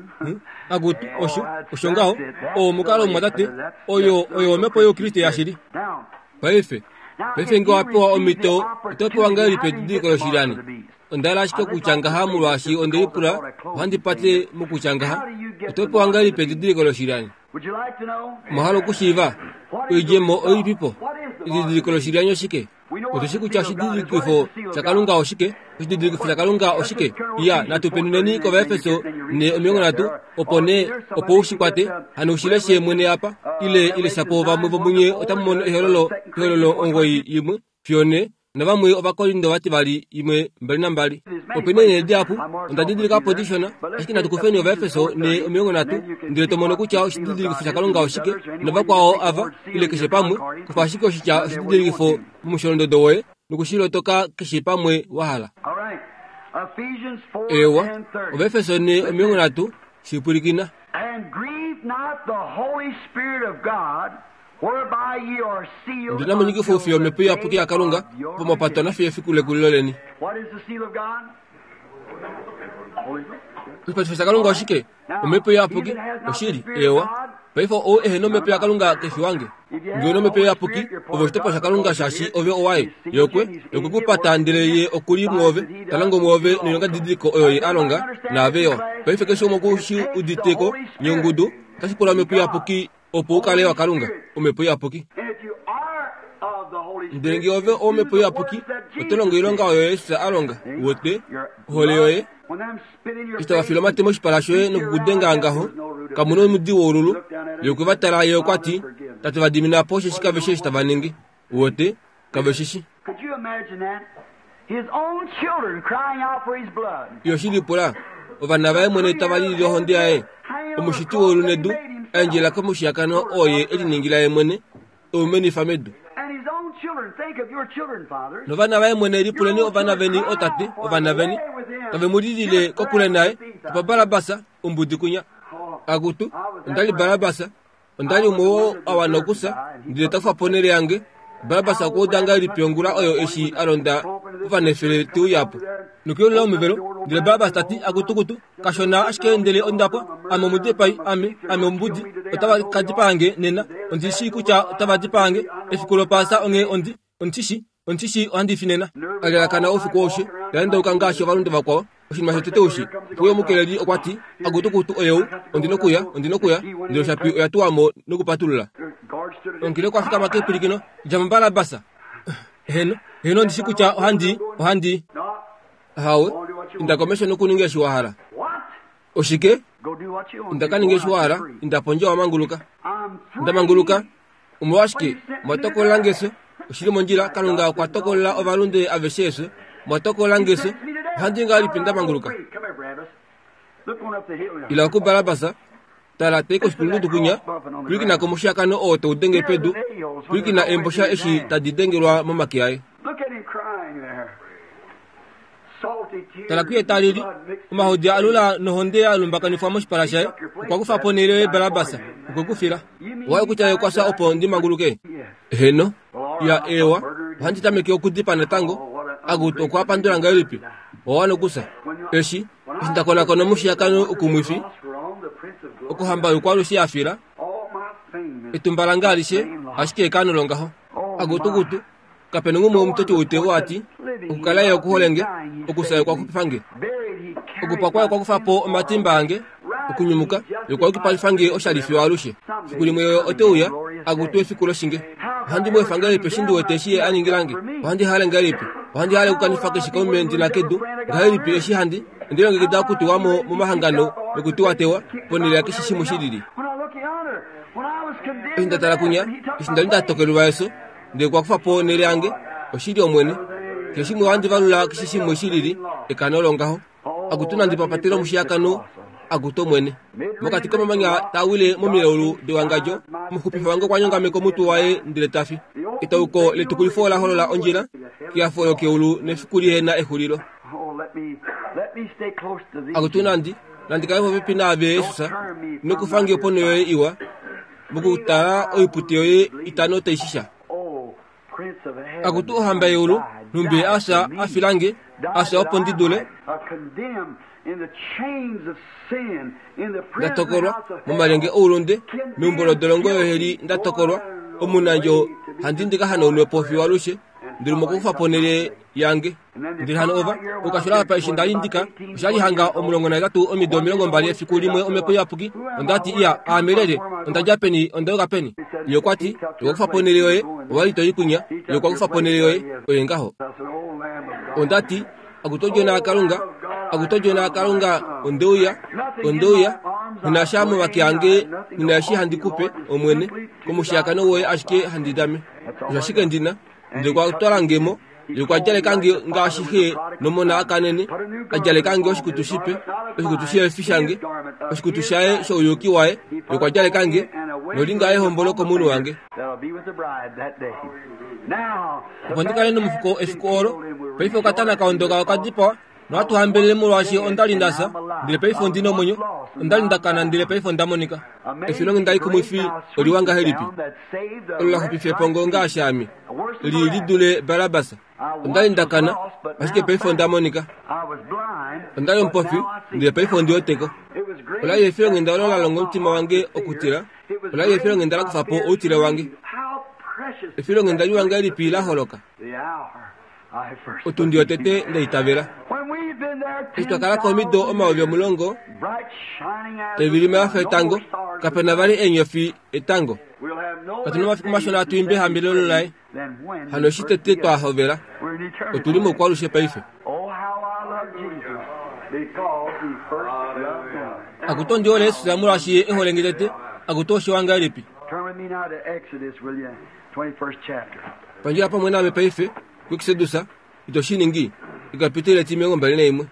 Akutu, osho, osho ngaho. Oo omukalo, omumwatate. Oyo, oyo omhepo youKriste yashili. Paife, paife nge owa pewa omhito, oto pewa ngahelipi edidiliko loshilyani? Onda hala ashike okutya ngaha molwaashi onde lipula, ohandi pate mokutya ngaha. Oto pewa ngahelipi edidiliko loshilyani? Omwa hala okushiiva? Oidjemo oilipipo? Edidiliko loshilyani oshike? Otu shi kutya oshididilikifo shaKalunga oshike. Oshididilikifo shaKalunga oshike? Iya, natu penuneni kOvaefeso 4:30, opo nee, opo u shi kwate, hano u shi leshe mwene apa, ile, ile shapo vamwe vomunye otamu mono ehololo, ehololo 9, 1 fiyo 4, navamwe Ovakorinto vativali 1, 22. Ope na eenhele dihapu, onda didilika po dishona, ashike natu kufeni Ovaefeso 4:30, ndele to mono kutya oshididilikifo shaKalunga oshike, novakwao ava, ile keshe pamwe, kufa ashike oshitya oshididilikifo momusholondodo woye noku shi lotoka keshe pamwe wa hala. Eewa, Ovaefeso 4:30, shi pwilikina. Ndi na monyikifa oufi yOmhepo Iyapuki yaKalunga opo mwa patwa nafiyo efiku lekulilo leni. Oshipatifo shaKalunga oshike? Omhepo Iyapuki. Oshili, eewa. Paife ou ehe nomhepo yaKalunga ke fi wange. Nge u nomhepo Iyapuki, ove oshitopolwa shaKalunga shaashi ove owaye. Ye okwe, ye okwe ku pata ndele ye oku li mwoove, ta longo mwoove noilongadidiliko oyo ye a longa, naave yo. Paife keshe umwe oku shi udite ko, nye ongudu, otashi pula Omhepo Iyapuki opo u kale waKalunga, Omhepo Iyapuki. Ndele nge ove owOmhepo Iyapuki, oto longo oilonga oyo Jesus a longa. Uwete? Ohole yoye. Eshi tava file omate moshipala shoye nokukudenga ngaho, kamu na omudi woululu. Ye okwe va tala, ye okwa ti, Tate va dimina po osheshi kave shii eshi tava ningi. Uwete, kave shi shi. Yo shi lipula, ovana vaye mwene tava lilile ohonde yaye, Omushiti weulu nedu, a endjelela komushiyakano oo ye e liningila ye mwene, e u menifa medu. Novana vaye mwene lipuleni ovana veni ootate, ovana veni, tave mu lilile kokule naye, Tupa Barabas, ombudi kunya. Akutu, onda li Barabas, Onda li umwe oo a wana okufya, ndele ta kufa po onhele yange. Barabas okwa uda ngahelipi ongula oyo eshi a londa ovanefele te uya po nokuyeulula omuvelo? Ndele Barabas ta ti, Akutukutu, kashona ashike ndele onda pwa. Ame omudipai, ame, ame ombudi. Otava ka dipaa nge nena. Ondi shii kutya otava dipaa nge efiku lOpaasa, onghee ondi, Ondi shi, ondi shi ohandi fi nena. A lalakana oufiku aushe, ta endauka ngaashi ovalunde vakwao. Oshinima shotete ushi, puye omukeleli okwa ti, Akutukutu oyou, ondi nokuya, ondi nokuya. Ndele oshapi oya tuwa mo nokupatulula. Omukeli okwa fikama kepwilikino, Dja mo Barabas! Heeno, heeno ondi shi kutya ohandi i, ohandi i. Ahawe, inda komesho nokuninga eshi wa hala. Oshike? Inda ka ninge eshi wa hala, inda pondje wa manguluka. Nda manguluka? Omolwashike mwa tokolela nge efyo? Oshi li mondjila, Kalunga okwa tokolela ovalunde aveshe efyo. Mwa tokolela nge efyo. Ohandi ngahelipi nda manguluka? Ila kuBarabas, tala tai koshikulundudu kwinya, pwilikina komushiyakano oo tau denge pedu, pwilikina eembosha eshi tadi dengelwa momake aye. Tala kuye ta lili, omahodi a alula nohonde ya lumbakanifwa moshipala shaye. Okwa kufa po onhele yoye Barabas, okwe ku fila. Owa hala kutya ye okwa fya opo ndi manguluke? Heeno. Ya, eewa. Ohandi tameke okudipa natango. Akutu, okwa pandula ngahelipi? Owa wana okufya. Eshi, eshi nda konakona omushiyakano ukumwifi, Okuhamba youkwalushe ya fila, etumba lange alishe, ashike ekano longaho. Akutukutu, Kape na umwe womutoti woitevo a ti, Okukala ye oku hole nge, okufya ye okwa xupifa nge. Okupwa kwaye okwa kufa po omatimba ange, okunyumuka ye okwa yukipalifa nge oshali fiyo alushe. Fiku limwe ye ote uya, akutu efiku loshinge. Ohandi mu efa ngahelipi eshi ndi wete eshi ye a ningila nge? Ohandi hale ngahelipi? Ohandi hale okukanifa keshe kaume ndi na kedu. Ngahelipi eshi handi ondi longekida okutuwa mo momahangano nokutiwatewa ponhele yakeshe shimwe shi lili? Eshi nda tala kunya, eshi nda li nda tokelelwa efyo, Ndele okwa kufa po onhele yange, oshili Omwene. Keshe shimwe ohandi valula keshe shimwe shi lili, ekano longaho. Akutu nandi papatele omushiyakano, akutu Omwene. Mokati komamanya taa wile momilaulu dewangadjo, omuxupifi wange okwa nyongameka omutwe waye ndele ta fi. Etauko letukulifo ola holola ondjila kehafo lokeulu nefiku lihe na exulilo. Akutu nandi, nandi kale popepi naave Jesus, nokufa nge ponho yoye iwa. Mokutala oipute yoye itano tai shisha. Akutu ohamba yeulu, nhumbi a fya a fila nge, a fya opo ndi dule. Nda tokolwa momalyenge oulunde, meumbo lodolongo yoheli nda tokolwa, omunandjo handi ndi ka hanaunwe po fiyo alushe, ndi li mokukufa ponhele yange. Ndele hano ova, okashula apa eshi nda li ndika, osha li hanga 18 omido 20 efiku limwe Omhepo Iyapuki, onda ti, Iya, aame lyelye? Onda dja peni? Onda yuka peni? Ye okwa ti, Ye okwa kufa po onhele yoye, owa li to i kwinya. Ye okwa kufa po onhele yoye. Oye ngaho. Onda ti, Akutu Odjona yaKalunga, akutu Odjona yaKalunga, onde uya, onde uya, nghi na sha momake ange, nghi na eshi handi ku pe, Omwene, komushiyakano woye ashike handi dame. Osho ashike ndi na. Ndele okwa twala nge mo, Ye okwa djaleka nge ngaashi xe nomona a kanene, a djaleka nge oshikutu shipe, oshikutu sheefi shange, oshikutu shaye shouyuki waye. Ye okwa djaleka nge nolinga yehombolo komunwe wange. Opo ndi kale nomufuko efiku olo. Paife okatana ka ondoka oka dipawa, nohatu hambelele molwaashi onda li nda fya, ndele paife ondi na omwenyo, onda li nda kana, ndele paife onda monika. Efilonghenda likumwifi oliwa ngahelipi, olo la xupifa epongo ngaashi ame! Li li dule Barabas. Onda li nda kana, ashike paife onda monika. Onda li omupofi, ndele paife ondi wete ko. Ola li efilonghenda olo la longa omutima wange okutila. Ola li efilonghenda la kufa po outile wange. Efilonghenda liwa ngahelipi la holoka! Otundi yotete nda itavela. Eshi twa kala ko omido 10,000, tai vilima ya fa etango, kape na vali eenyofi etango. Katu na omafiku mashona hatu imbi ehambelelo laye. Hano eshi tete twa hovela, otu li moukwalushe paife. Akutu ondi hole Jesus molwaashi Ye e hole nge tete. Akutu oshiwa ngahelipi. Pandjila pamwe naame paife, kuExodus, ito shi ningi, ekapiteli etimilongombali naimwe.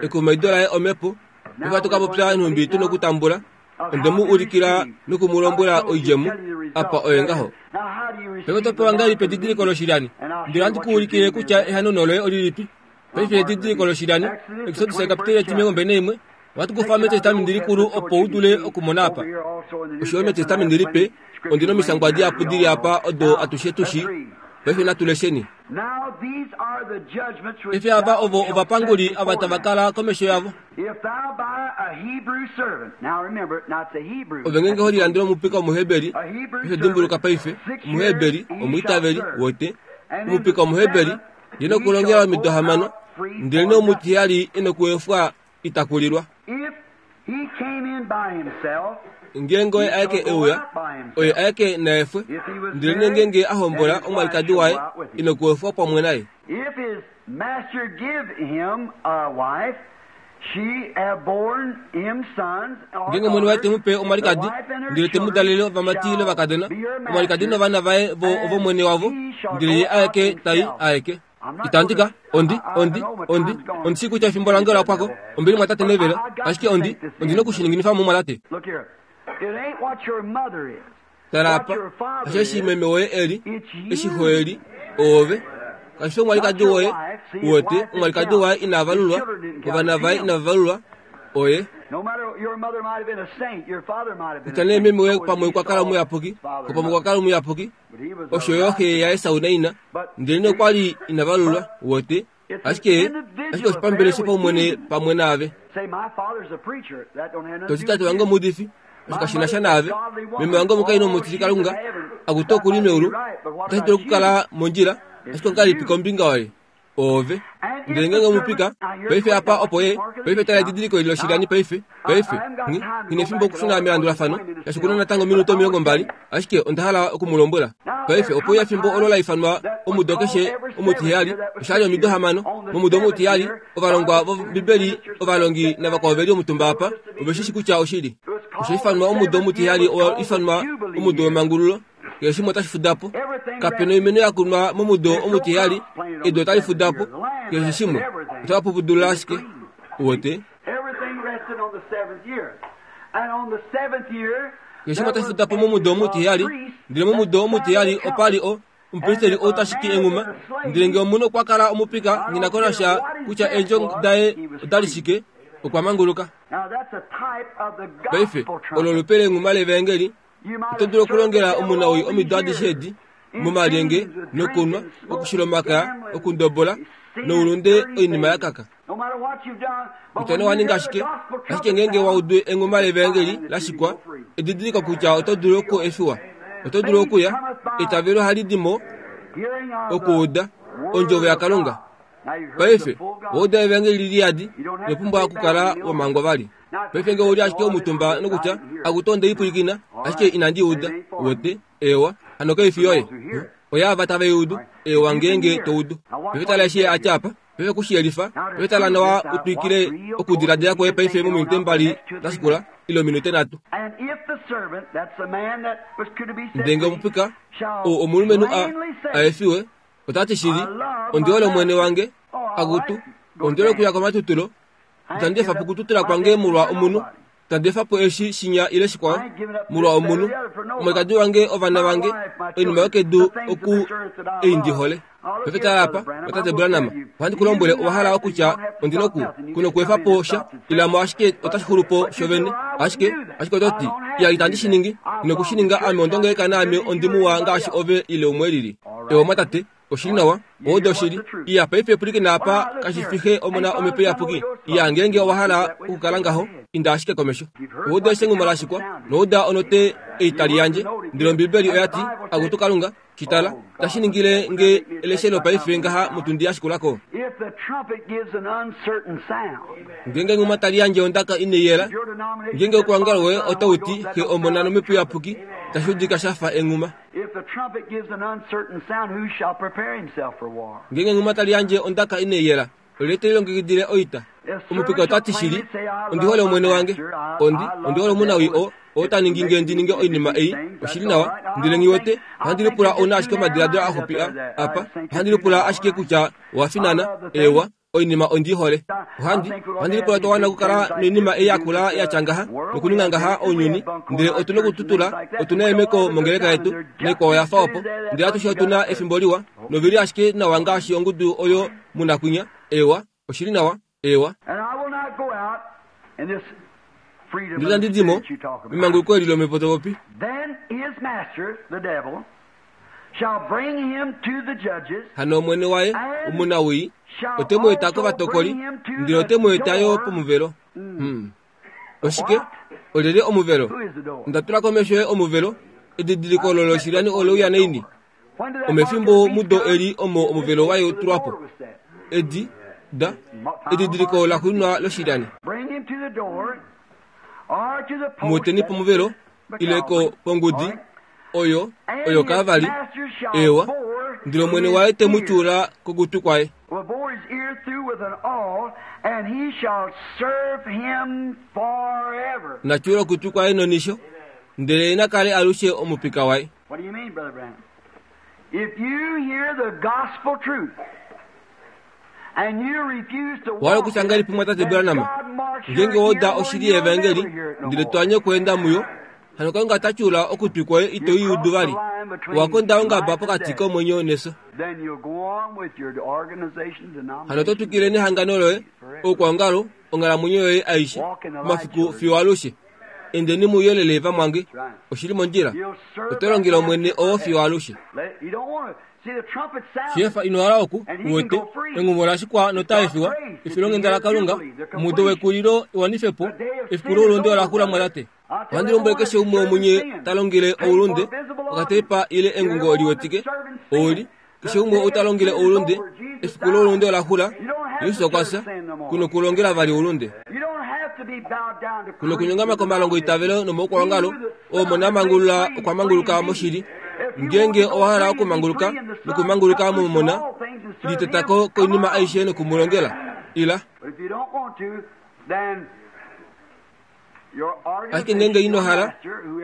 Ekumaido laye omhepo, paife ohatu ka popya nhumbi tu nokutambula. Onde mu ulikila noku mu lombwela oidjemo, apa oye ngaho. Paife oto pewa ngahelipi edidiliko loshilyani? Ndele ohandi ku ulikile kutya ehanono loye olilipi. Paife edidiliko loshilyani, Exodus ekapiteli etimilongombali naimwe, ohatu kufa mEtestamenti Likulu opo u dule okumona apa. Osho yo mEtestamenti Lipe, ondi nomishangwa dihapu di li apa odo atushe tu shii. Paife natu lesheni. Paife ava ovo ovapanguli ava tava kala komesho yavo. Ove ngeenge ho lilandele omupika Omuheberi, paife dimbuluka paife, Omuheberi, omwiitaveli, wote, omupika Omuheberi, ye nokulongela omido hamano, ndelenee omutiheyali e nokuefwa ita kulilwa. Ngeenge oye aeke e uya, oye aeke na efwe, ndelenee ngeenge a hombola omwalikadi waye, e nokuefwa pamwe naye. Ngeenge omwene waye te mu pe omwalikadi, ndele te mu dalele ovamati ile ovakadona, omwalikadi novana vaye vo ovomwene wavo, ndele ye aeke ta i aeke. Itandi ka, ondi, ondi, ondi, ondi shii kutya efimbo lange ola pwa ko, ombili mwatate Neville, ashike ondi, ondi noku shi ninginifa mo mwatate. Tala apa, osheshi meme woye e li, eshi xo e li, oove. Kashi fi omwalikadi woye, uwete, omwalikadi waye ina valulwa, ovana vaye inava valulwa, oye. Kutya nee meme woye pamwe okwa kala omuyapuki, xo pamwe okwa kala omuyapuki, osho yo xe yaEsau naina, ndelenee okwa li ina valulwa, uwete, ashike ashike oshipambele shopaumwene pamwe naave. To ti tate wange omuudifi, osho kashi na sha naave. Meme wange omukainhu omutilikalunga, akutu oku li meulu, otashi dulu okukala mondjila, ashike ongahelipi kombinga yoye? Oove. Ndele ngeenge omupika, paife apa opo ye, paife tala edidiliko eli loshilyani paife, paife, nghi, nghi nefimbo okushuna melandulafano, shaashi oku na natango ominute 20, ashike onda hala oku mu lombwela. Paife ope uya efimbo olo la ifanwa omudo keshe omutiheyali, osha li omido hamano. Momudo omutiheyali, ovalongwa vOmbibeli, ovalongi navakwao ve li omutumba apa, ove shi shi kutya oshili. Osha ifanwa omudo omutiheyali owa ifanwa omudo wemangululo. Keshe shimwe otashi fuda po. Kape na oimeno ya kunwa momudo omutiheyali, edu otali fuda po. Keshe shimwe otava pupudulula ashike. Uwete? Keshe shimwe otashi fuda po momudo omutiheyali, ndele momudo omutiheyali opa li o, omupristeli ou ta shiki enghuma. Ndele ngee omunhu okwa kala omupika, nghi na ko nasha kutya eendjo daye oda li shike, okwa manguluka. Paife, olo olupe lenghuma levaengeli. Oto dulu okulongela omunawii omido adishe edi, momalyenge, nokunwa, okushila omakaya, okundobola, noulunde oinima ya kaka. Kutya nee owa ninga ashike, ashike ngeenge wa udu enghuma levaengeli la shikwa, edidiliko kutya oto dulu oku efiwa. Oto dulu okuya, eitavelo ohali di mo okuuda Ondjovo yaKalunga. Paife, owa uda evaengeli li yadi, ino pumbwa okukala wa mangwa vali. Paife nge ou li ashike omutumba nokutya, Akutu onde i pwilikina, ashike inandi i uda. Uwete? Eewa, hano kai fi yoye. Oyaava tave i udu. Eewa ngeenge to udu. Paife tala eshi ye a tya apa. Paife ku shi yelifa. Paife tala nawa u twikile okudiladila kwoye paife mominute mbali da shikula, ile ominute nhatu. Ndele nge omupika, ou omulumenhu a, a efiwe, ota ti shili, Ondi hole omwene wange. Akutu, ondi hole okuya komatutulo. Itandi efa po okututula kwange molwa omunhu, itandi efa po eshi shinya ile shikwao molwa omunhu, omwalikadi wange, ovana vange, oinima yokedu oku ei ndi hole. Paife tala apa, otate Branham, ohandi ku lombwele owa hala okutya ondi noku ku nokuefa po sha, ila mo ashike otashi xulu po shovene. Ashike, ashike oto ti, Iya, itandi shi ningi. Ino ku shi ninga, ame ondongeleka naame ondi muwa ngaashi ove ile umwe e lili. Ewa, mwatate, Oshili nawa, odo oshili. Iya, paife pwilikina apa, kashi fi xe, Omona, Omhepo Iyapuki. Iya, ngeenge owa hala okukala ngaho, inda ashike komesho. Owa uda eshengumo la shikwa, nowa uda onote ei tali yandje. Ndele Ombibeli oya ti, Akutu Kalunga, shi tala, tashi ningile nge eleshelo paife ngaha motundi ya shikula ko. Ngeenge enghuma tali yandje ondaka inai yela, ngeenge okuongalo woye otau ti, Xe, Omona nOmhepo Iyapuki, tashi udika sha fa enghuma. Ngeenge enghuma tali yandje ondaka inai yela, Olyelye te lilongekidile oita? Omupika ota ti shili, Ondi hole omwene wange. Ondi, ondi hole omunawii oo, oo ta ningi nge ndi ninge oinima ei. Oshi li nawa. Ndele nghi wete, ohandi lipula ou na ashike omadiladilo axupi a, apa. Ohandi lipula ashike kutya owa finana. Eewa. Oinima ondi i hole. Ohandi, ohandi lipula twa wana okukala noinima ei yakula ya tya ngaha, nokuninga ngaha ounyuni, ndele otu nokututula, otu na eemeko mongeleka yetu, naikwao ya fa opo. Ndele atushe otu na efimbo liwa, novili ashike nawa ngaashi ongudu oyo mu na kwinya. Eewa, oshi li nawa. Eewa. Ndele itandi di mo memanguluko eli lomhepo to popi. Hano omwene waye, omunawii, ote mu eta kovatokoli, ndele ote mu eta yo pomuvelo. Hmm. Oshike? Olyelye omuvelo? Onda tula komesho yoye omuvelo, edidiliko olo loshilyani ole uya naini? Omefimbo mudo eli omo omuvelo waye tulwa po. Edi, da, edidiliko laxuuninwa loshilyani. Mu eteni pomuvelo, ile ko, pongudi, oyo, oyo Kalvari, eewa, ndele Omwene waye te mu tyuula kokutwi kwaye. Na tyuula okutwi kwaye nonisho, ndele ye na kale alushe omupika waye. Owa hala okutya ngahelipi mumwatate Branham? Ngeenge owa uda oshili yevaengeli, ndele to anye okweenda muyo, hano Kalunga ota tyuula okutwi kwoye ito i udu vali. Owa konda ongaba pokati komwenyo nefyo. Hano oto twikile nehangano loye, oukwaongalo, onghalamwenyo yoye aishe, omafiku fiyo alushe. Endeni mouyelele vamwange. Oshi li mondjila. Oto longele Omwene oo fiyo alushe. Shefa ino hala oku uwete engumo la shikwa nota efiwa efilonghenda laKalunga omudo wekulilo ewanife po efiku loulunde ola xula mwatate. Ohandi lombwele keshe umwe womunye ta longele oulunde okateipa ile engungo liwetike ouli keshe umwe ou ta longele oulunde efiku loulunde ola xula Jesus okwa fya ku nokulongela vali oulunde ku nokunyongama komalongo itavelo nomoukwalongalo oo mona mangulula okwa manguluka moshili ngeenge owa hala okumanguluka nokumanguluka momona liteta ko koinima aishe noku mu longela ila ashike ngeenge ino hala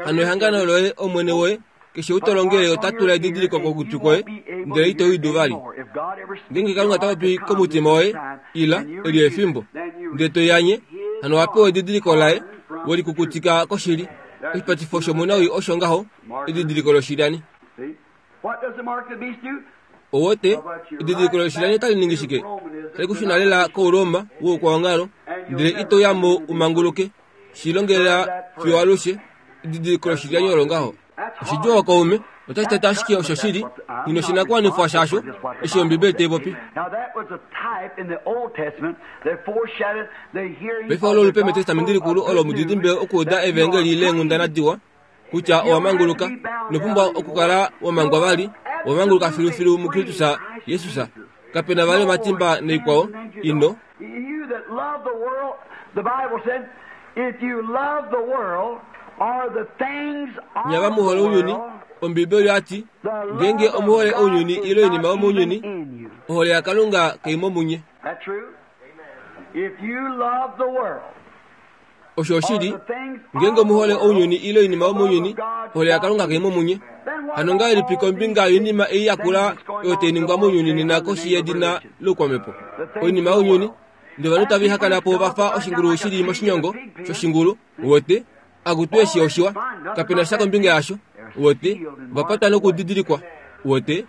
hano ehangano loye omwene woye keshe ou to longele ota tula edidiliko kokutwi kwoye ndele ito udu vali ngeenge kalunga ta popi komutima woye ila eli efimbo ndele to yanye hano wa pewa edidiliko laye we likukutika koshili oshipatifo shomunawii osho ngaho edidiliko loshilyani owote edidiliko loshilyani otali ningi shike tali kushuna lela kouroma woukwaongalo ndele ito ya mo u manguluke shi longelela fiyo alushe edidiliko loshilyani olo ngaho oshidjuu okaume otashi tata ashike osho shili nghi noshinakuwanifwa shasho eshi ombibeli tai popi paife olo olupe metestamenti likulu olo omudidimbe okuuda evangeli leenghundana diwa kutya owa manguluka ino pumbwa okukala wa mangwa vali owa manguluka filufilu mukristus jesus kape na vali omatimba noikwao ino Nye ava mu hole ounyuni, Ombiibeli oya ti, Ngeenge omu hole ounyuni ile oinima yomounyuni, ohole yaKalunga kai mo munye. Osho oshili, ngeenge omu hole ounyuni ile oinima yomounyuni, ohole yaKalunga kai mo munye. Hano ngahelipi kombinga yoinima ei ya kula oyo tai ningwa mounyuni nena koshi yedina loukwamhepo? Oinima younyuni, ndele ovanhu tava ihakana po va fa oshingulu shi li moshinyongo shoshingulu, uwete, akutu eshi oshiwa, kape na sha kombinga yasho, uwete, ova patwa nokudidilikwa, uwete.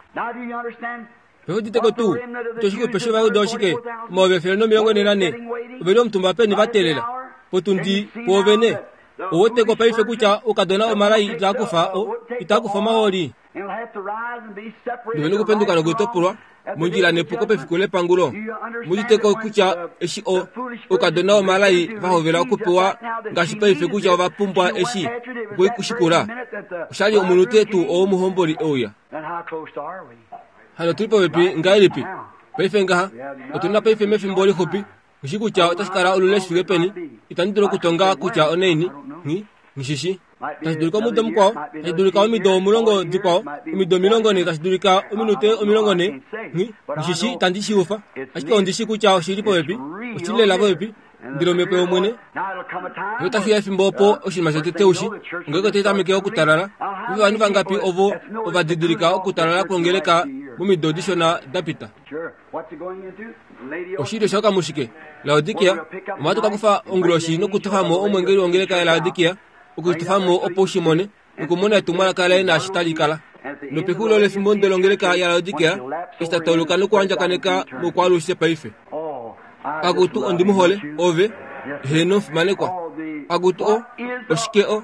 Veuditeko tuu kutya oshixupe shOvajuda oshike? 1444 ove li omutumba peni va teelela potundi pwoovene. Ou weteko paife kutya oukadona omalai itaa kufa o, itaa kufa omahooli. Nove nokupenduka nokutopolwa mondjila nepuko pefiku lepangulo. Mu uditeko kutya eshi o, oukadona omalai va hovela okupewa ngaashi paife kutya ova pumbwa eshi okushikula? Osha li omunute tuu oo omuhomboli e uya. Hano otu li popepi ngahelipi paife ngaha? Otu na paife mefimbo lixupi. Nghi shi kutya otashi kala olule shi fike peni. Itandi dulu okutonga kutya onaini. Nghi, nghi shi shi. Tashi dulika omudo mukwao, tashi dulika omido 10 dikwao, omido 40, tashi dulika ominute 40. Nghi shi itandi shi ufa, ashike ondi shi kutya oshi li popepi, oshi li lela popepi. Ndele omhepo yOmwene otashi uya efimbo opo oshinima shotete ushi, ongeleka otai tameke okutalala. Ovanhu vangapi ovo ova didilika okutalala kwongeleka momido dishona da pita? Oshilyo shoka mushike? Laodikia. Omwa ka kufa onguloshi nokutofa mo omwengeli wongeleka yaLaodikia, okutofa mo opo u shi mone, nokumona etumwalaka laye naashi tali kala. Nopexulilo lefimbo ndele ongeleka yaLaodikia eshi ta tauluka nokuandjakaneka mokwaalushe paife. Akutu ondi mu hole, ove, heeno fimanekwa. Akutu o, oshike o,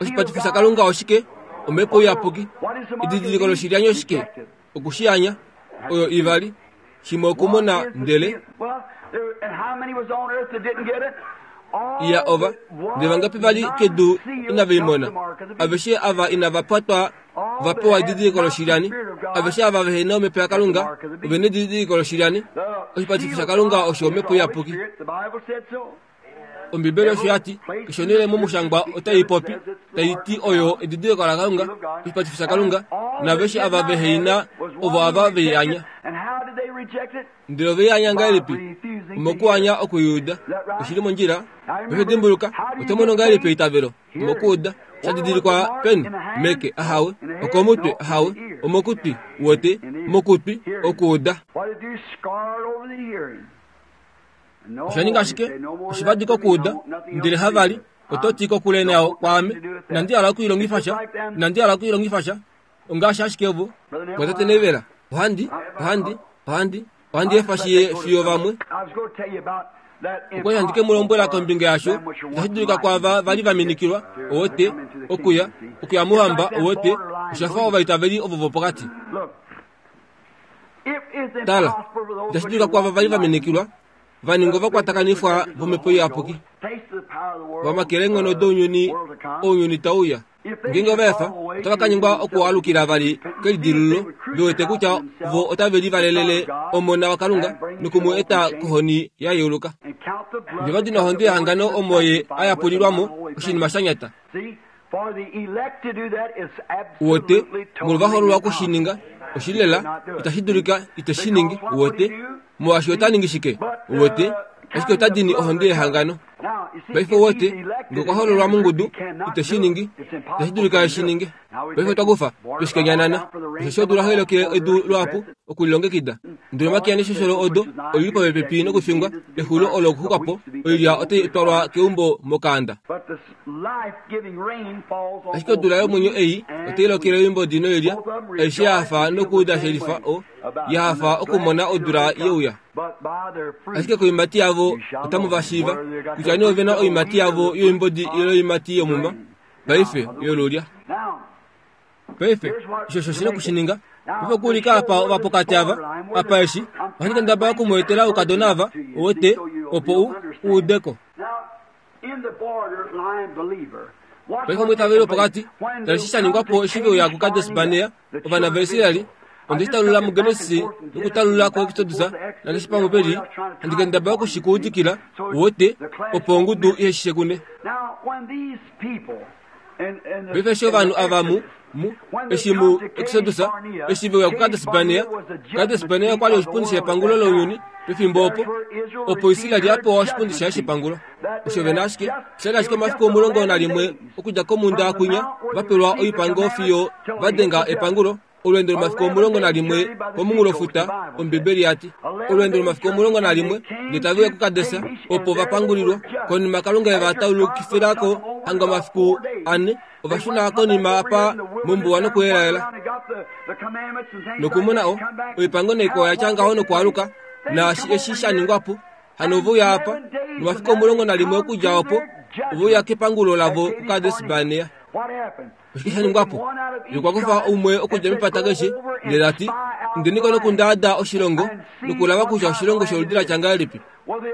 oshipatifo shaKalunga oshike? Omhepo Iyapuki. Edidiliko loshilyanyo oshike? Okushiyanya. Oyo ivali. Shimwe okumona ndele iya ova ndele vangapi vali kedu inave i mona? Aveshe ava inava patwa va pewa edidiliko loshilyani. Aveshe ava vehe na omhepo yaKalunga ove na edidiliko loshilyani. Oshipatifo shaKalunga osho omhepo iyapuki. Ombibeli osho ya ti, keshe onhele momushangwa otai popi tai ti oyo edidiliko laKalunga, oshipatifo shaKalunga, naaveshe ava vehe i na ovo ava ve i anya. Ndele ove i anya ngahelipi? Omokuanya oku i uda. Oshi li mondjila. Paife dimbuluka, oto mono ngahelipi eitavelo? Omokuuda. Sha didilikwa peni? Meke, ahawe. Okomutwe, ahawe. Omokutwi, wote. Mokutwi, okuuda. Osha ninga ashike oshivadi kokuuda, ndele havali, oto ti kokule nayo kwaame, inandi hala oku i longifa sha, inandi hala oku i longifa sha. Ongaashi ashike ovo, mwatate Nevela, ohandi, ohandi, ohandi, ohandi efa shi ye fiyo vamwe. Okwa li handi ke mu lombwela kombinga yasho, itashi dulika kwaava va li va minikilwa, owote, okuya, okuya mouhamba, owote, osha fa ovaitaveli ovo vopokati. Tala, itashi dulika kwaava va li va minikilwa, va ninga ovakwatakanifwa vOmhepo Iyapuki, va makele eenghono dounyuni, ounyuni tau uya. Ngeenge ova efa, otava ka nyengwa okualukila vali kelidilululo, ve wete kutya vo otave livalelele Omona waKalunga noku mu eta kohoni ya yeuluka. Ndele va dina ohonde yehangano omo ye a yapulilwa mo, oshinima sha nyata. Uwete, molwovahoololwa oku shi ninga, oshi li lela, itashi dulika ite shi ningi, uwete, molwaashi ota ningi shike? Uwete, ashike ota dini ohonde yehangano. Paife uwete, nge okwa hoololwa mongudu, ite shi ningi, itashi dulika e shi ninge. Paife otwa kufa, twe shi kenyanana. Osheshi odula ohai lokele edu luhapu okulilongekida. Ndele omakiya neshosholo odo oi li popepi nokufingwa, exulo olo okuxuka po, oilya otai twalwa keumbo mokaanda. Ashike odula yomwenyo ei otai lokele oimbodi noilya, aishe ya hafa nokuuda shelifa o, ya hafa okumona odula ye uya. Ashike koiimati yavo otamu va shiiva, kutya nee ove na oiimati yavo yoimbodi ile oiimati yomuma, paife, yolulya. Paife, osho osho shi na oku shi ninga. Paife okuulika apa ovapokati ava, apa eshi, ohandi kendabala oku mu etela oukadona ava, uwete, opo u, u ude ko. Paife omwiitaveli wopokati, tala eshi sha ningwa po eshi ve uya kuKades Barnea, ovana vaIsrael, onde shi talulula muGenesis nokutalulula kuExodus nakeshe pamwe pe li, handi kendabala oku shi ku udikila, uwete, opo ongudu ihe shi shekune. Paife eshi ovanhu ava mu, mu, eshi mu Exodus, eshi ve uya kuKades Barnea, Kades Barnea okwa li oshipundi shepangulo lounyuni pefimbo opo, opo Israel a pewa oshipundi shaye shepangulo. Osho ve na ashike, osha li ashike omafiku 11 okudja komhunda kwinya, va pelwa oipango fiyo va denga epangulo. Olweendo lomafiku 11 komunghulofuta, Ombibeli ya ti. Olweendo lomafiku 11, ndele tave uya kuKades, opo va pangulilwa. Konima Kalunga e va taulukifila ko hanga omafiku ane, ova shuna konima apa mombuwa nokuelaela. Nokumona o, oipango naikwao ya tya ngaho nokwaaluka, naashi eshi sha ningwa po, hano ove uya apa, nomafiku 11 okudja opo, ove uya kepangulo lavo kuKades Barnea. Oshike sha ningwa po? Ye okwa kufa umwe okudja mepata keshe, ndele ta ti, Indeni ko nokundaada oshilongo nokulava kutya oshilongo sholudi la tya ngahelipi.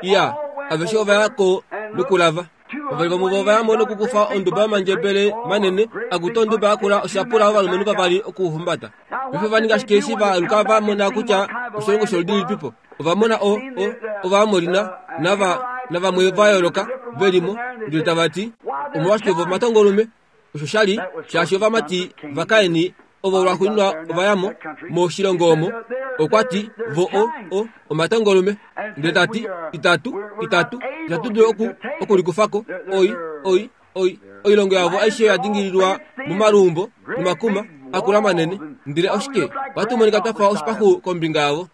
Iya, aveshe ova ya ko nokulava. Vavali vomuvo ova ya mo nokukufa onduba yomandjebele manene, akutu onduba yakula osha pula ovalumenhu vavali okuhumbata. Paife ova ninga ashike eshi va aluka va mona kutya oshilongo sholudi lilipipo. Ova mona o, o, Ovaamori na, nava, navamwe va yooloka ve li mo, ndele tava ti, Omolwashike vo omatongolume? Osho sha li shaashi ovamati vaKain ovo lwaxuuninwa ova ya mo moshilongo omo. Okwa ti, Vo o, o, omatongolume. Ndele ta ti, Itatu, itatu, itatu dulu oku, okulikufa ko. Oi, oi, oi, oilongo yavo aishe oya dingililwa momaluumbo nomakuma akula manene. Ndele oshike? Ohatu monika twa fa oshipaxu kombinga yavo.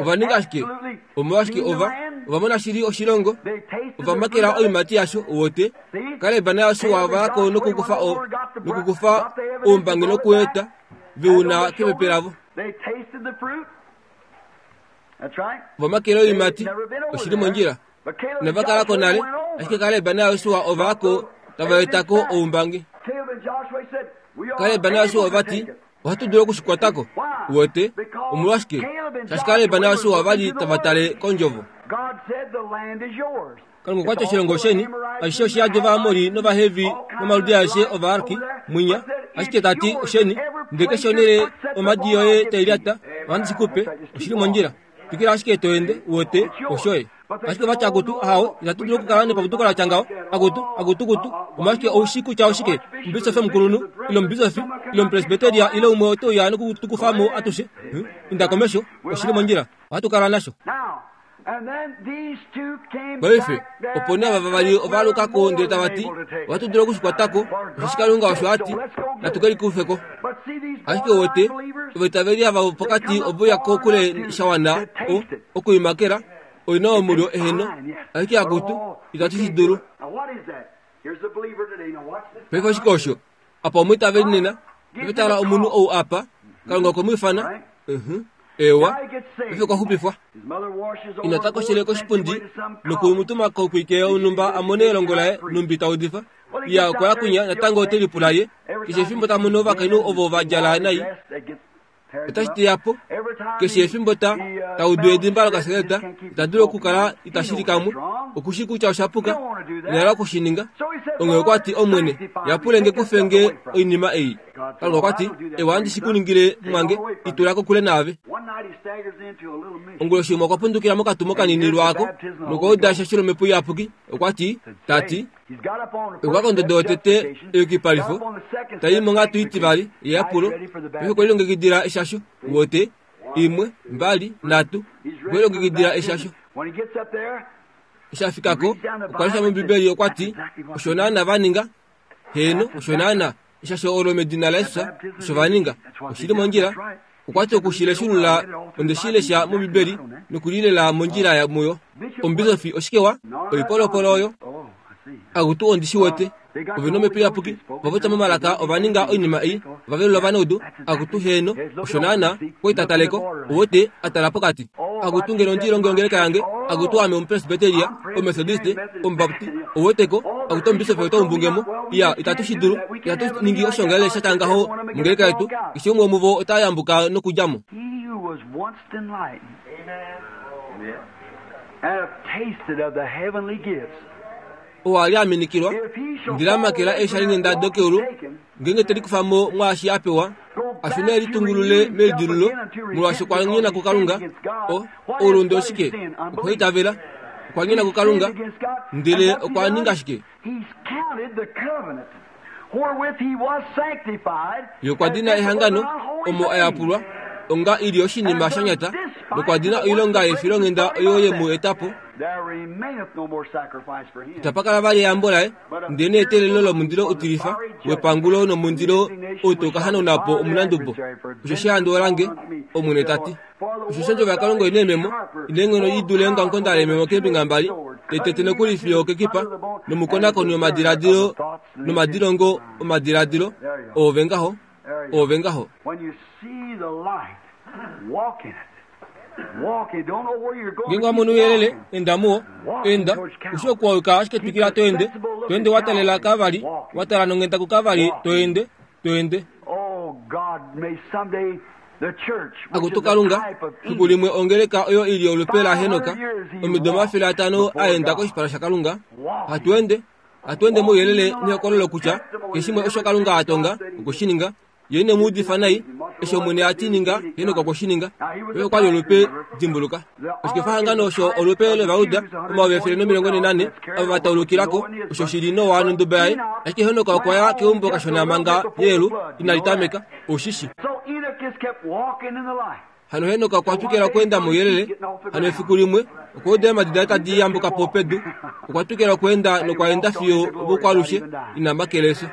Ova ninga ashike? Omolwashike ova, ova mona shili oshilongo? Ova makela oiimati yasho, wote. Kaleb naJosua ova ya ko nokukufa o, nokukufa oumbangi nokueta ve u na kepepe lavo. Ova makela oiimati, oshi li mondjila. Inava kala ko nale, ashike Kaleb naJosua ova ya ko tava eta ko oumbangi. Kaleb naJosua ova ti, Ohatu dulu oku shi kwata ko. Uwete? Omolwashike? Shaashi Kaleb naJosua ova li tava tale kOndjovo. Kalunga okwa ti oshilongo osheni, ashishe oshi yadi Ovaamori nOvahevi nomaludi aeshe Ovaarki, mwinya. Ashike ta ti osheni, ndele keshe onhele omhadi yoye tai lyata, ohandi shi ku pe. Oshi li mondjila. Twikila ashike to ende, uwete, oshoye. Ashike ova ti akutu, ahawe, itatu dulu okukala nepapuduko la tya ngaho. Akutu, akutukutu, omolwashike ou shii kutya oshike? Omubisofi omukulunhu, ile omubisofi, ile omupresbeteria, ile umwe ote uya noku tu kufa mo atushe. Huh? Inda komesho, oshi li mondjila. Ohatu kala nasho. Paife, opo nee ava vavali ova aluka ko ndele tava ti, Ohatu dulu oku shi kwata ko, osheshi Kalunga osho a ti, natu ke likufe ko. Ashike uwete, ovaitaveli ava vopokati ove uya kokule sha wana o, okuimakela, oi na omulyo eheno, ashike akutu, itatu shi dulu. Paife oshike osho? Apa omwiitaveli nena, paife tala omunhu ou apa, Kalunga okwe mu ifana. Uh-huh. Ewa, paife okwa xupifwa. Ina ta koshele koshipundi noku mu tuma kokwike yonhumba a mone elongo laye numbi ta udifa. Ya okwa ya kwinya natango ote lipula ye keshe efimbo ta mono ovakainhu ovo va djala nai otashi teya po keshe efimbo ta ta udu edimba lokaseleta ita dulu okukala ita shili kamwe oku shi kutya osha puka ina hala oku shi ninga onghee okwa ti omwene yapule nge kufe nge oinima ei kalunga okwa ti ewa handi shi ku ningile mwange i tula kokule naave onguloshi imwe okwa pundukila mokatumo kanini lwaako nokwa uda sha shilomhepo iyapuki okwa ti ta ti okwa kondodo yotete eyukipalifo ta i monghatu itivali yeyapulo paife okwe lilongekidila eshasho wote imwe mbali nhatu okwe lilongekidila eshasho eshi a fika ko okwa lesha mombibeli okwa ti osho naana va ninga heeno osho naana eshasho olo medina laJesus osho va ninga oshi li mondjila okwa ti oku shi leshulula onde shi lesha mombibeli nokulilela mondjila ya muyo omubisofi oshike wa oipolopolo oyo akutu ondi shi wete ove nomhepo iyapuki ova popya momalaka ova ninga oinima ei ova velula ovanaudu akutu heeno osho naana okwa taleko owote a tala pokati akutu ngeno ondi ilonge ongeleka yange akutu ame omupresbiteria omethodiste omubapti oweteko akutu omubisofi ota umbunge mo iya itatu shi dulu itatu ningi oshongalele sha tya ngaho mongeleka yetu keshe umwe womuvo ota yambuka nokudja mo oo a li a minikilwa ndele a makela eeshalinghenda dokeulu ngeenge te likufa mo mwaashi a pewa a shune e litungulule meidilululo molwaashi okwa nyona kuKalunga o oulunde oshike okwaitavela okwa nyona kuKalunga ndele okwa ninga shike Ye okwa dina ehangano omo a yapulwa onga i li oshinima sha nyata nokwa dina oilonga yefilonghenda oyo ye mu eta po. Itapa kala vali eyambo laye, ndelenee eteelelo lomundilo utilifa wepangulo nomundilo ou tau ka hanauna po omunandubo. Osheshi ehandu olange, Omwene ta ti. Osheshi ondjovo yaKalunga oi na eememo, i na eenghono i dule eongamukonda leememo keembinga mbali, tai tete nokuli fiyo okekipa, nomukonakoni womadiladilo nomadilongo omadiladilo, oove ngaho, oove ngaho. Ngeenge wa mono ouyelele, enda muwo. Enda, u shii oku wa yuka, ashike twikila to ende, to ende wa talela kavali, wa tala nonghenda kukavali, to ende, to ende. Akutu Kalunga, fiku limwe ongeleka oyo i li olupe laHenok, omido 500 a enda koshipala shaKalunga, hatu ende, hatu ende mouyelele nehokololo kutya keshe shimwe osho Kalunga a tonga okwe shi ninga. Ye ine mu udifa nai. Eshi Omwene a ti ninga, Henok okwe shi ninga. Ye okwa li olupe, dimbuluka. Oshikefahangano osho olupe lOvauda, 144,000 ava va taulukila ko, osho shi li Noa nonduba yaye. Ashike Henok okwa ya keumbo kashona manga Eyelu inali tameka. Ou shi shi. Hano Henok okwa twikila okweenda mouyelele. Hano efiku limwe, okwa uda eemhadi daye tadi yambuka po pedu. Okwa twikila okweenda nokwa enda fiyo vokwalushe, ina makela efyo.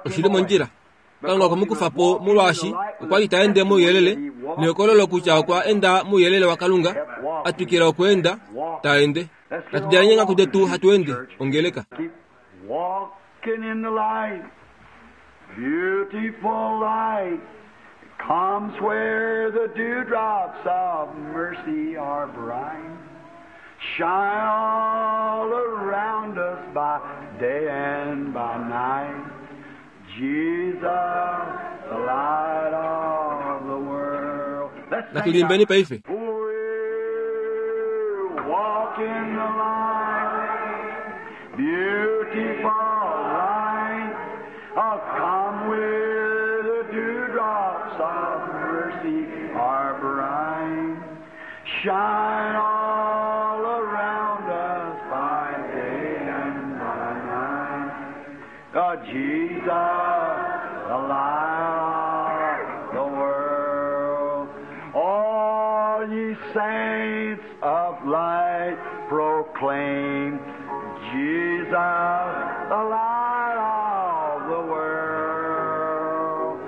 Oshi li mondjila. Kalunga okwe mu kufa po molwaashi okwa li ta ende mouyelele nehokololo kutya okwa enda mouyelele waKalunga, a twikila okweenda ta ende. Natu djaleni eenghaku detu hatu ende, ongeleka. Walking in the light, beautiful light, comes where the dewdrops of mercy are bright. Shine all around us by day and by night. Jesus, the light of the world. Let's Natu sing liimbeni now. paife. We walk in the light, beautiful light. Oh, come where the dewdrops of mercy are bright. Shine all around us by day and by night. Oh, Jesus, the light of the world. All ye saints of light proclaim Jesus, the light of the world.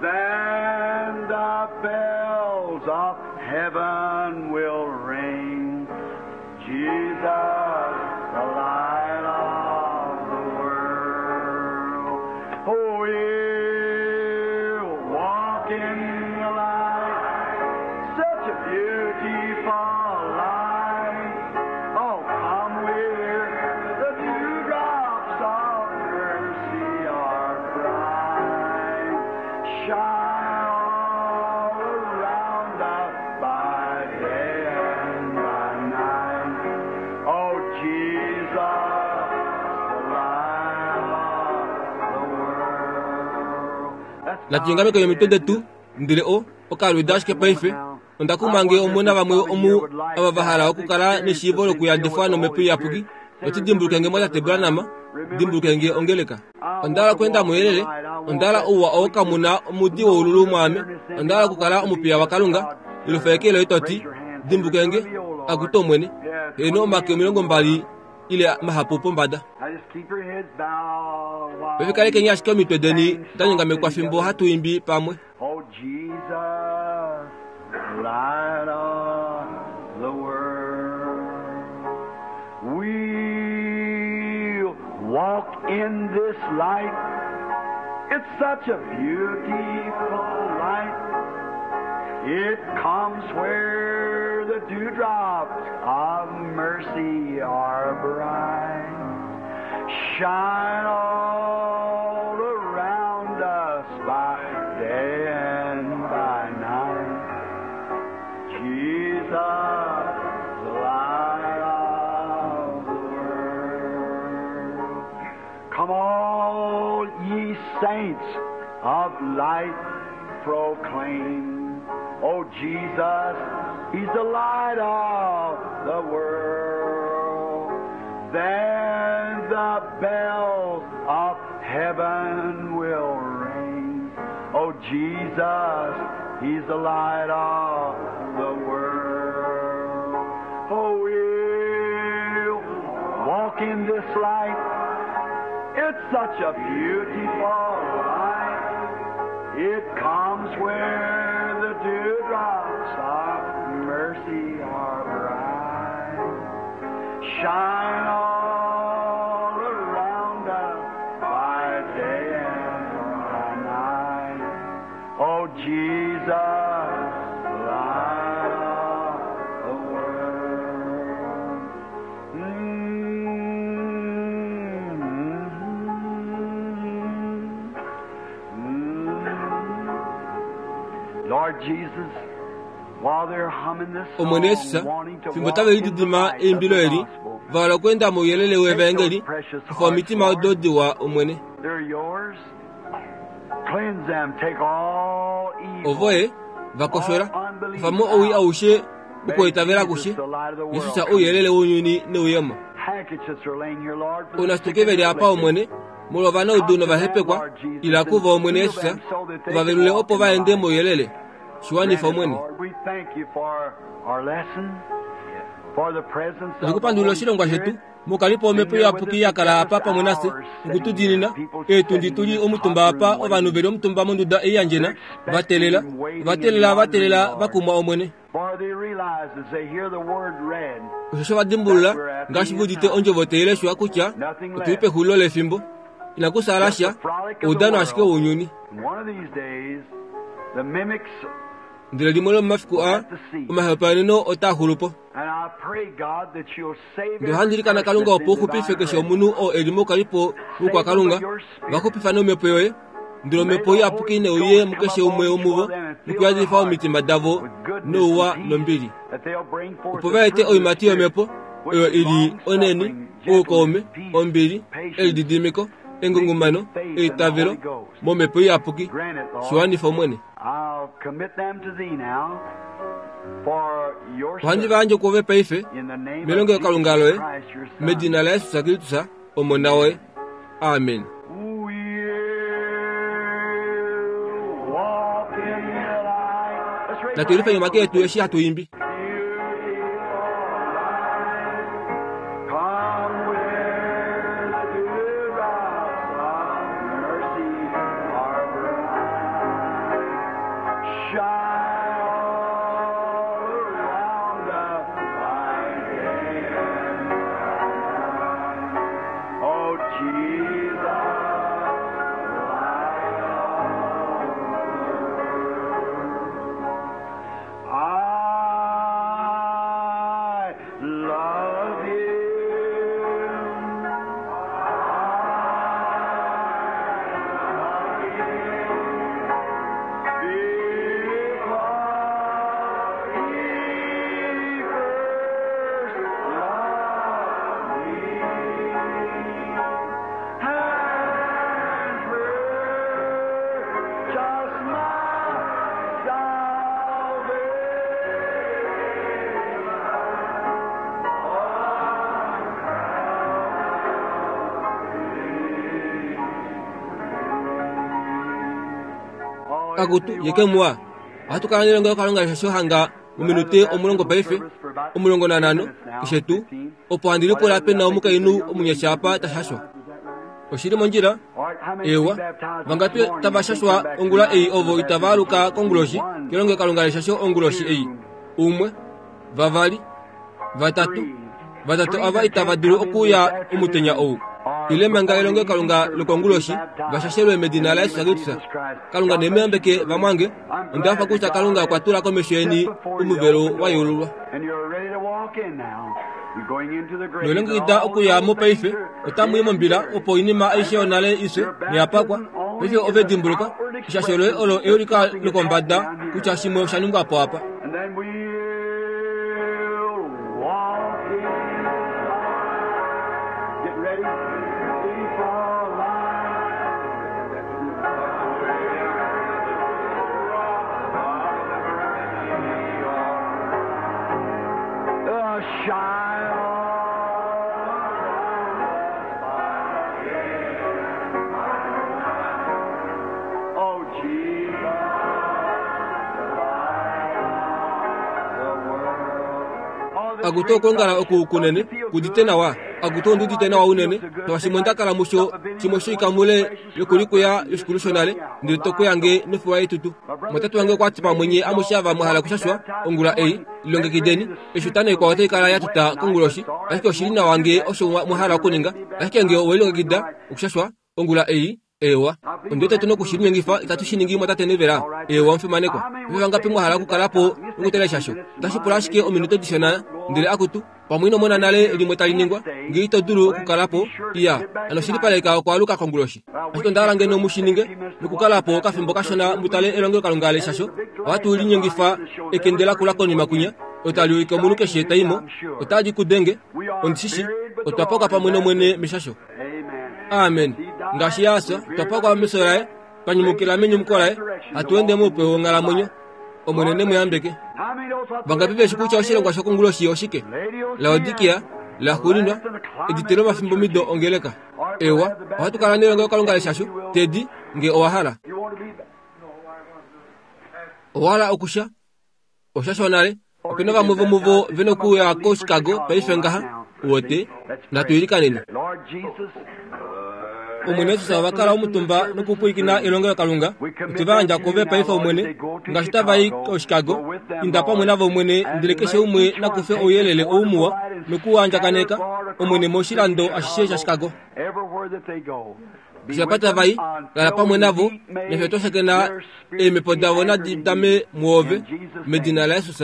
Then the bells of heaven will ring. Jesus, the light of the world. Oh, we'll walk in the light, such a beautiful light. Oh, come where the dewdrops of mercy are bright. Shine all around us by day and by night. Oh, Jesus, the light of the world. Let's Natu ingameke omitwe detu ndele o okalwida ashike paife. Onda kuma nge omu na vamwe omu ava va hala okukala neshiivo lokuyadifwa nomhepo iyapuki. Oti dimbuluke nge mwatate Branham, dimbuluke nge ongeleka. Onda hala okweenda mouyelele, onda hala ouwa oo kamu na omudi woululu mwaame, onda hala okukala omupiya waKalunga. Ilufa eke loye to ti, Dimbuluke nge, akutu Omwene. Heeno omake 20 ile mahapu pombada. Now just keep your heads bowed while Paife kalekeni ashike omitwe deni da nyongamekwa fimbo hatu imbi pamwe. Oh, Jesus, light of the world. We'll walk in this light. It's such a beautiful light. It comes where the dewdrops of mercy are bright. Shine all around us by day and by night. Jesus, the light of the world. Come all ye saints of light proclaim. Oh Jesus, He's the light of the world. Then the bells of heaven will ring. Oh Jesus, He's the light of the world. Oh, we'll walk in this light. It's such a beautiful light. It comes where the dewdrops of mercy are bright. Shine all around us by day and by night. Oh, Jesus, light of the world. Mm-hmm. Lord Jesus, while they're humming this Omwene song, Jesus, wanting to fimbo walk tave in the lididima light of the eimbilo eli, gospel, va hala okweenda mouyelele wevangeli, kufa omitima odo diwa Omwene. they're yours. Ovoye va koshola, kufa mo owii aushe okuitavela akushe, Jesus ouyelele wounyuni neuyemo. Ounashituke ve li apa, Omwene, molwa ovanaudu novahepekwa, ila kuvo, Omwene Jesus, u va velule opo va ende mouyelele. Shi wanifa, Omwene. Otu ku pandulila oshilongwa shetu. Mukalipo omhepo iyapuki ya kala apa pamwe nafye oku tu diinina. Eetundi tu li omutumba apa, ovanhu ve li omutumba monduda ei ya ndjena, va teelela, ova teelela, va teelela, va kumwa Omwene. Osheshi ova dimbulula, ngaashi ve udite ondjovo tai leshwa kutya otu li pexulilo lefimbo. Inaku saala sha, oudano ashike wounyuni. Ndele limwe lomomafiku aa, omahepaeneno otaa xulu po. Ndele ohandi ilikana Kalunga opo u xupife keshe omunhu oo e li moukalipo woukwakalunga, va xupifa nomhepo yoye, ndele omhepo iyapuki ne uye mukeshe umwe womuvo nokuyadifa omitima davo nouwa nombili, opo va ete oiimati yomhepo oyo i li onheni, oukaume, ombili, elididimiko, engungumano, eitavelo, momhepo iyapuki. Shi wanifa Omwene. Ohandi va yandje kwoove paife, melongelokalunga loye, medina laJesus Kristus, Omona woye. Amen. Natu yelifeni omake etu eshi hatu imbi. Akutu, ye ke mua. Ohatu kala nelongelokalunga leshasho hanga mominute omulongo paife, 15, keshe tuu, opo handi lipula pe na omukainhu omunyasha apa ta shashwa. Oshi li mondjila? Eewa. Vangapi tava shashwa ongula ei ovo itava aluka konguloshi kelongelokalunga leshasho onguloshi ei? Umwe, vavali, vatatu, vatatu ava itava dulu okuuya omutenya ou ile manga elongelokalunga lokonguloshi va shashelwe medina laJesus Kristus. Kalunga ne mu yambeke vamwange. Onda hafa kutya Kalunga okwa tula komesho yeni omuvelo wa yeululwa. Nolongekida okuya mo paife, otamu i mombila opo oinima aishe yonale i fye noya pakwa. Paife ove dimbuluka, eshasho loye olo euliko lokombada kutya shimwe osha ningwa po apa. Akutu okwoongala oku kunene kudite nawa. Akutu ondi udite nawa unene molwaashi onda kala musho shimwe shoikamule yokulikuya yoshikulu shonale, ndele to kuya nge nofiwa yetutu. Mwatate wange okwa ti pamwe nye amushe ava mwa hala okushashwa ongula ei, lilongekideni. Eshi otano ikwao otai kala ya tuta konguloshi, ashike oshi li nawa nge osho mwa hala okuninga. Ashike nge owe lilongekida okushashwa ongula ei, Eewa, ondi wete tu noku shi linyengifa itatu shi ningi mwatate Neville. Eewa, omufimanekwa. Ove vangapi mwa hala okukala po nokutala eshasho? Otashi pula ashike ominute dishona, ndele akutu, pamwe ino mona nale limwe tali ningwa. Nge ito dulu okukala po, iya, hano shilipaleka okwaaluka konguloshi. Ashike onda hala ngeno mu shi ninge, nokukala po okafimbo kashona mu tale elongelokalunga leshasho. Ohatu linyengifa ekende lakula konima kwinya, olo tali ulike omunhu keshe ta i mo. Otali ku denge, ondi shi shii. Otwa pakwa pamwe nOmwene meshasho. Amen. Ngaashi Ye a fya, otwa pakwa mefyo laye. Twa nyumukila menyumuko laye, hatu ende moupe wonghalamwenyo. Omwene ne mu yambeke. Vangapi veshi kutya oshilongwa shokonguloshi oshike? Laodikia, laxuuninwa, edite lomafimbomido ongeleka. Ewa, ohatu kala nelongelokalunga leshasho, Teddy, nge owa hala. Owa hala okusha? Osha shonale. Ope na vamwe vomuvo ve nokuuya koChicago paife ngaha. Uwete? Natu ilikaneni. Omwene Jesus ova kala omutumba nokupwilikina elongelokalunga. Otwe va yandja kove paife Omwene, ngaashi tava i koChicago. Inda pamwe navo Omwene, ndele keshe umwe na kufe ouyelele ou muwa noku u andjakaneka, Omwene, moshilando ashishe shaChicago. Eshi apa tava i, kala pamwe navo, nafye twa shakena eemhepo davo nadi dame mwoove, medina laJesus.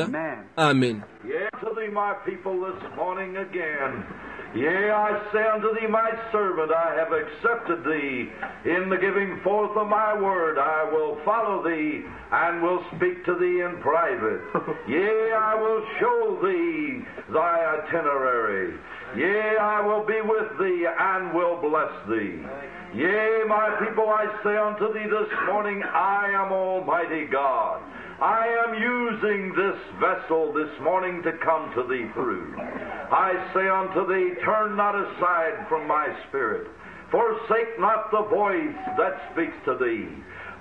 Amen. To thee, my people, this morning again. Yea, I say unto thee, my servant, I have accepted thee in the giving forth of my word. I will follow thee and will speak to thee in private. Yea, I will show thee thy itinerary. Yea, I will be with thee and will bless thee. Yea, my people, I say unto thee this morning, I am Almighty God. I am using this vessel this morning to come to thee through. I say unto thee, turn not aside from my spirit. Forsake not the voice that speaks to thee.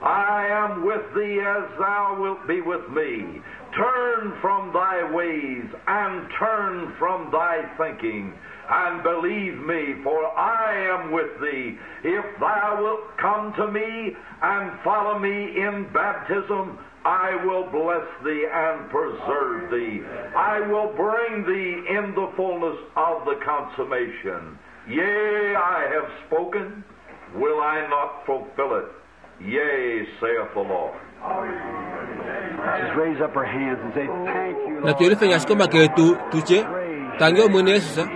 I am with thee as thou wilt be with me. Turn from thy ways and turn from thy thinking, and believe me, for I am with thee. If thou wilt come to me and follow me in baptism, I will bless thee and preserve thee. I will bring thee in the fullness of the consummation. Yea, I have spoken, will I not fulfill it? Yea, saith the Lord. Just raise up our hands and say, Thank you, Lord. Natu yelifeni ashike omake etu tu tye, Tangi Omwene Jesus,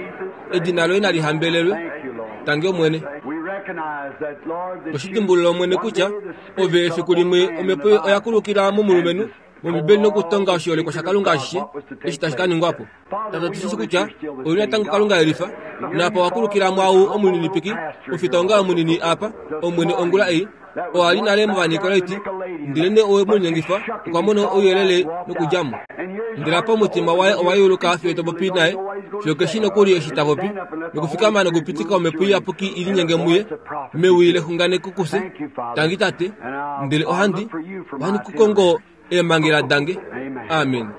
edina loye nali hambelelwe. Thank you, Lord. Tangi Omwene. We recognize that, Lord, that Oshi you- dimbulula Omwene one kutya day the Spirit ove efiku limwe omhepo oya kulukila momulumenhu mOmbibeli nokutonga oshiholekwa shaKalunga ashishe eshi tashi ka ningwa po. Tate otu shi shi kutya ouli natango Kalunga elifa, naapa wa kulukila mwaau omuninipiki, omufitaongalo munini apa, Omwene ongula ei, oo a li nale mOvanikolaiti, ndelenee owe mu linyengifa, okwa mona ouyelele nokudja mo. Ndele apa omutima waye owa yeuluka fiyo to popi naye, fiyo keshi nokuli eshi ta popi, nokufikama nokupitika Omhepo Iyapuki i linyenge muye, mewi lexunganeko kufye, Tangi Tate, ndele ohandi, ohandi ku kongo eemhangela dange. Amen.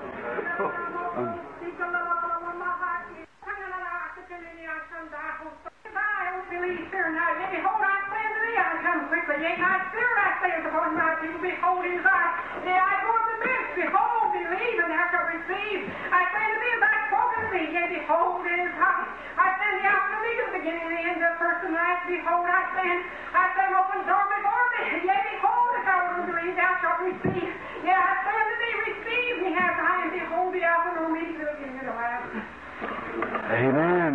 Amen.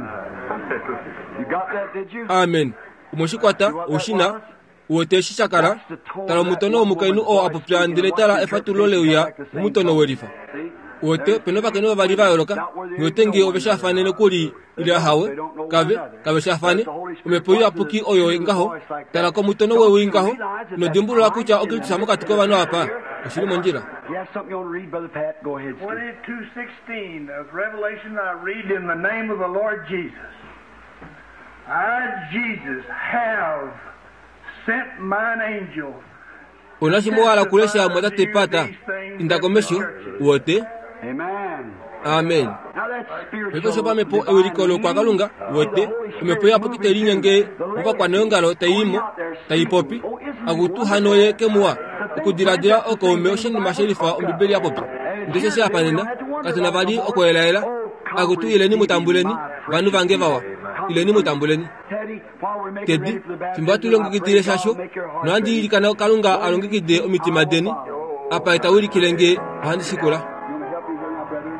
You got that, did you? Amen. Omwe shi kwata, ou shi na? Uwete eshi sha kala? Tala omutono womukainhu oo a popya ndele tala efatululo le uya momutono welifa. Uwete, ope na ovakainhu vavali va yooloka. Nghi wete nge ove shaafane nokuli ile ahawe. Kave, kave shaafane. Omhepo Iyapuki oyo ngaho. Tala komutono wewi ngaho, ino dimbulula kutya oKristus mokati kovanhu apa? Oshi li mondjila. You have something you want to read, Brother Pat? Go ahead, Steve. 22:16 of Revelation I read in the name of the Lord Jesus. I, Jesus, have sent mine angel. Ou na shimwe wa hala okulesha, Mumwatate Pat? Inda komesho, uwete. Amen. Amen. Now that's Paife spiritual. oshopamhepo ewiliko lokwakalunga, uwete, Omhepo Iyapuki tai linyenge movakwaneongalo tai i mo, tai popi, Akutu hano ye ke muwa, okudiladila okaume oshinima shelifa Ombibeli ya popya. Ndele osheshi apa nena, katu na vali okweelaela. Akutu ileni mu tambuleni, vanhu vange vawa. Ileni mu tambuleni. Teddy, while we're making Teddy, ready for the fimbo hatu baptism, I lilongekidile pray God shasho, make your heart nohandi ready. ilikana Kalunga a longekide omitima deni, apa ye ta wilikile nge ohandi shikula. You want to help me here now, brother?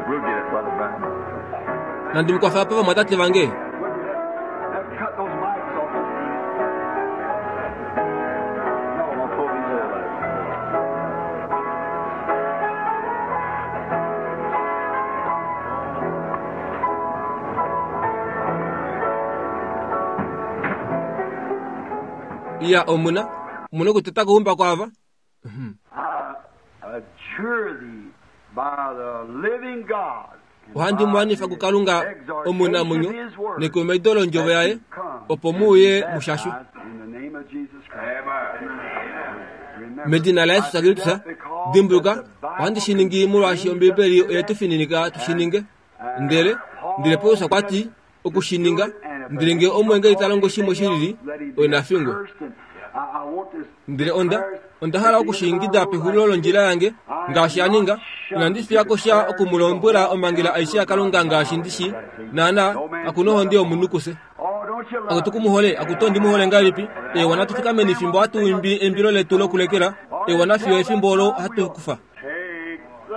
We'll get it, Brother Brown. Nandi mu kwafe apa vamwatate vange. Have cut those mics off. No, I'll pull these out. Iya omuna, omuna okuteta kuumba kwaava. I adjure thee by the living God Ohandi mu anifa kuKalunga omunamwenyo nekumaido londjovo yaye, opo mu uye mu shashwe. Medina laJesus Kristus, dimbuluka, ohandi shi ningi molwaashi Ombibeli oye tu fininika tu shi ninge. Ndele, ndele Paulus okwa ti, oku shi ninga, ndele ngee omweengeli ta longo shimwe shi lili, oye na fingwe. Ndele onda, onda hala oku shi ingida pexulilo londjila yange, ngaashi a ninga, inandi fiya ko sha oku mu lombwela omhangela aishe yaKalunga ngaashi ndi shii. Naana, kaku nohonde yomunhu kufye. Akutu ku mu hole, akutu ondi mu hole ngahelipi. Eewa, natu fikameni fimbo hatu imbi eimbilo letu lokulekela. Eewa, nafiyo efimbo olo hatu kufa. Take the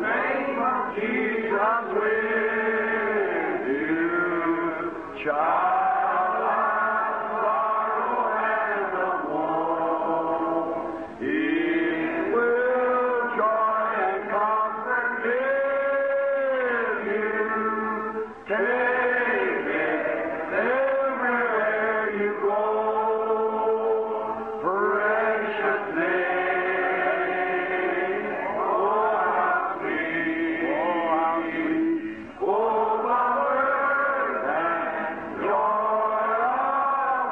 name of Jesus with you, child of sorrow and of woe. He will joy and comfort give you. Take it everywhere you go. Precious name, oh how sweet, oh how sweet, oh power and joy of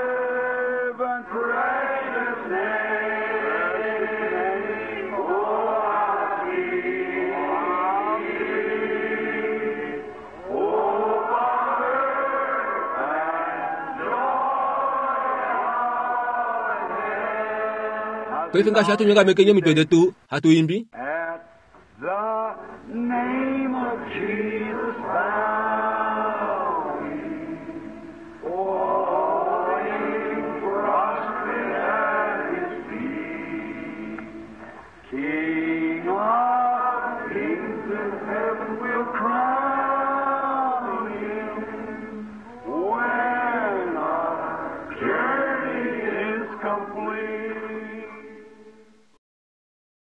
heaven, precious name, oh how sweet, how sweet, oh power and joy. Paife ngaashi hatu nyongamekeni omitwe detu, hatu imbi. At the name of Jesus, bow we. Falling prostrate at his feet. King of kings in heaven will crown him when our journey is complete.